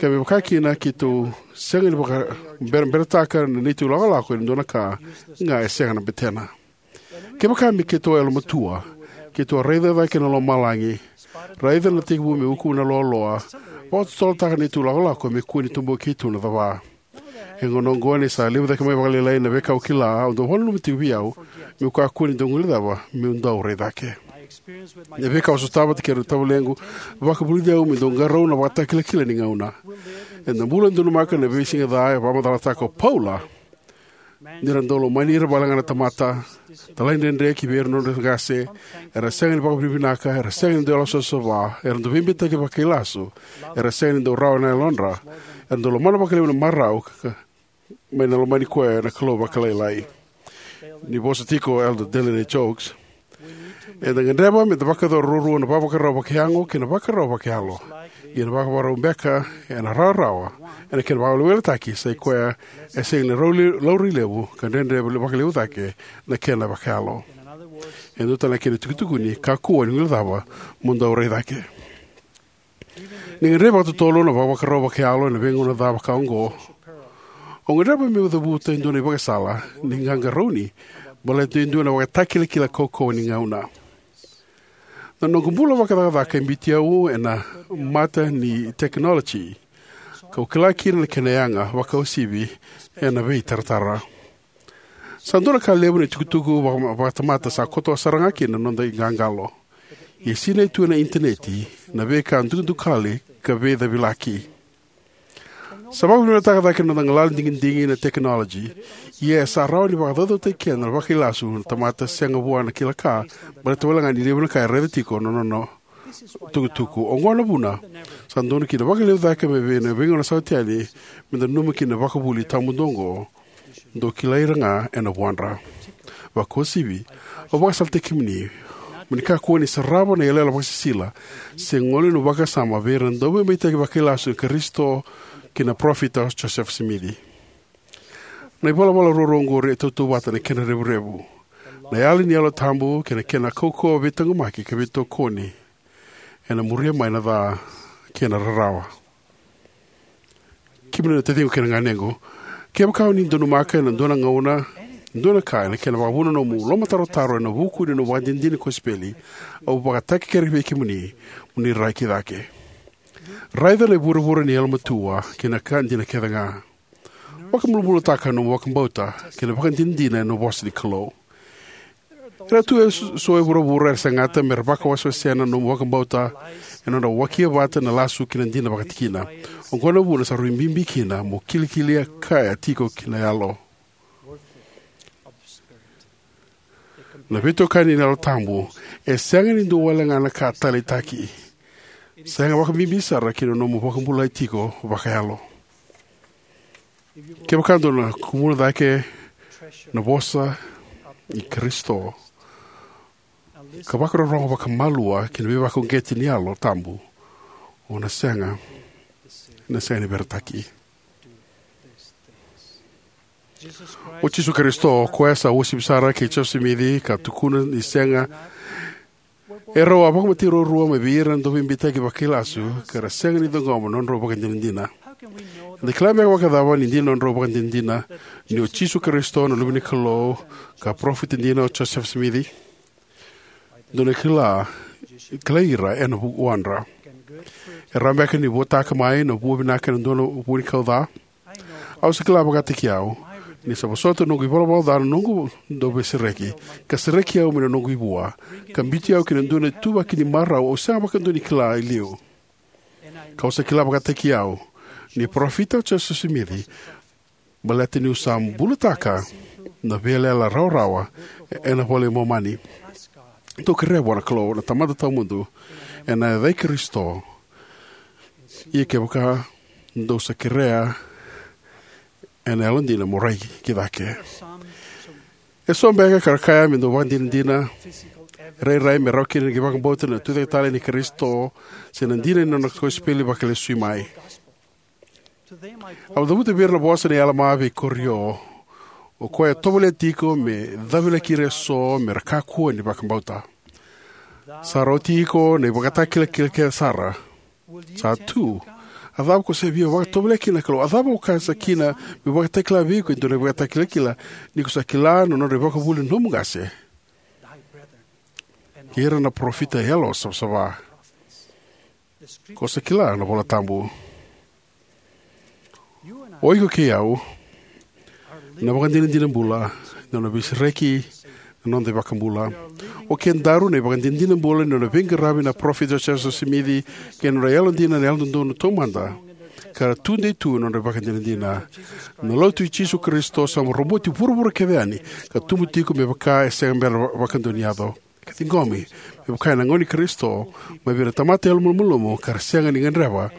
Ka me vaka kina, keitou sega ni vakaberaberataka na neitou lakolako ena dua na ka ga e sega na betena. Kevaka me keitou a yalomatua, keitou a raica cake na lomalagi, raica na tekivu me ukuna na loaloa, vakatotolotaka na neitou lakolako me kua ni tubu keitou na cava. E gauna oqo ni sa levu cake mai vakalailai na veika au kila, au dau vakananuma tiko vei au meu kakua ni dau guilecava meu dau rai cake. Na veika au sotava vata kei ira na tavalequ vakavulici au meu dau qarauna na ivakatakilakila ni gauna. Eda bula donumaka na veisiga ca, e vakamacalataka o Paula. Ni ra dau lomani ira vale ga na tamata, talaidredre ki vei ira na nodra qase, era sega ni vakavinavinaka, era sega ni dau yalosavasava, era dau veibeitaki vakailasu, era sega ni dau rawa na yalodra, era dau lomana vakalevu na marau, ka, ka, mai na lomani koya na Kalou vakalailai. Ni vosa tiko o Elder Dallin H. Oaks, eda gadreva me da vakayacora ruarua na vakavakarau vakayago kei na vakarau vakayalo. Ia na vakavakarau beka ena rawarawa ena kena vakaweleweletaki, sa i koya e sega ni rau le-, laurai levu ka dredre vakalevu cake na kena vakayalo. E dua tale na kena itukutukuni, kakua ni guilecava mo dau rai cake. Ni gadrevi vakatotolo na vakavakarau vakayalo ena veigauna ca vaka oqo, au gadreva meu cavuta e dua na ivakasala ni qaqarauni baleta e dua na ivakatakilakila kaukauwa ni gauna. Na noqu bula vakacakacaka e biuti au ena mata ni tekinoloji, kau kila kina na kena yaga vakauasivi ena veitaratara. Sa dua na ka levu na itukutuku vaka-, vakatamata sa koto sara ga kina na noda iqaqalo. Ia sinai tu ena initaneti na veika dukadukali ka veicavilaki. Sa vakavinavinakataka cake na noda galala ni digidigi na tekinoloji, ia e sa rawa ni vakacaucautaki keda na vakailasu na tamata sega vua na kila ka, baleta wale ga ni levu na ka e raica tiko na nona tukutuku. Oqo na vuna sa dodonu kina vakalevu cake mai vei na veigauna sa oti yani me da nanuma kina na vakavuvuli tawamudu oqo. Dou kilai ira ga ena vuadra. Vakauasivi, au vakasalataki kemuni mo ni kakua ni sarava na iyaloyalo vakasisila se gole na vakasama vei ira na dauveibeitaki vakailasu i Karisito kei na parofita o Josefa Simici. Na ivalavala ruarua oqori e tautauvata na kena revurevu: na yali ni Yalo Tabu kei na kena kaukauwa veitaqomaki ka veitokoni ena muria mai na ca kei na rarawa. Kemuni na taciqu kei na ganequ, kevaka o ni donumaka ena dua na gauna e dua na ka ena kena vakavuna nomu lomatarotaro ena vuku ni nomu ivakadinadina ni kosipeli, au vakatakekere vei kemuni mo ni rai cake. Raica na ivurevure ni yalomatua kei na ka dina kecega. Vakabulabulataka nomu vakabauta kei na ivakadinadina ena vosa ni Kalou. Era tu eso e vuravura era segata mera vakawasewasea na nomu vakabauta ena nodra wakia vata na lasu kei na dina vakatikina. Oqo na vuna sa rui bibi kina mo kilikili kaya tiko ki na yalo. Na veitokani ni Yalo Tabu e sega ni dua walega na ka taleitaki, sega vakabibi sara ki na nomu vakabulai tiko vakayalo. Kevaka dou na kumuna cake na vosa i Karisito ka vakarorogo vakamalua ki na veivakauqeti ni Yalo Tabu, o na sega, na sega ni veretaki. O Jisu Karisito, o koya sa uasivi sara kei Josefa Simici ka tukuna ni sega, e rau a vakamatei ruarua mai vei ira na dauveibeitaki vakailasu ka ra sega ni ciqoma na nodrau ivakadinadina. Eda kila beka vakacava ni dina na nodrau ivakadinadina ni o Jisu Karisito na Luve ni Kalou ka parofita dina o Josefa Simici? Dou na kila, kilai ira ena vuadra. E rawa beka ni vuataka mai na vua vinaka ena dua na vuanikau ca? Au sa kila vakataki au ni sa vosota na noqu ivalavala ca na noqu dauveisereki, ka sereki au mai na noqu ivua, ka biuti au ki na dua na ituvaki ni marau au sega vakadua ni kila e liu. Kau sa kila vakataki au ni parofita o Josefa Simici, baleta niu sa bulataka na veiyalayala rawarawa ena iVola i Momani. Dou kerea vua na Kalou na Tamada Tawamudu ena yaca i Karisito. Ia kevaka dou sa kerea ena yalodina mo rai cake. Eso beka era kaya me dau ivakadinadina rairai me rawa kina na qai vakabauta na Tucaketale i Karisito se na dina ni nona kosipeli vakalesui mai. Au cavuta vei ira na vosa nei Alama vei Korio, o koya e tovolea tiko me cavilaki ira eso mera kakua ni vakabauta. Sa rauti iko na ivakatakilakila kece sara. Sa tu. A cava ko sa via vakatovolea kina na Kalou? A cava ko kaya sa kina meu vakatakila vei iko e dua na ivakatakilakila, ni ko sa kila na nodra ivakavuvuli na nomu qase kei ira na parofita yalosavasava? Ko sa kila na iVola Tabu. O iko kei au na ivakadinadina bula ni nona veisereki na noda iVakabula. O kedaru na ivakadinadina bula ni nona veiqaravi na parofita o Josefa Simici kei na nodra yalodina na Yalododonu Taumada, ka ra tudei tu ena nodra ivakadinadina. Na Lotu i Jisu Karisito sa mai roboti vuravura kece yani ka tubu tiko me vaka e sega bera vakadua ni yaco. Ka ciqomi me vaka ena gauna i Karisito mai vei ira na tamata yalomalumalumu ka ra sega ni gadreva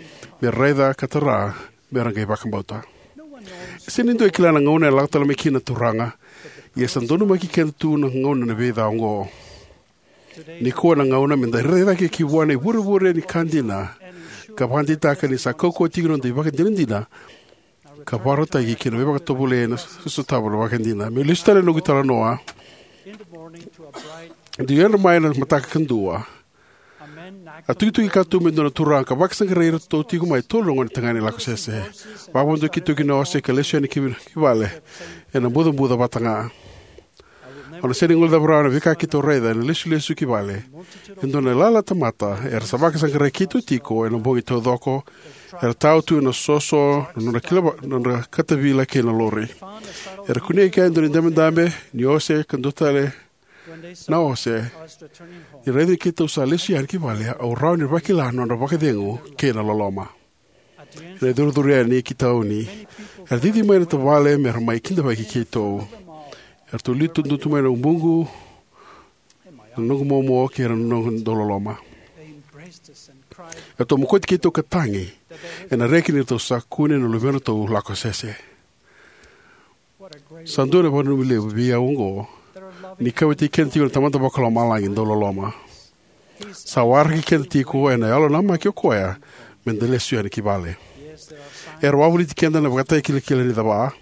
me raica ka tara mera qai vakabauta. E sega ni dua e kila na gauna ena lako tale mai kina na Turaga, ia sa donumaki keda tu na gauna na veica oqo. Nikua na gauna meda rai cake ki vua na ivurevure ni ka dina ka vakadeitaka ni sa kaukauwa tiko na noda ivakadinadina ka vakarautaki ki na veivakatovolei ena so-, sotava na ivakadina. Meu lesu tale na noqu italanoa. Dau yadra mai ena mataka kadua, a tukituki katuba e dua na turaga ka vakasaqarai iratou tiko mai e tolu na gonetagane lakosese. Vakavodoki keitou ki na ose ka lesu yani ki, ki vale ena bucabuca vata ga. Au na sega ni guilecava rawa na veika keitou raica ena lesulesu ki vale. E dua na ilala tamata era sa vakasaqarai keitou tiko ena bogi taucoko. Era tao tu ena soso na nodra kila va-, na nodra katavila kei na lori. Era kunea e kea e dua na idabedabe ni ose ka dua tale na ose. Ni raica ni keitou sa lesu yani ki vale, au rawa ni vakila na nodra vakacegu kei na loloma. Ena icurucuru yani ki tauni, era cici mai na tavale mera mai kidavaki keitou. Eratou liu tu, tu mai na ubuqu, na noqu momo kei na noqu dauloloma. Eratou mokoti keitou ka tagi ena reki ni ratou sa kune na luvedratou lakosese. Sa dua na vakananumi levu vei au oqo Ni kauwaitaki keda tiko na Tamada Vakalomalagi dauloloma. Sa waraki keda tiko ena yalo namaki o koya me da lesu yani ki vale. Era wavoliti keda na ivakatakilakila ni cava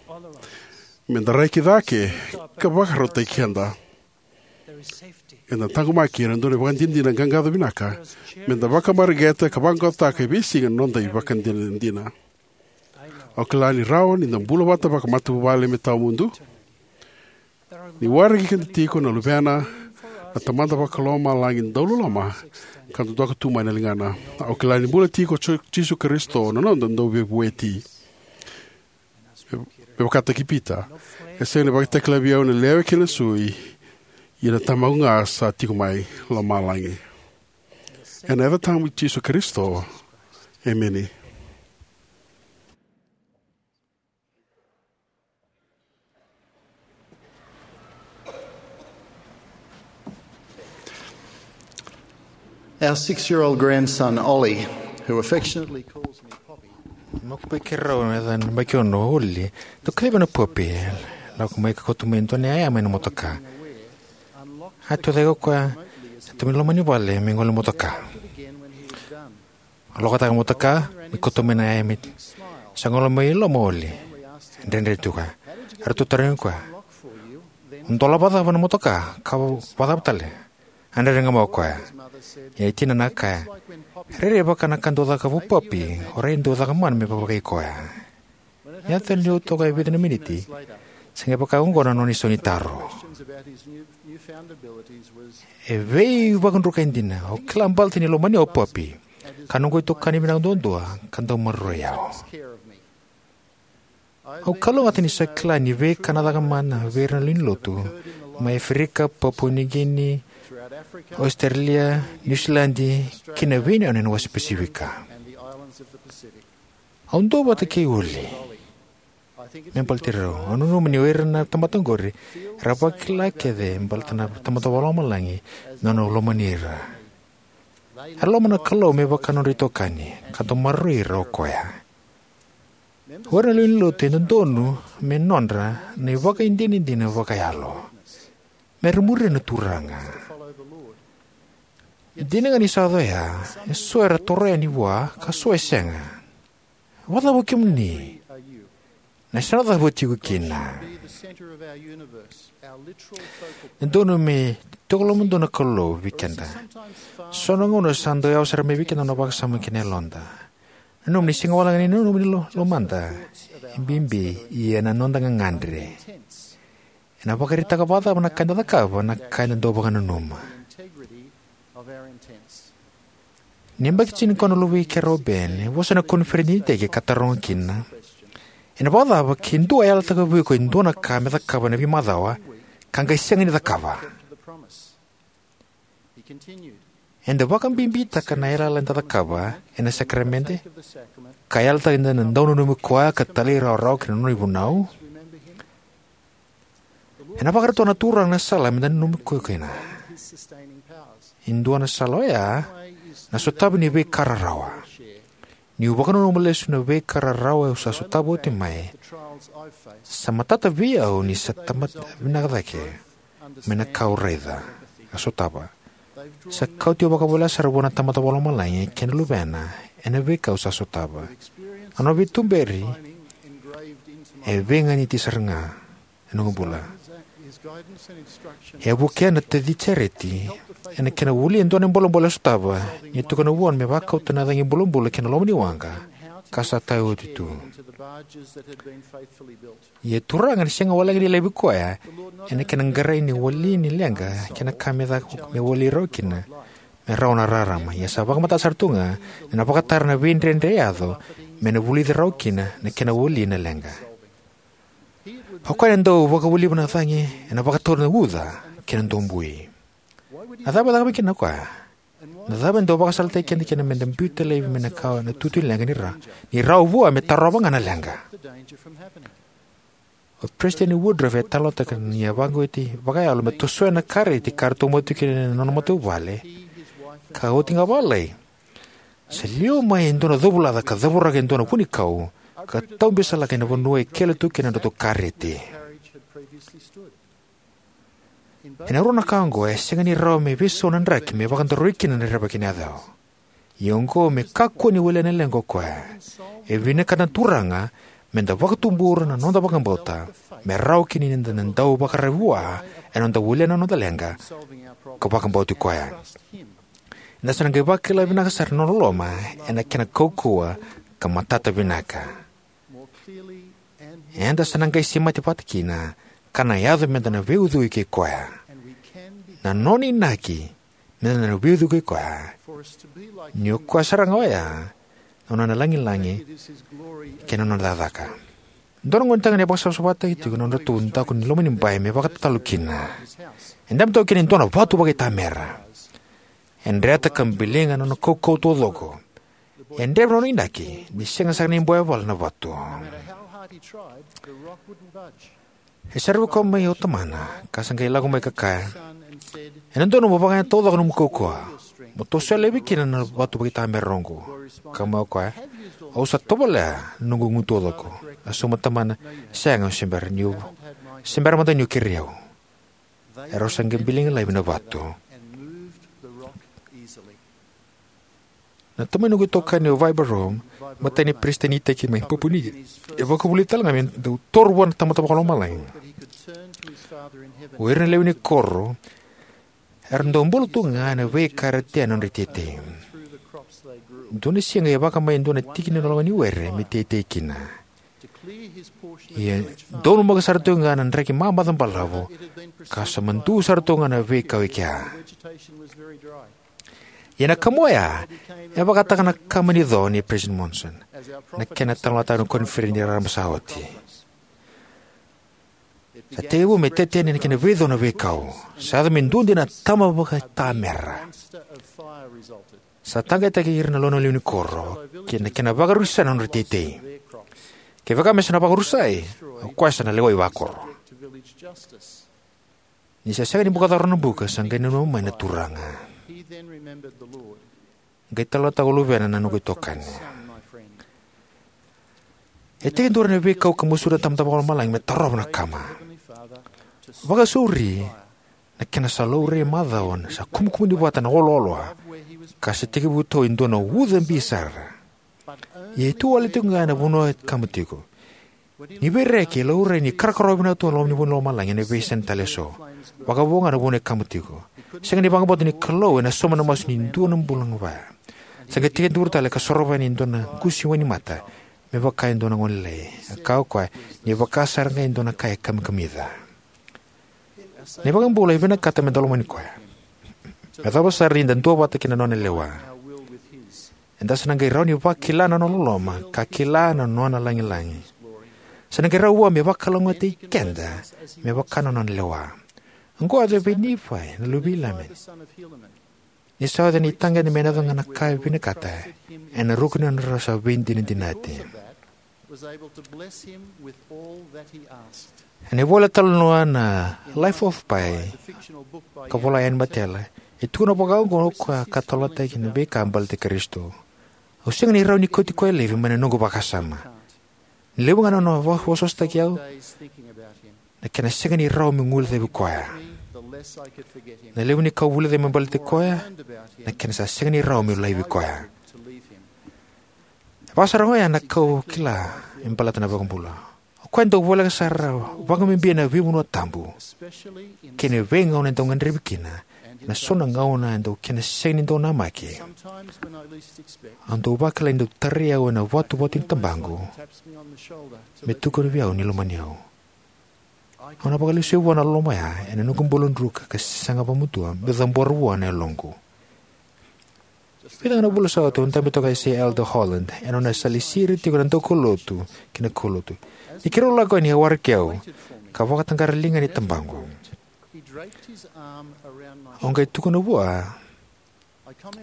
me da rai cake ka vakarautaki keda. Eda taqomaki ena dua na ivakadinadina qaqaco vinaka me da vakamareqeta ka vaqaqacotaka e veisiga na noda ivakadinadina. Au kila ni rawa ni da bula vata vakamatavuvale me tawamudu. Ni waraki keda tiko na Luvena, na Tamada Vakalomalagi dauloloma, ka dodoka tu mai na ligana. Au kila ni bula tiko o Jisu Karisito na noda Dauveivueti. Me vakataki Pita, e sega ni vakatakila vei au na lewe kei na sui, ia na Tamaqu ga sa tiko mai lomalagi. Ena yaca tabu i Jisu Karisito, emeni. Our six-year-old grandson, Ollie, who affectionately calls me Poppy, makupe keirau na yacana baki ono, Oli, dau kacivaka na Poppy. Lako mai ka kauta mai e dua na yaya mai na motoka. A tucake o koya, sa tu mai loma ni vale me gole motoka. A lokataka na motoka me kauta mai na yaya mai. Sa gole mai loma o Oli. Dredre tu ga. Eratou tarogi koya, "O dola vakacava na motoka, ka vakacava tale?" A dredre ga mai o koya. Ia e tinana a kaya, "Rairai vaka na ka dau caka vua Poppy, o rai dau caka mana me vakaivei koya." Ni yaco tale ni toka e vica na miniti, sa qai vaka oqo na nona isau ni taro. E veivakadrukai dina, au kila baleta ni lomania o Poppy, ka noqu itokani vinaka duadua, ka dau maroroi au. Au kalougata ni sa kila ni veika na caka mana vei ira na lewe ni lotu mai Aferika, Papua Niu Kini, Ositerelia, Niusiladi, kei na veiyanu ena wasa Pasifika. Au duavata kei Oli. Me baleti rau, au nanuma ni o ira na tamata oqori era vakila kece baleta na Tamada Vakalomalagi na nona lomani ira. Era lomana na Kalou me vaka nodra itokani, ka dau maroroi ira o koya. O ira na lewe ni lotu e dodonu me nodra na ivakadinadina vakayalo. Me ra muria na Turaga. Dina ga ni sa yaco oya, eso era toro yani vua, ka so e sega. Vakacava o kemuni? Na yasana cava o tiko kina? E dodonu me tiko lomadonu na Kalou vei keda. So na gauna sa dau yawa sara mai vei keda na nona vakasama kei na yaloda. Nanuma ni sega wale ga ni nanuma ni lo-, lomada e bibi, ia na noda gagadre. Ena vakaraitaka vakacava na ka eda cakava na ka eda dau vakananuma. Ni yabaki tinikaono na luvei keirau o Ben, e vosa ena koniferedi ni iteki ka taroga kina, "Ena vakacava ke dua e yalataka vei iko e dua na ka me cakava ena veimacawa, ka qai sega ni cakava?" Eda vakabibitaka na yalayala eda cakava ena sakaramede, ka yalataka na dau nanumi koya ka talairawarawa ki na nona ivunau. Ena vakarautaka na Turaga na sala meda nanumi koya kina. E dua na sala oya na sotavi ni veika rarawa. Niu vakananuma lesu na veika rarawa au sa sotava oti mai, sa matata vei au ni sa tamata vinaka cake mai na ka au raica ka sotava. Sa kauti au vakavoleka sara vua na Tamada Vakalomalagi kei na Luvena ena veika au sa sotava. A nona veituberi e veiganiti sara ga ena noqu bula. E a vukea na taci Jareti ena kena wili e dua na bolebole e sotava, ni tukuna vua me vakauta na cagi bulabula ki na loma ni waqa ka sa taya oti tu. Ia Turaga, ni sega wale ga ni laivi koya ena kena qarai ni wali ni leqa kei na ka me caka me wali rawa kina, me rawa na rarama. Ia sa vakamatata sara tu ga ni na vakatara na veidredre e yaco me na vulici rawa kina na kena wali na leqa. O koya na dau vakawaliva na cagi ena vakatauri na uca kei na dobui. Na cava e cakava kina o koya? Na cava e dau vakasalataki keda kina meda biuta laivi mai na ka na tutu ni leqa ni ra-, ni rawa vua me tarova ga na leqa? O Peresitedi Woodruff e talanoataka ni a vakauqeti vakayalo me tosoya na kareti ka ratou mate tu kina na nona matavuvale. Ka oti ga vakalailai, sa liwa mai e dua na covulaca ka cavuraka e dua na vunikau ka taubisalaka ena vanua e kele tu kina na nodratou kareti. Ena rua na ka oqo, e sega ni rawa me veisau na draki me vakadoroi kina na rerevaki ni yacawa. Ia oqo, me kakua ni walia na leqa o koya. E vinakata na Turaga me da vakatubura na noda vakabauta, me rawa kina ni da na dau vakararavi vua ena noda walia na noda leqa ka vakabauti koya. Eda sa na qai vakila vinaka sara na nona loloma ena kena kaukauwa ka matata vinaka. Eda sa na qai semati vata kina ka na yaco me da na veiucui kei koya. Na nona inaki me da na veiucui kei koya, ni o koya sara ga oya na nona lagilagi kei na nona cakacaka. Dua na gonetagane e vakasavasavataki tiko na nodratou daku ni loma ni bai me vakatatalo kina. E dabe toka kina e dua na vatu vakaitamera. E dreta ka biliga na nona kaukauwa taucoko. E dreva na nona inaki ni sega sara ni bau yavala na vatu. E saravi koya mai o tamana ka sa qai lako mai ka kaya, "Ena dodonu mo vakayaga taucoko nomu kaukauwa, mo tosoya laivi kina na vatu vakaitamera oqo." Kaya mai o koya, "Au sa tovolea na noqu igu taucoko. A sauma tamana, sega, au se bera niu, se bera mada niu kerei au." Erau sa qai biliga laivi na vatu. Na tamai noqu itokani o Vaiba Rome, matai ni peresitedi ni iteki mai Papua New Guinea, e vakavulici tale ga me dau toro vua na Tamada Vakalomalagi. O ira na lewe ni koro era dau bula tu ga ena veika era tea ena nodra iteitei. Dua na siga e vaka mai e dua na tiki ni loma ni were me teitei kina. Ia donumaka sara tu ga na draki mamaca balavu, ka sa madu sara tu ga na veikau e kea. Ia na kama oya e vakataka na kama ni co nei President Monson, na kena talanoataka na koniferedi ni rarama sa oti. Sa tekivu me teteya na kena veico na veikau. Sa yaco me duidui na tama vakaitamera. Sa taqetataki ira na loma ni lewe ni koro kei na kena vakarusa na nodra iteitei. Kevaka me sa na vakarusai, o koya sa na lewai vakoro. Ni sa sega ni buka cava na buka, sa qai nanuma mai na Turaga. Qai talanoataka o luvena na noqu itokani. E tekiduru ena veikau ka mosuri na Tamada Vakalomalagi me tarova na kama. Vakasauri na kena sa laurai macawa, sa kumukumuni vata na olooloa, ka sa tekivu tau e dua na uca bi sara. Ia e tu wale tiko ga ena vanua e kama tiko. Ni veireki e laurai ni karakarawa vinaka tu na loma ni vanua lomalagi ena veiyasana tale eso. Vakavo ga na vanua e kama tiko. Sega ni vakabauta ni Kalou ena sauma na masu ni dua na bula ga vaya. Sa qai tekiduru tale ka sorova yani e dua na qusi wainimata me vaka e dua na gone lailai. A kaya o koya ni vaka sara ga e dua na ka e kamikamica. Na iVakabula e vinakata me da lomani koya. Me yacova sara ni da duavata kei na nona lewa, eda sa na qai rawa ni vakila na nona loloma ka kila na nona lagilagi. Sa na qai rawa vua me vakalougatataki keda me vaka na nona lewa. Oqo a yaco vei Nifai na luve i Ilamani. Ni sa yaco na itaqeqe me na yaco ga na ka e vinakata ena ruku ni nodra sa veidinadinati. Ena ivola talanoa na Life of Pi, ka vola yani Matela, e tukuna vakaoqo o koya ka talanoataki na veika baleti Karisito. Au sega ni rawa ni kauti koya laivi mai na noqu vakasama. Ni levu ga na nona vosavosataki au, na kena sega ni rawa meu guilecavi koya. Na levu ni ka au vulica me baleti koya, na kena sa sega ni rawa meu laivi koya. E vaka sara ga oya na ka au kila me baleta na iVakabula. O koya e dau voleka sara vakabibi ena veivanua tabu kei na veigauna e dau gadrevi kina, ena so na gauna e dau kena sega ni dau namaki. Au dau vakila ni dau tarai au ena vatuvatu ni tabaqu me tukuna vei au ni lomani au. Au na vakalesuya vua na loloma oya ena noqu bula druka ka saga vakamatua meu cabora vua na yaloqu. Vica ga na vula sa oti au dabe toka e Elder Holland ena nona salisiri tiko na daukaulotu kei na kaulotu. Ni keirau lako yani, e waraki au ka vakataqara liga ni tabaqu. Au qai tukuna vua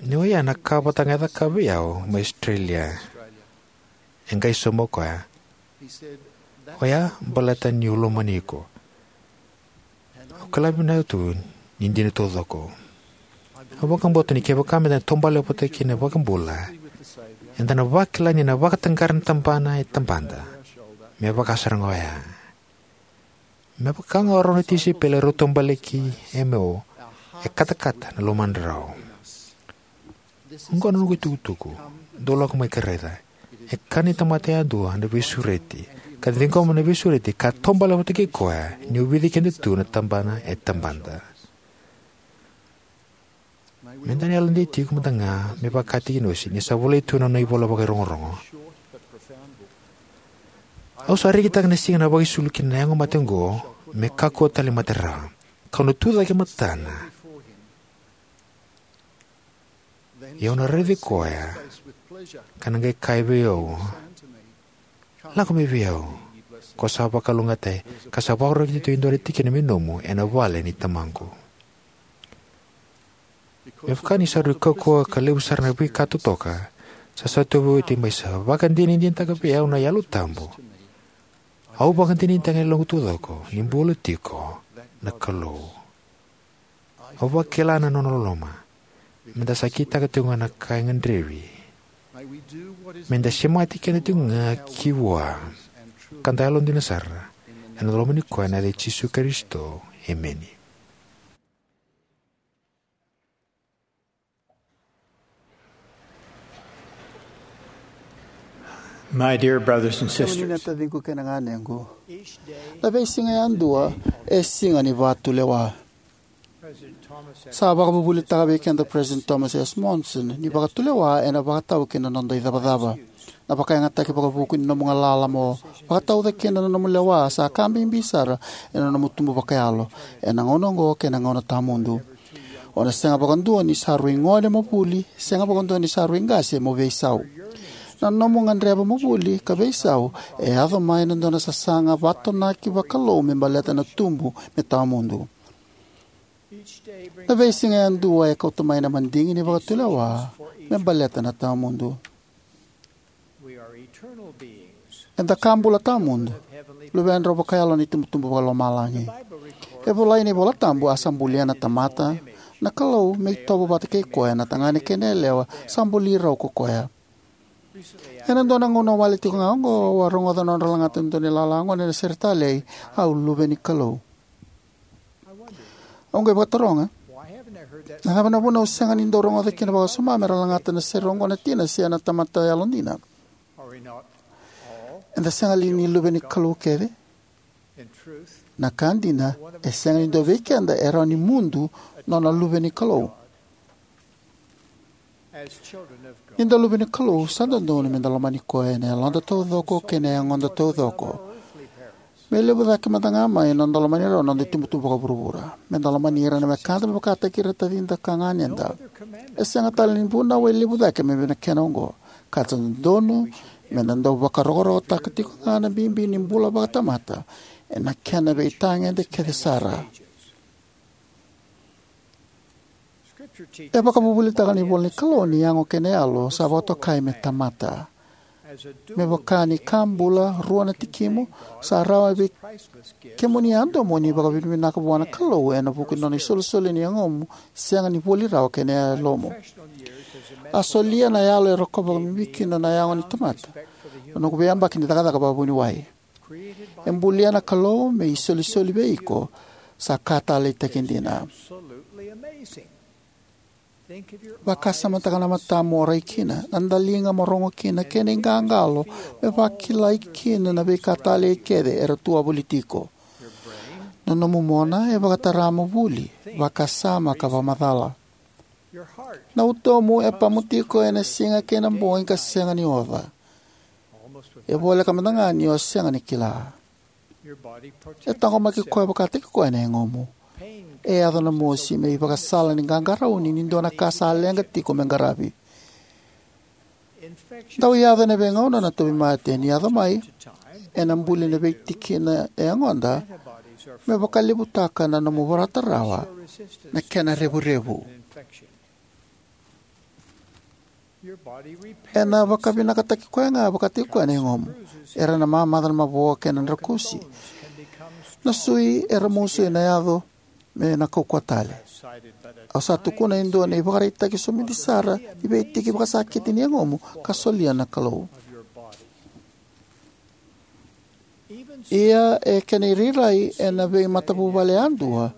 ni oya na ka vata ga e cakava vei au mai Australia. E qai sauma o koya, "Oya baleta niu lomani iko. Au kila vinaka tu ni dina taucoko." Au vakabauta ni kevaka meda na taubale vata kei na iVakabula, eda na vakila ni na vakataqara na tabana e tabada me vaka sara ga oya. Me vaka ga o rau na tisaipeli rau taubale ki Emeo, e katakata na lomadrau. Oqo na noqu itukutuku, dou lako mai ka raica. E kana ni tamata yadua na veisureti, ka ciqoma na veisureti ka taubale vata kei koya, ni ovici keda tu na tabana e tabada. Me da na yalodei tiko mada ga me vaka tiki ni osi, ni sa volai tu na nona ivola vakairogorogo. Au sa rekitaka na siga na vakaisulu kina na yago mate oqo, me kakua tale mate rawa. Kau na tucake matana. Ia au na raici koya, ka na qai kaya vei au, lako mai vei au, ko sa vakalougatataki, ka sa vakarokorokotaki tu e dua na tikina me nomu ena vale ni tamaqu. Me vaka ni sa rui kaukauwa ka levu sara na veika totoka, sa sa tauvi oti mai sa vakadinadinataka vei au na Yalo Tabu. Au vakadinadinataka e yaloqu taucoko ni bula tiko na Kalou. Au vakila na nona loloma. Me da sa kitaka tiko ga na ka e gadrevi. Me da semati keda tiko ga ki vua, ka da yalodina sara ena loma ni koya, ena yaca i Jisu Karisito. Emeni. My dear brothers and sisters, na taciqu kei na ganequ, na veisiga yadua e siga ni vakatulewa. Sa vakavuvulitaka vei keda o President Thomas S. Monson ni vakatulewa ena vakatau ki na noda icavacava. Na vakayagataki vakavuku ni nomu galala mo vakatauca kina na nomu lewa sa ka bibi sara ena nomu tubu vakayalo ena gauna oqo kei na gauna tawamudu. O na sega vakadua ni sa rui gone mo vuli, sega vakadua ni sa rui qase mo veisau. Na nomu gadreva mo vuli ka veisau e yaco mai na dua na sasaga vatonaki vakalou me baleta na tubu me tawamudu. Na veisiga yadua e kauta mai na madigi ni vakatulewa me baleta na tawamudu. Eda ka bula tawamudu, luvedrau vakayalo ni tubutubu vakalomalagi. E volai ena iVola Tabu, a sa bulia na tamata na Kalou me itovo vata kei koya, na tagane kei na yalewa sa buli rau ko koya. Ena dua na gauna wale tiko ga oqo, au a rogoca na nodra lagata e dua na ilala gone ena sere talei, au luve ni Kalou. Au qai vakataroga, na cava na vuna au sega ni dau rogoca kina vakawasoma me ra lagata na sere oqo na tina se na tamata yalodina? Eda sega li ni luve ni Kalou kece? Na ka dina, e sega ni dua vei keda e rawa ni mudu nona luve ni Kalou. Ni da luve ni Kalou, sa dodonu me da lomani koya ena yaloda taucoko kei na yagoda taucoko. Me levu cake mada ga mai na noda lomani rau na noda itubutubu vakavuravura. Me da lomani ira na wekada me vakataki ira na tacida ka ganeda. E sega tale ni vunau e levu cake me vei na kena oqo. Ka sa dodonu me da dau vakarokorokotaka tiko ga na bibi ni bula vakatamata ena kena veitagede kece sara. E vakavuvulitaka na ivola ni Kalou ni yago kei na yalo sa vakatokai me tamata. Me vaka ni ka bula, rua na tikimu, sa rawa vei kemuni yadua mo ni vakavinavinaka vua na Kalou ena vuku ni nona isolisoli ni yagomu sega ni voli rawa kei na yalomu. A solia na yalo e rokova vakabibi kina na yago ni tamata, na noqu veiyabaki ni cakacaka vakavuniwai. E bulia na Kalou me isolisoli vei iko, sa ka taleitaki dina. Vakasamataka na matamu o rai kina, na daliga mo rogo kina, kei na iqaqalo me vakilai kina na veika talei kece era tu a voli tiko. Na nomu mona e vakatara mo vuli, vakasama ka vakamacala. Na utomu e pamu tiko ena siga kei na bogi ka sega ni oca. E voleka mada ga ni o sega ni kila. E taqomaki koya vakataki koya na yagomu. E yaco na mosi me ivakasala ni qaqarauni ni dua na ka sa leqa tiko me qaravi. Dau yaco ena veigauna na tauvimate ni yaco mai, ena buli na veitikina e yagoda, me vakalevutaka na nomu vorata rawa na kena revurevu. Ena vakavinakataki koya ga vakataki koya na yagomu. Era na mamaca na mavoa kei na drakusi. Na sui era musu ena yaco me na kaukauwa tale. Au sa tukuna e dua na ivakaraitaki somidi sara ni veitiki vakasakiti ni yagomu ka solia na Kalou. Ia e kena irairai ena veimatavuvale yadua,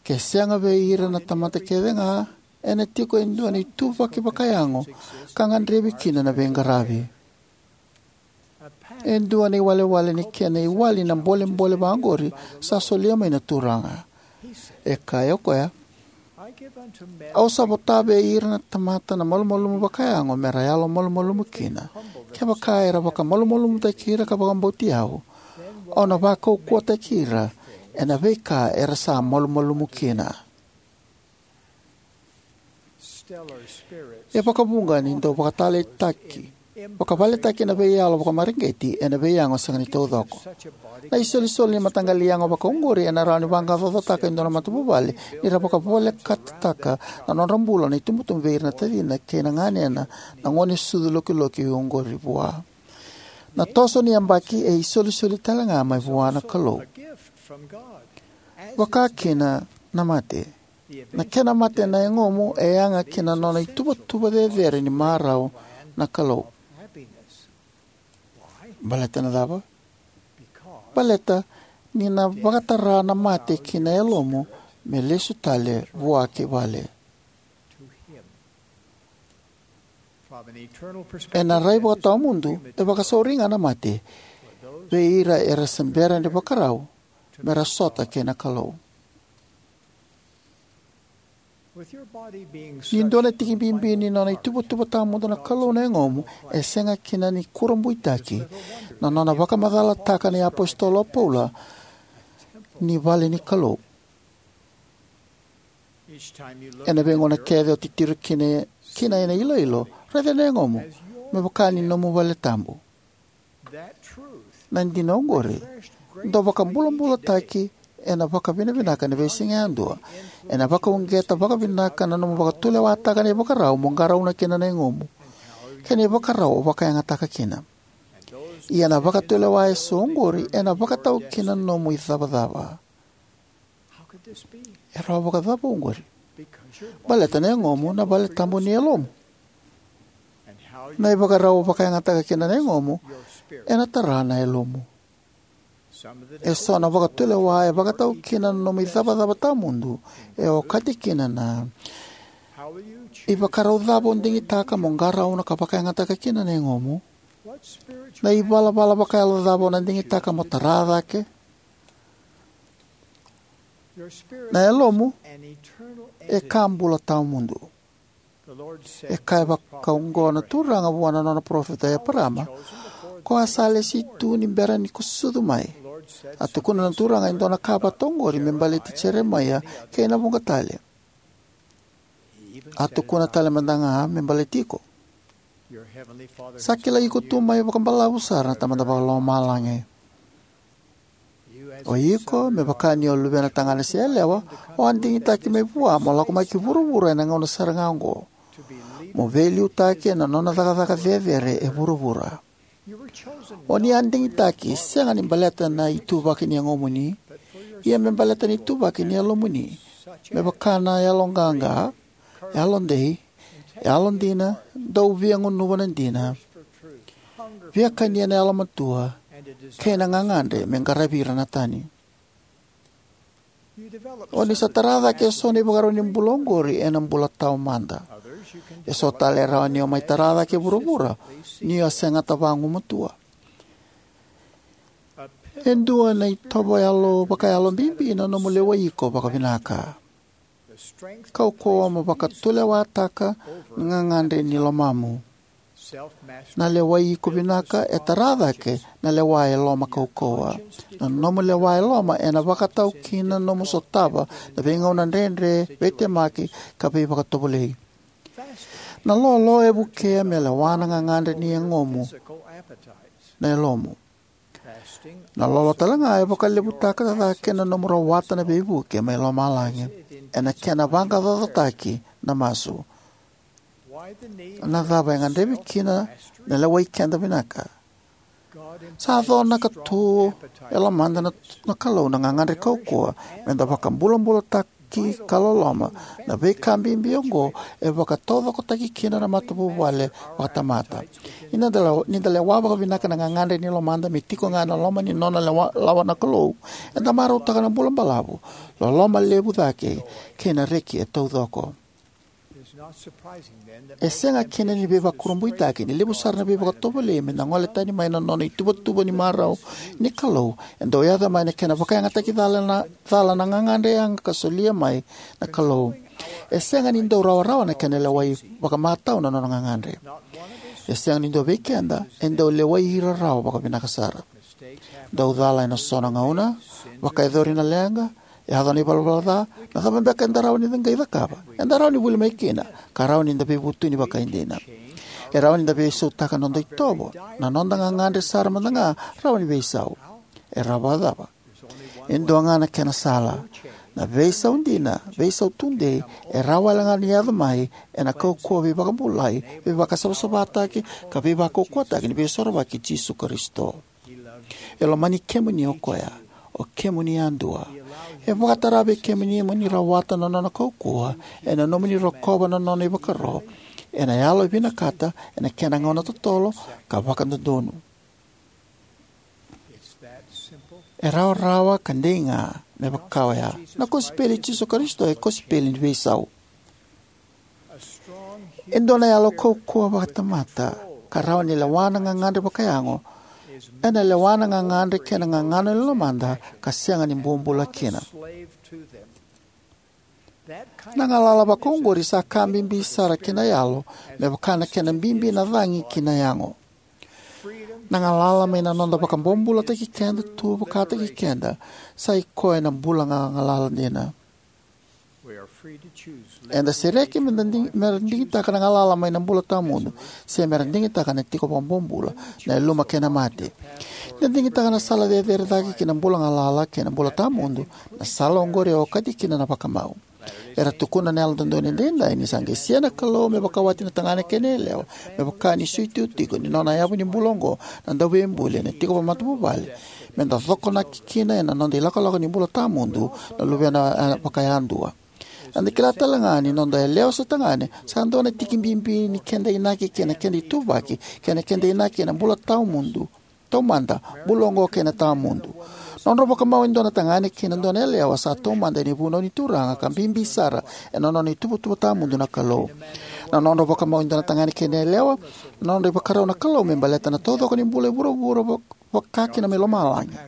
ke sega vei ira na tamata kecega, ena tiko e dua na ituvaki vakayago ka gadrevi kina na veiqaravi. E dua na iwalewale ni kena iwali na bolebole vaqori sa solia mai na Turaga. E kaya o koya, "Au sa vota vei ira na tamata na malumalumu vakayago me ra yalomalumalumu kina, kevaka era vakamalumalumutaki ira ka vakabauti au, au na vakaukauwataki ira ena veika era sa malumalumu kina." E vakavuqa ni dau vakataleitaki, vakavaletaki na veiyalo vakamareqeti ena veiyago sega ni taucoko. Na isolisoli ni mataqali yago vakaoqori ena rawa ni vaqaqacotaka e dua na matavuvale ni ra vakavolekataka na nodra bula na itubutubu vei ira na tacina kei na ganena na gone sucu lokiloki oqori vua. Na toso ni yabaki e isolisoli talega mai vua na Kalou. Vaka kina na mate. Na kena mate na yagomu e yaga ki na nona ituvatuva cecere ni marau na Kalou. Baleta na cava? Baleta ni na vakatara na mate ki na yalomu me lesu tale vua ki vale. Ena rai vakatawamudu, e vakasauri ga na mate vei ira era se bera ni vakarau me ra sota kei na Kalou. Ni dua na tiki bibi ni nona ituvatuva tawamudu na Kalou na yagomu, e sega kina ni kurabuitaki na nona vakamacalataka na iapositolo o Paula ni vale ni Kalou. Ena veigauna kece o titiro kina, kina ena iloilo, raica na yagomu me vaka ni nomu vale tabu. Na dina oqori, dau vakabulabulataki ena vakavinavinaka ena veisiga yadua. Ena vakauqeta vakavinaka na nomu vakatulewataka na ivakarau mo qarauna kina na yagomu kei na ivakarau o vakayagataka kina. Ia na vakatulewa eso oqori ena vakatau kina na nomu icavacava. E rawa vakacava oqori? Baleta na yagomu na vale tabu ni yalomu. Na ivakarau o vakayagataka kina na yagomu ena tara na yalomu. Eso na vakatulewa e vakatau kina na nomu icavacava tawamudu e okati kina na ivakarau cava o digitaka mo qarauna ka vakayagataka kina na yagomu. Na ivalavala vakayalo cava o na digitaka mo tara cake. Na yalomu e ka bula tawamudu. E kaya vakaoqo na Turaga vua na nona parofita o Eparama, ko a sa lesi tu ni bera ni ko sucu mai. A tukuna na Turaga e dua na ka vata oqori me baleti Jeremaia kei na vuqa tale. A tukuna tale mada ga me baleti iko. Sa kilai iko tu mai vakabalavu sara na Tamada Vakalomalagi. O iko, me vaka ni o luvena tagane se yalewa, o a digitaki mai vua mo lako mai ki vuravura ena gauna sara ga oqo, mo veiliutaki ena nona cakacaka cecere e vuravura. O ni a digitaki sega ni baleta na ituvaki ni yagomuni, ia me baleta na ituvaki ni yalomuni, me vaka na yaloqaqa, yalodei, yalodina, dau via gunuva na dina, via kania na yalomatua, kei na gagadre me qaravi ira na tani. O ni sa tara cake eso na ivakarau ni bula oqori ena bula taumada. Eso tale e rawa ni o mai tara cake e vuravura ni o segata vagumatua. E dua na itovo yalo vakayalo bibi na nomu lewai iko vakavinaka. Kaukauwa mo vakatulewataka na gagadre ni lomamu. Na lewai iko vinaka e tara cake na lewa e loma kaukauwa. Na nomu lewa e loma ena vakatau kina na nomu sotava na veigauna dredre, veitemaki, ka veivakatovolei. Na lolo e vukea me lewa na gagadre ni yagomu, na yalomu. Na lolo tale ga e vakalevutaka cake na nomu rawata na veivuke mai lomalagi ena kena vaqaqacotaki na masu. Na cava e gadrevi kina na lewai keda vinaka? Sa conaka tu e lomada na, na Kalou na gagadre kaukauwa meda vakabulabulataka reki, ka loloma. Na veika bibi oqo e vakataucokotaki kina na matavuvale vakatamata. Ni da lewa, ni da lewa vakavinaka na gagadre ni lomada me tiko ga ena loma ni nona lewa, lawa na Kalou, eda marautaka na bula balavu, loloma levu cake, kei na reki e taucoko. E sega kina ni veivakurabuitaki ni levu sara na veivakatovolei me na gole tani mai na nona ituvatuva ni marau ni Kalou e dau yaco mai na kena vakayagataki cala na, cala na gagadre yaga ka solia mai na Kalou. E sega ni dau rawarawa na kena lewai vakamatau na nona gagadre. E sega ni dua vei keda e dau lewai ira rawa vakavinaka sara. Dau cala ena so na gauna, vakayacori na leqa, yaco na ivalavala ca, na cava beka eda rawa ni qai cakava? Eda rawa ni vuli mai kina, ka rawa ni da veivutuni vakaidina. E rawa ni da veisautaka na noda itovo, na noda gagadre sara mada ga rawa ni veisau. E rawa vakacava? E dua ga na kena sala. Na veisau dina, veisau tudei, e rawa wale ga ni yaco mai ena kaukauwa veivakabulai, veivakasavasavataki, ka veivakaukauwataki ni Veisorovaki i Jisu Karisito. E lomani kemuni o koya, o kemuni yadua. E vakatara vei kemuni mo ni rawata na nona kaukauwa ena nomuni rokova na nona ivakaro, ena yalo e vinakata ena kena gauna totolo ka vakadodonu. E rawarawa ka dei ga me vaka oya. Na kosipeli i Jisu Karisito e kosipeli ni veisau. E dua na yalo kaukauwa vakatamata ka rawa ni lewa na gagadre vakayago, ena lewa na gagadre kei na gagano ni lomada ka sega ni bobula kina. Na galala vakaoqori sa ka bibi sara ki na yalo, me vaka na kena bibi na cagi ki na yago. Na galala mai na noda vakabobulataki keda tu vakataki keda, sa i koya na bula ga galala dina. Eda sereki me da digi-, me ra digitaka na galala mai na bula tawamudu, se me ra digitaka na tiko vakabobula, na yaluma kei na mate. Ni da digitaka na sala cecere cake ki na bula galala kei na bula tawamudu, na sala oqori e okati kina na vakamau. Era tukuna na Yalododonu Edaidai ni sa qai sia na Kalou me vakawati na tagane kei na yalewa, me vaka ni suitiu tiko ni nona yavu ni bula oqo na Dauveibuli ena tiko vakamatavuvale, me da cokonaki kina ena noda ilakolako ni bula tawamudu na luvena, eh, vakayadua. Eda kila tale ga ni noda yalewa se tagane sa dua na tiki bibi ni keda inaki kei na keda ituvaki, kei na keda inaki ena bula tawamudu, taumada, bula oqo kei na tawamudu. Nodrau vakamau e dua na tagane kei na dua na yalewa sa taumada ena ivunau ni Turaga ka bibi sara ena nona ituvatuva tawamudu na Kalou. Na nodrau vakamau e dua na tagane kei na yalewa, na nodra ivakarau na Kalou me baleta na taucoko ni bula e vuravura va-, vaka kina mai lomalagi.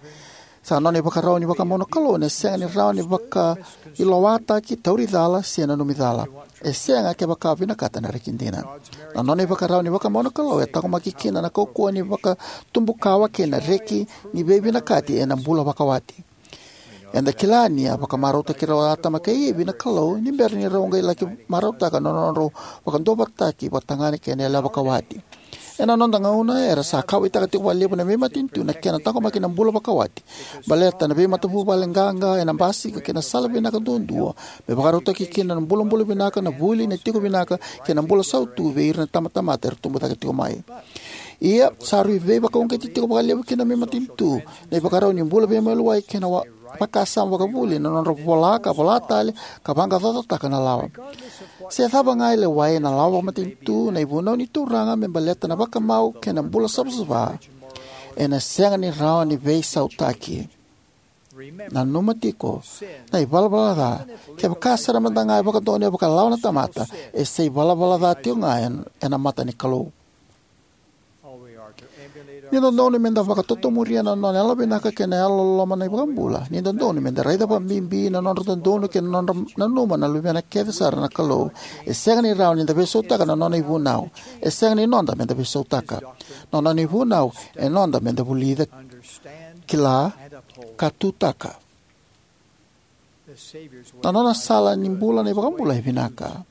Sa nona ivakarau ni vakamau na Kalou ena sega ni rawa ni vakailawataki, tauri cala, se nanumi cala. E sega kevaka o vinakata na reki dina. Na nona ivakarau ni vakamau na Kalou e taqomaki kina na kaukauwa ni vakatubukawa kei na reki ni veivinakati ena bula vakawati. Eda kila ni a vakamarautaki rau o Atama kei Ivi na Kalou ni bera ni rau qai laki marautaka na nodrau vakaduavatataki vakatagane kei na yalewa vakawati. Ena noda gauna, era sa kauwaitaka tiko vakalevu na veimatanitu na kena taqomaki na bula vakawati. Baleta na veimatavuvale qaqa ena basika kei na sala vinaka duadua me vakarautaki kina na bulabula vinaka, na vuli, na tiko vinaka, kei na bula sautu vei ira na tamatamata era tubu cake tiko mai. Ia, sa rui veivakauqeti tiko vakalevu kina na veimatanitu na ivakarau ni bula veimaliwai kei na wa-, vakasama vakavuli, na nodra vola ka vola tale, ka vaqaqacotaka na lawa. Se cava ga e lewai ena lawa vakamatanitu, na ivunau ni Turaga me baleta na vakamau kei na bula savasava ena sega ni rawa ni veisautaki. Nanuma tiko, na ivalavala ca, kevaka sara mada ga e vakadonuya vakalawa na tamata, e sa ivalavala ca tiko ga en-, ena mata ni Kalou. Ni dodonu me da vakatotomuria na nona yalovinaka kei na yalololoma na iVakabula. Ni dodonu me da raica vakabibi na nodra dodonu kei na nodra nanuma na luvena kece sara na Kalou. E sega ni rawa ni da veisautaka na nona ivunau. E sega ni noda me da veisautaka. Na nona ivunau e noda me da vulica, kila, ka tutaka. Na nona sala ni bula na iVakabula e vinaka.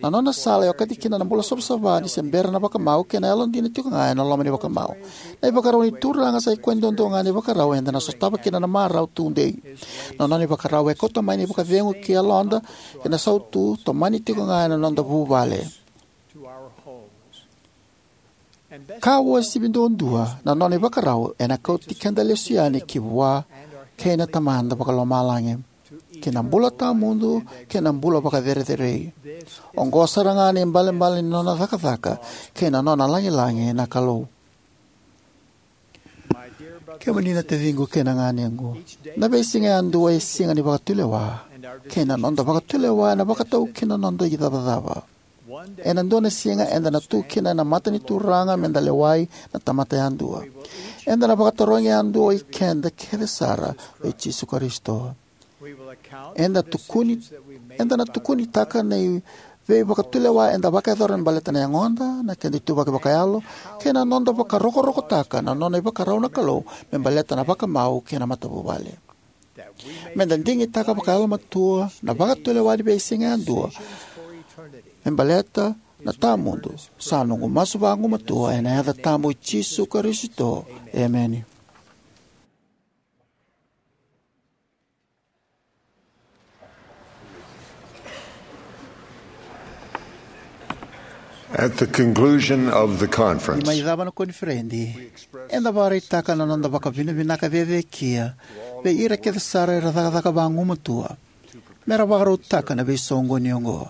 Na nona sala e okati kina na bula savasava ni se bera na vakamau kei na yalodina tiko ga ena loma ni vakamau. Na ivakarau ni Turaga sa i koya duadua ga na ivakarau eda na sotava kina na marau tudei. Na nona ivakarau e kauta mai na ivakacegu ki yaloda, kei na sautu, tomani tiko ga ena noda vuvale. Ka uasivi duadua, na nona ivakarau ena kauti keda lesu yani ki vua kei na Tamada Vakalomalagi. ki na bula tawamudu kei na bula vakacerecerei. Oqo sara ga na ibalebale ni nona cakacaka kei na nona lagilagi na Kalou. Kemuni na taciqu kei na ganequ, na veisiga yadua e siga ni vakatulewa, kei na noda vakatulewa ena vakataukena na noda icavacava. Ena dua na siga eda na tu kina ena mata ni Turaga meda lewai na tamata yadua. Eda na vakatarogi yadua o ikeda kece sara vei Jisu Karisito. Eda tukuni, eda na tukunitaka na i veivakatulewa eda vakayacora me baleta na yagoda, na keda ituvaki vakayalo, kei na noda vakarokorokotaka na nona ivakarau na Kalou me baleta na vakamau kei na matavuvale. Meda digitaka vakayalomatua na vakatulewa ni veisiga yadua me baleta na tawamudu. Sa noqu masu vagumatua ena yaca tabu i Jisu Karisito. Emeni. At the conclusion of the conference, ni mai cava na koniferedi, eda vakaraitaka na noda vakavinavinaka cecekia vei ira kece sara era cakacaka vagumatua mera vakarautaka na veisoqoni oqo.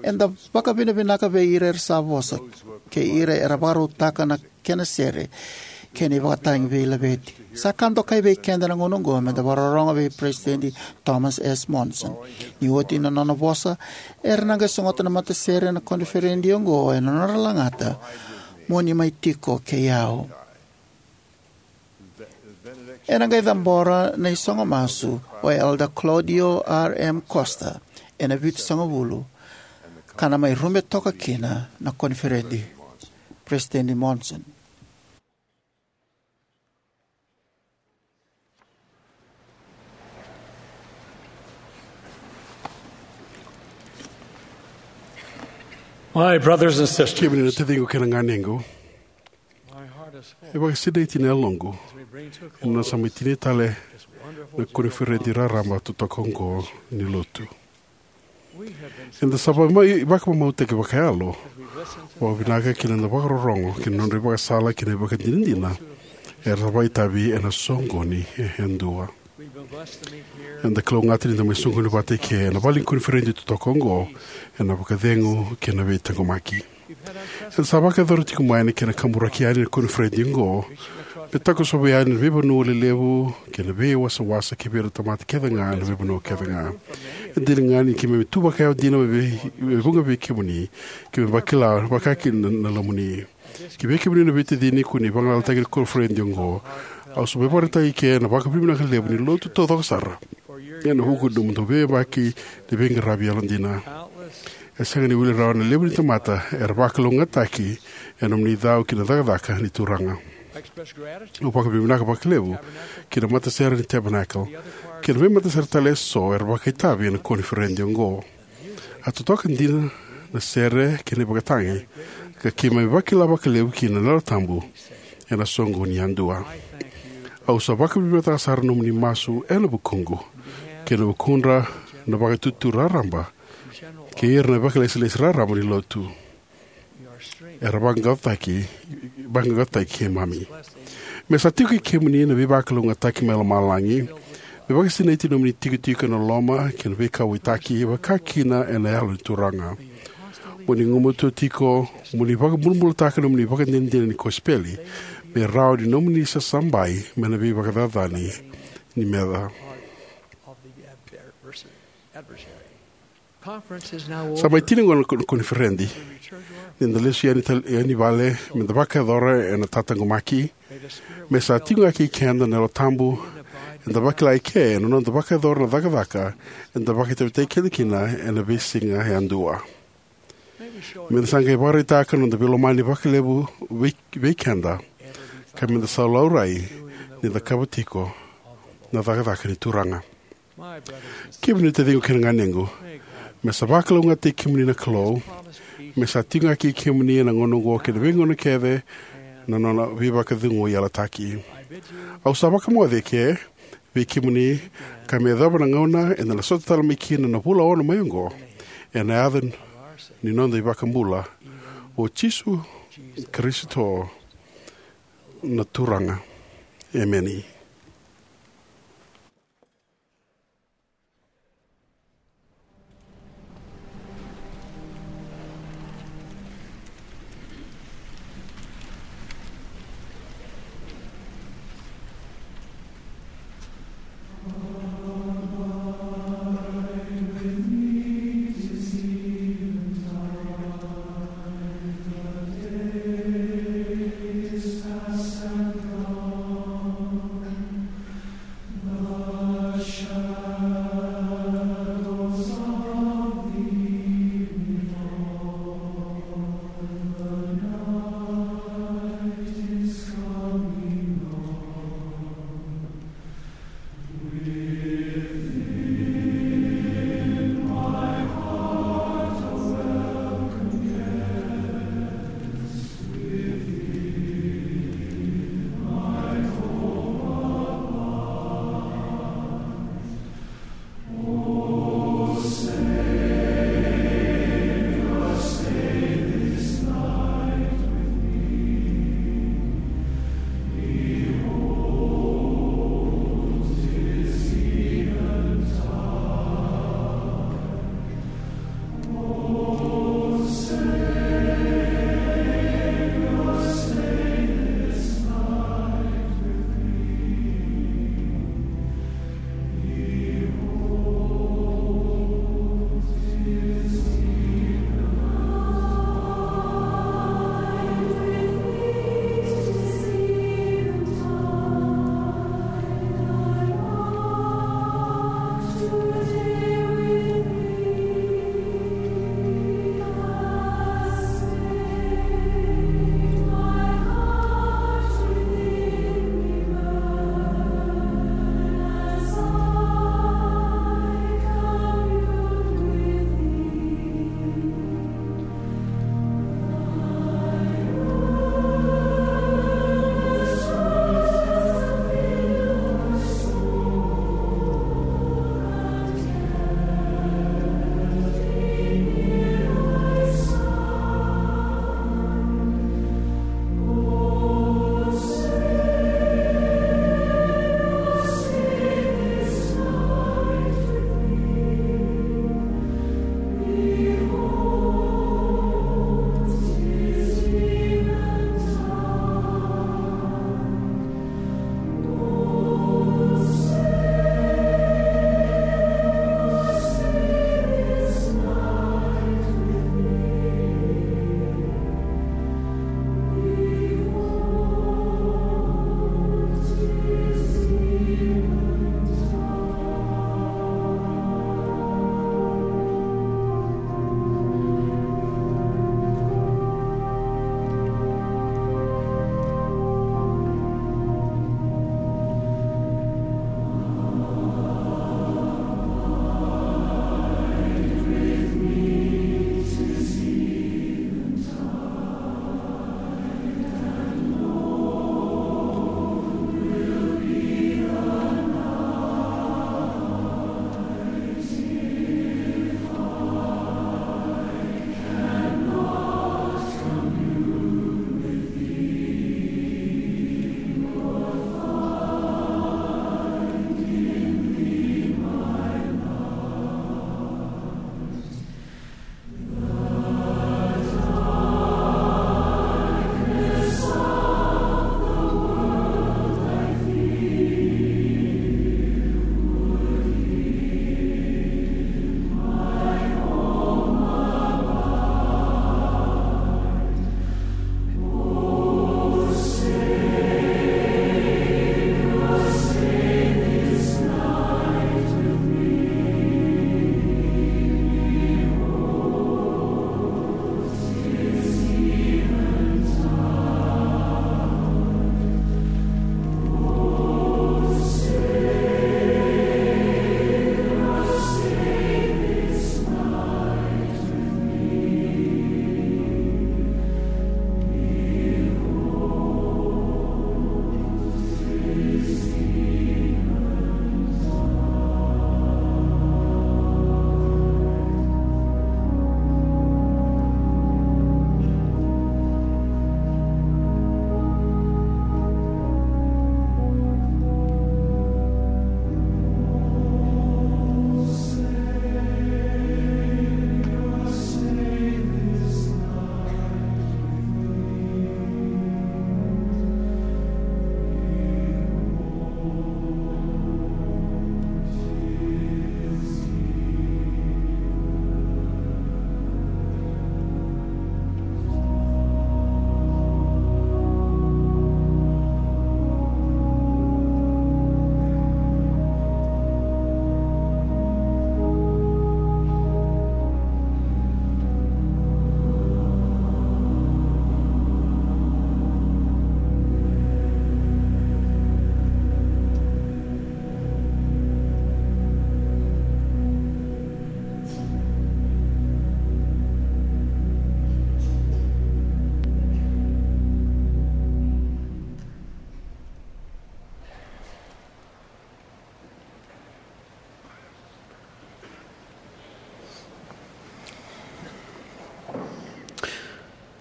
Eda vakavinavinaka vei ira era sa vosa kei ira era vakarautaka na kena sere kei na ivakatagi veilaveti. Sa ka dokai vei keda na gauna oqo meda vakarorogo vei Peresitedi Thomas S. Monson. Ni oti na nona vosa, era na qai sogota na matasere ena koniferedi oqo ena nodra lagata, "Mo ni mai tiko kei au." Ena qai cabora na isogo masu o Elder Claudio R M Costa ena vitusagavulu, ka na mai rube toka kina na koniferedi. Peresitedi Monson. My brothers and sisters, kemuni na taciqu kei na ganequ, e vakasinaiti na yaloqu ena sa mai tini tale na koniferedi raraba totoka oqo ni lotu. Eda sa va-, mai vakamamautaki vakayalo vakavinaka ki na noda vakarorogo ki na nodra ivakasala kei na ivakadinadina era sa vakaitavi ena soqoni e dua. Eda kalougata ni da mai soqoni vata eke ena vale ni koniferedi totoka oqo ena vakacegu kei na veitaqomaki. Eda sa vakayacora tiko mai na kena kaburaki yani na koniferedi oqo me takosova yani na veivanua lelevu kei na veiwasawasa ki vei ira na tamata kece ga ena veivanua kece ga. E dina ga ni keimami tu vakayawa dina vei, vei vuqa vei kemuni, keimami vakila vakakina na, na lomamuni. Ki vei kemuni na veitacini ko ni vagalalataki ni koniferedi oqo, au sa mai vakaraitaka eke na vakavinavinaka levu ni lotu taucoko sara ena vuku ni nomudou veiyabaki ni veiqaravi yalodina. E sega ni wili rawa na levu ni tamata era vakalougatataki ena nomuni cau ki na cakacaka ni Turaga. Au vakavinavinaka vakalevu ki na matasere ni Tabernacle kei na veimatasere tale eso era vakaitavi ena koniferedi oqo. A totoka dina na sere kei na ivakatagi ka keimami vakila vakalevu kina na Yalo Tabu ena soqoni yadua. Au sa vakavinavinakataka sara na nomuni masu ena vukuqu kei na vukudra na Vakaitutu Raraba kei ira na vakailesilesi raraba ni lotu era vaqaqacotaki, vaqaqacotaki keimami. Me sa tiko kei kemuni na veivakalougatataki mai lomalagi, me vakasinaiti na nomuni tikotiko ena loma kei na veikauwaitaki, vakakina ena Yalo ni Turaga. Mo ni gumatua tiko, mo ni vakabulabulataka na nomuni ivakadinadina ni kosipeli me rawa ni nomuni sasabai mai na veivakacacani ni meca. Sa mai tini gona na ko-, koniferedi. Ni da lesu yani tal-, yani vale, me da vakayacora ena tataqomaki. Me sa tiko ga kei keda na Yalo Tabu, eda vakila eke ena noda vakayacora na cakacaka eda vakaitavitaki keda kina ena veisiga yadua. Me da sa qai vakaraitaka na noda veilomani vakalevu vei, vei keda, ka me da sa laurai ni da cakava tiko na cakacaka ni Turaga. Kemuni na taciqu kei na ganequ, me sa vakalougatataki kemuni na Kalou, me sa tiko ga kei kemuni ena gauna oqo kei na veigauna kece na nona veivakacegui yalataki. Au sa vakamoce eke vei kemuni, ka me yacova na gauna eda na sota tale mai kina na vula ono mai oqo, ena yaca ni noda iVakabula, o Jisu Karisito na Turaga. Emeni.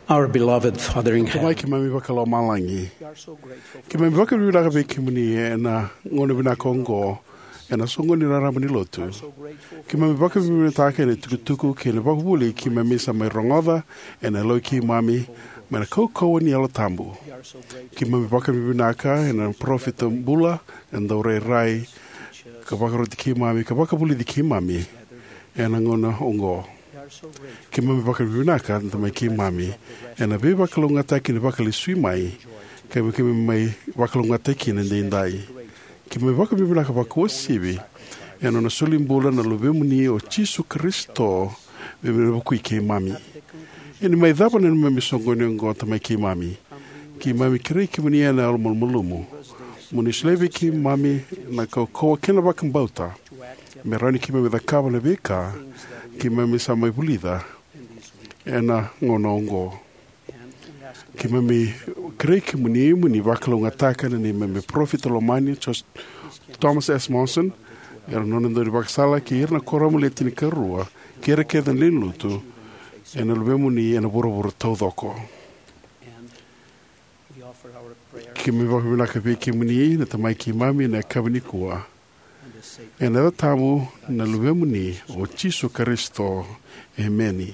Our beloved Father in Tamai heaven, keimami vakalomalagi, keimami vakavinavinaka vei kemuni ena gauna vinaka oqo, ena soqoni raraba ni lotu. Keimami vakavinavinakataka ena itukutuku kei na vakavuvuli keimami sa mai rogoca ena yaloi keimami mai na kaukauwa ni Yalo Tabu. Keimami vakavinavinaka ena parofita bula, ena dau rairai ka vakaroti keimami ka vakavulici keimami ena gauna oqo. Keimami vakavinavinaka na Tamai keimami ena veivakalougatataki ni Vakalesui mai, ka keimami mai vakalougatataki kina edaidai. Keimami vakavinavinaka vakauasivi ena nona soli bula na Luvemuni o Jisu Karisito me, me vukui keimami. Ena mai cava na neimami soqoni oqo, Tamai keimami, keimami kerei kemuni ena yalo malumalumu mo ni solia vei keimami na kaukauwa kei na vakabauta me rawa ni keimami cakava na veika keimami sa mai vulica ena gauna oqo. Keimami kerei kemuni mo ni vakalougatataka na neimami parofita lomani, Jos-, Thomas S. Monson, ira na nona dau ni vakasala, kei ira na kuoramu le tinikarua, kei ira kece na lewe ni lotu ena Luvemuni ena vuravura taucoko. Keimami vakavinavinaka vei kemuni na Tamai keimami ena yakavi nikua. Ena yaca tabu na Luvemuni o Jisu Karisito. Emeni.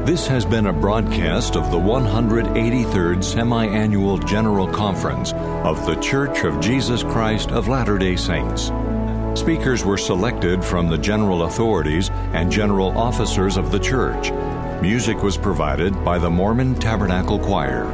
This has been a broadcast of the one hundred eighty-third Semi-Annual General Conference of The Church of Jesus Christ of Latter-day Saints. Speakers were selected from the general authorities and general officers of the church. Music was provided by the Mormon Tabernacle Choir.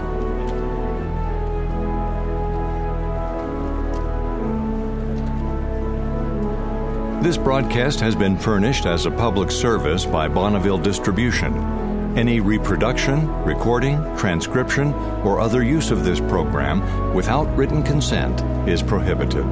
This broadcast has been furnished as a public service by Bonneville Distribution. Any reproduction, recording, transcription, or other use of this program without written consent is prohibited.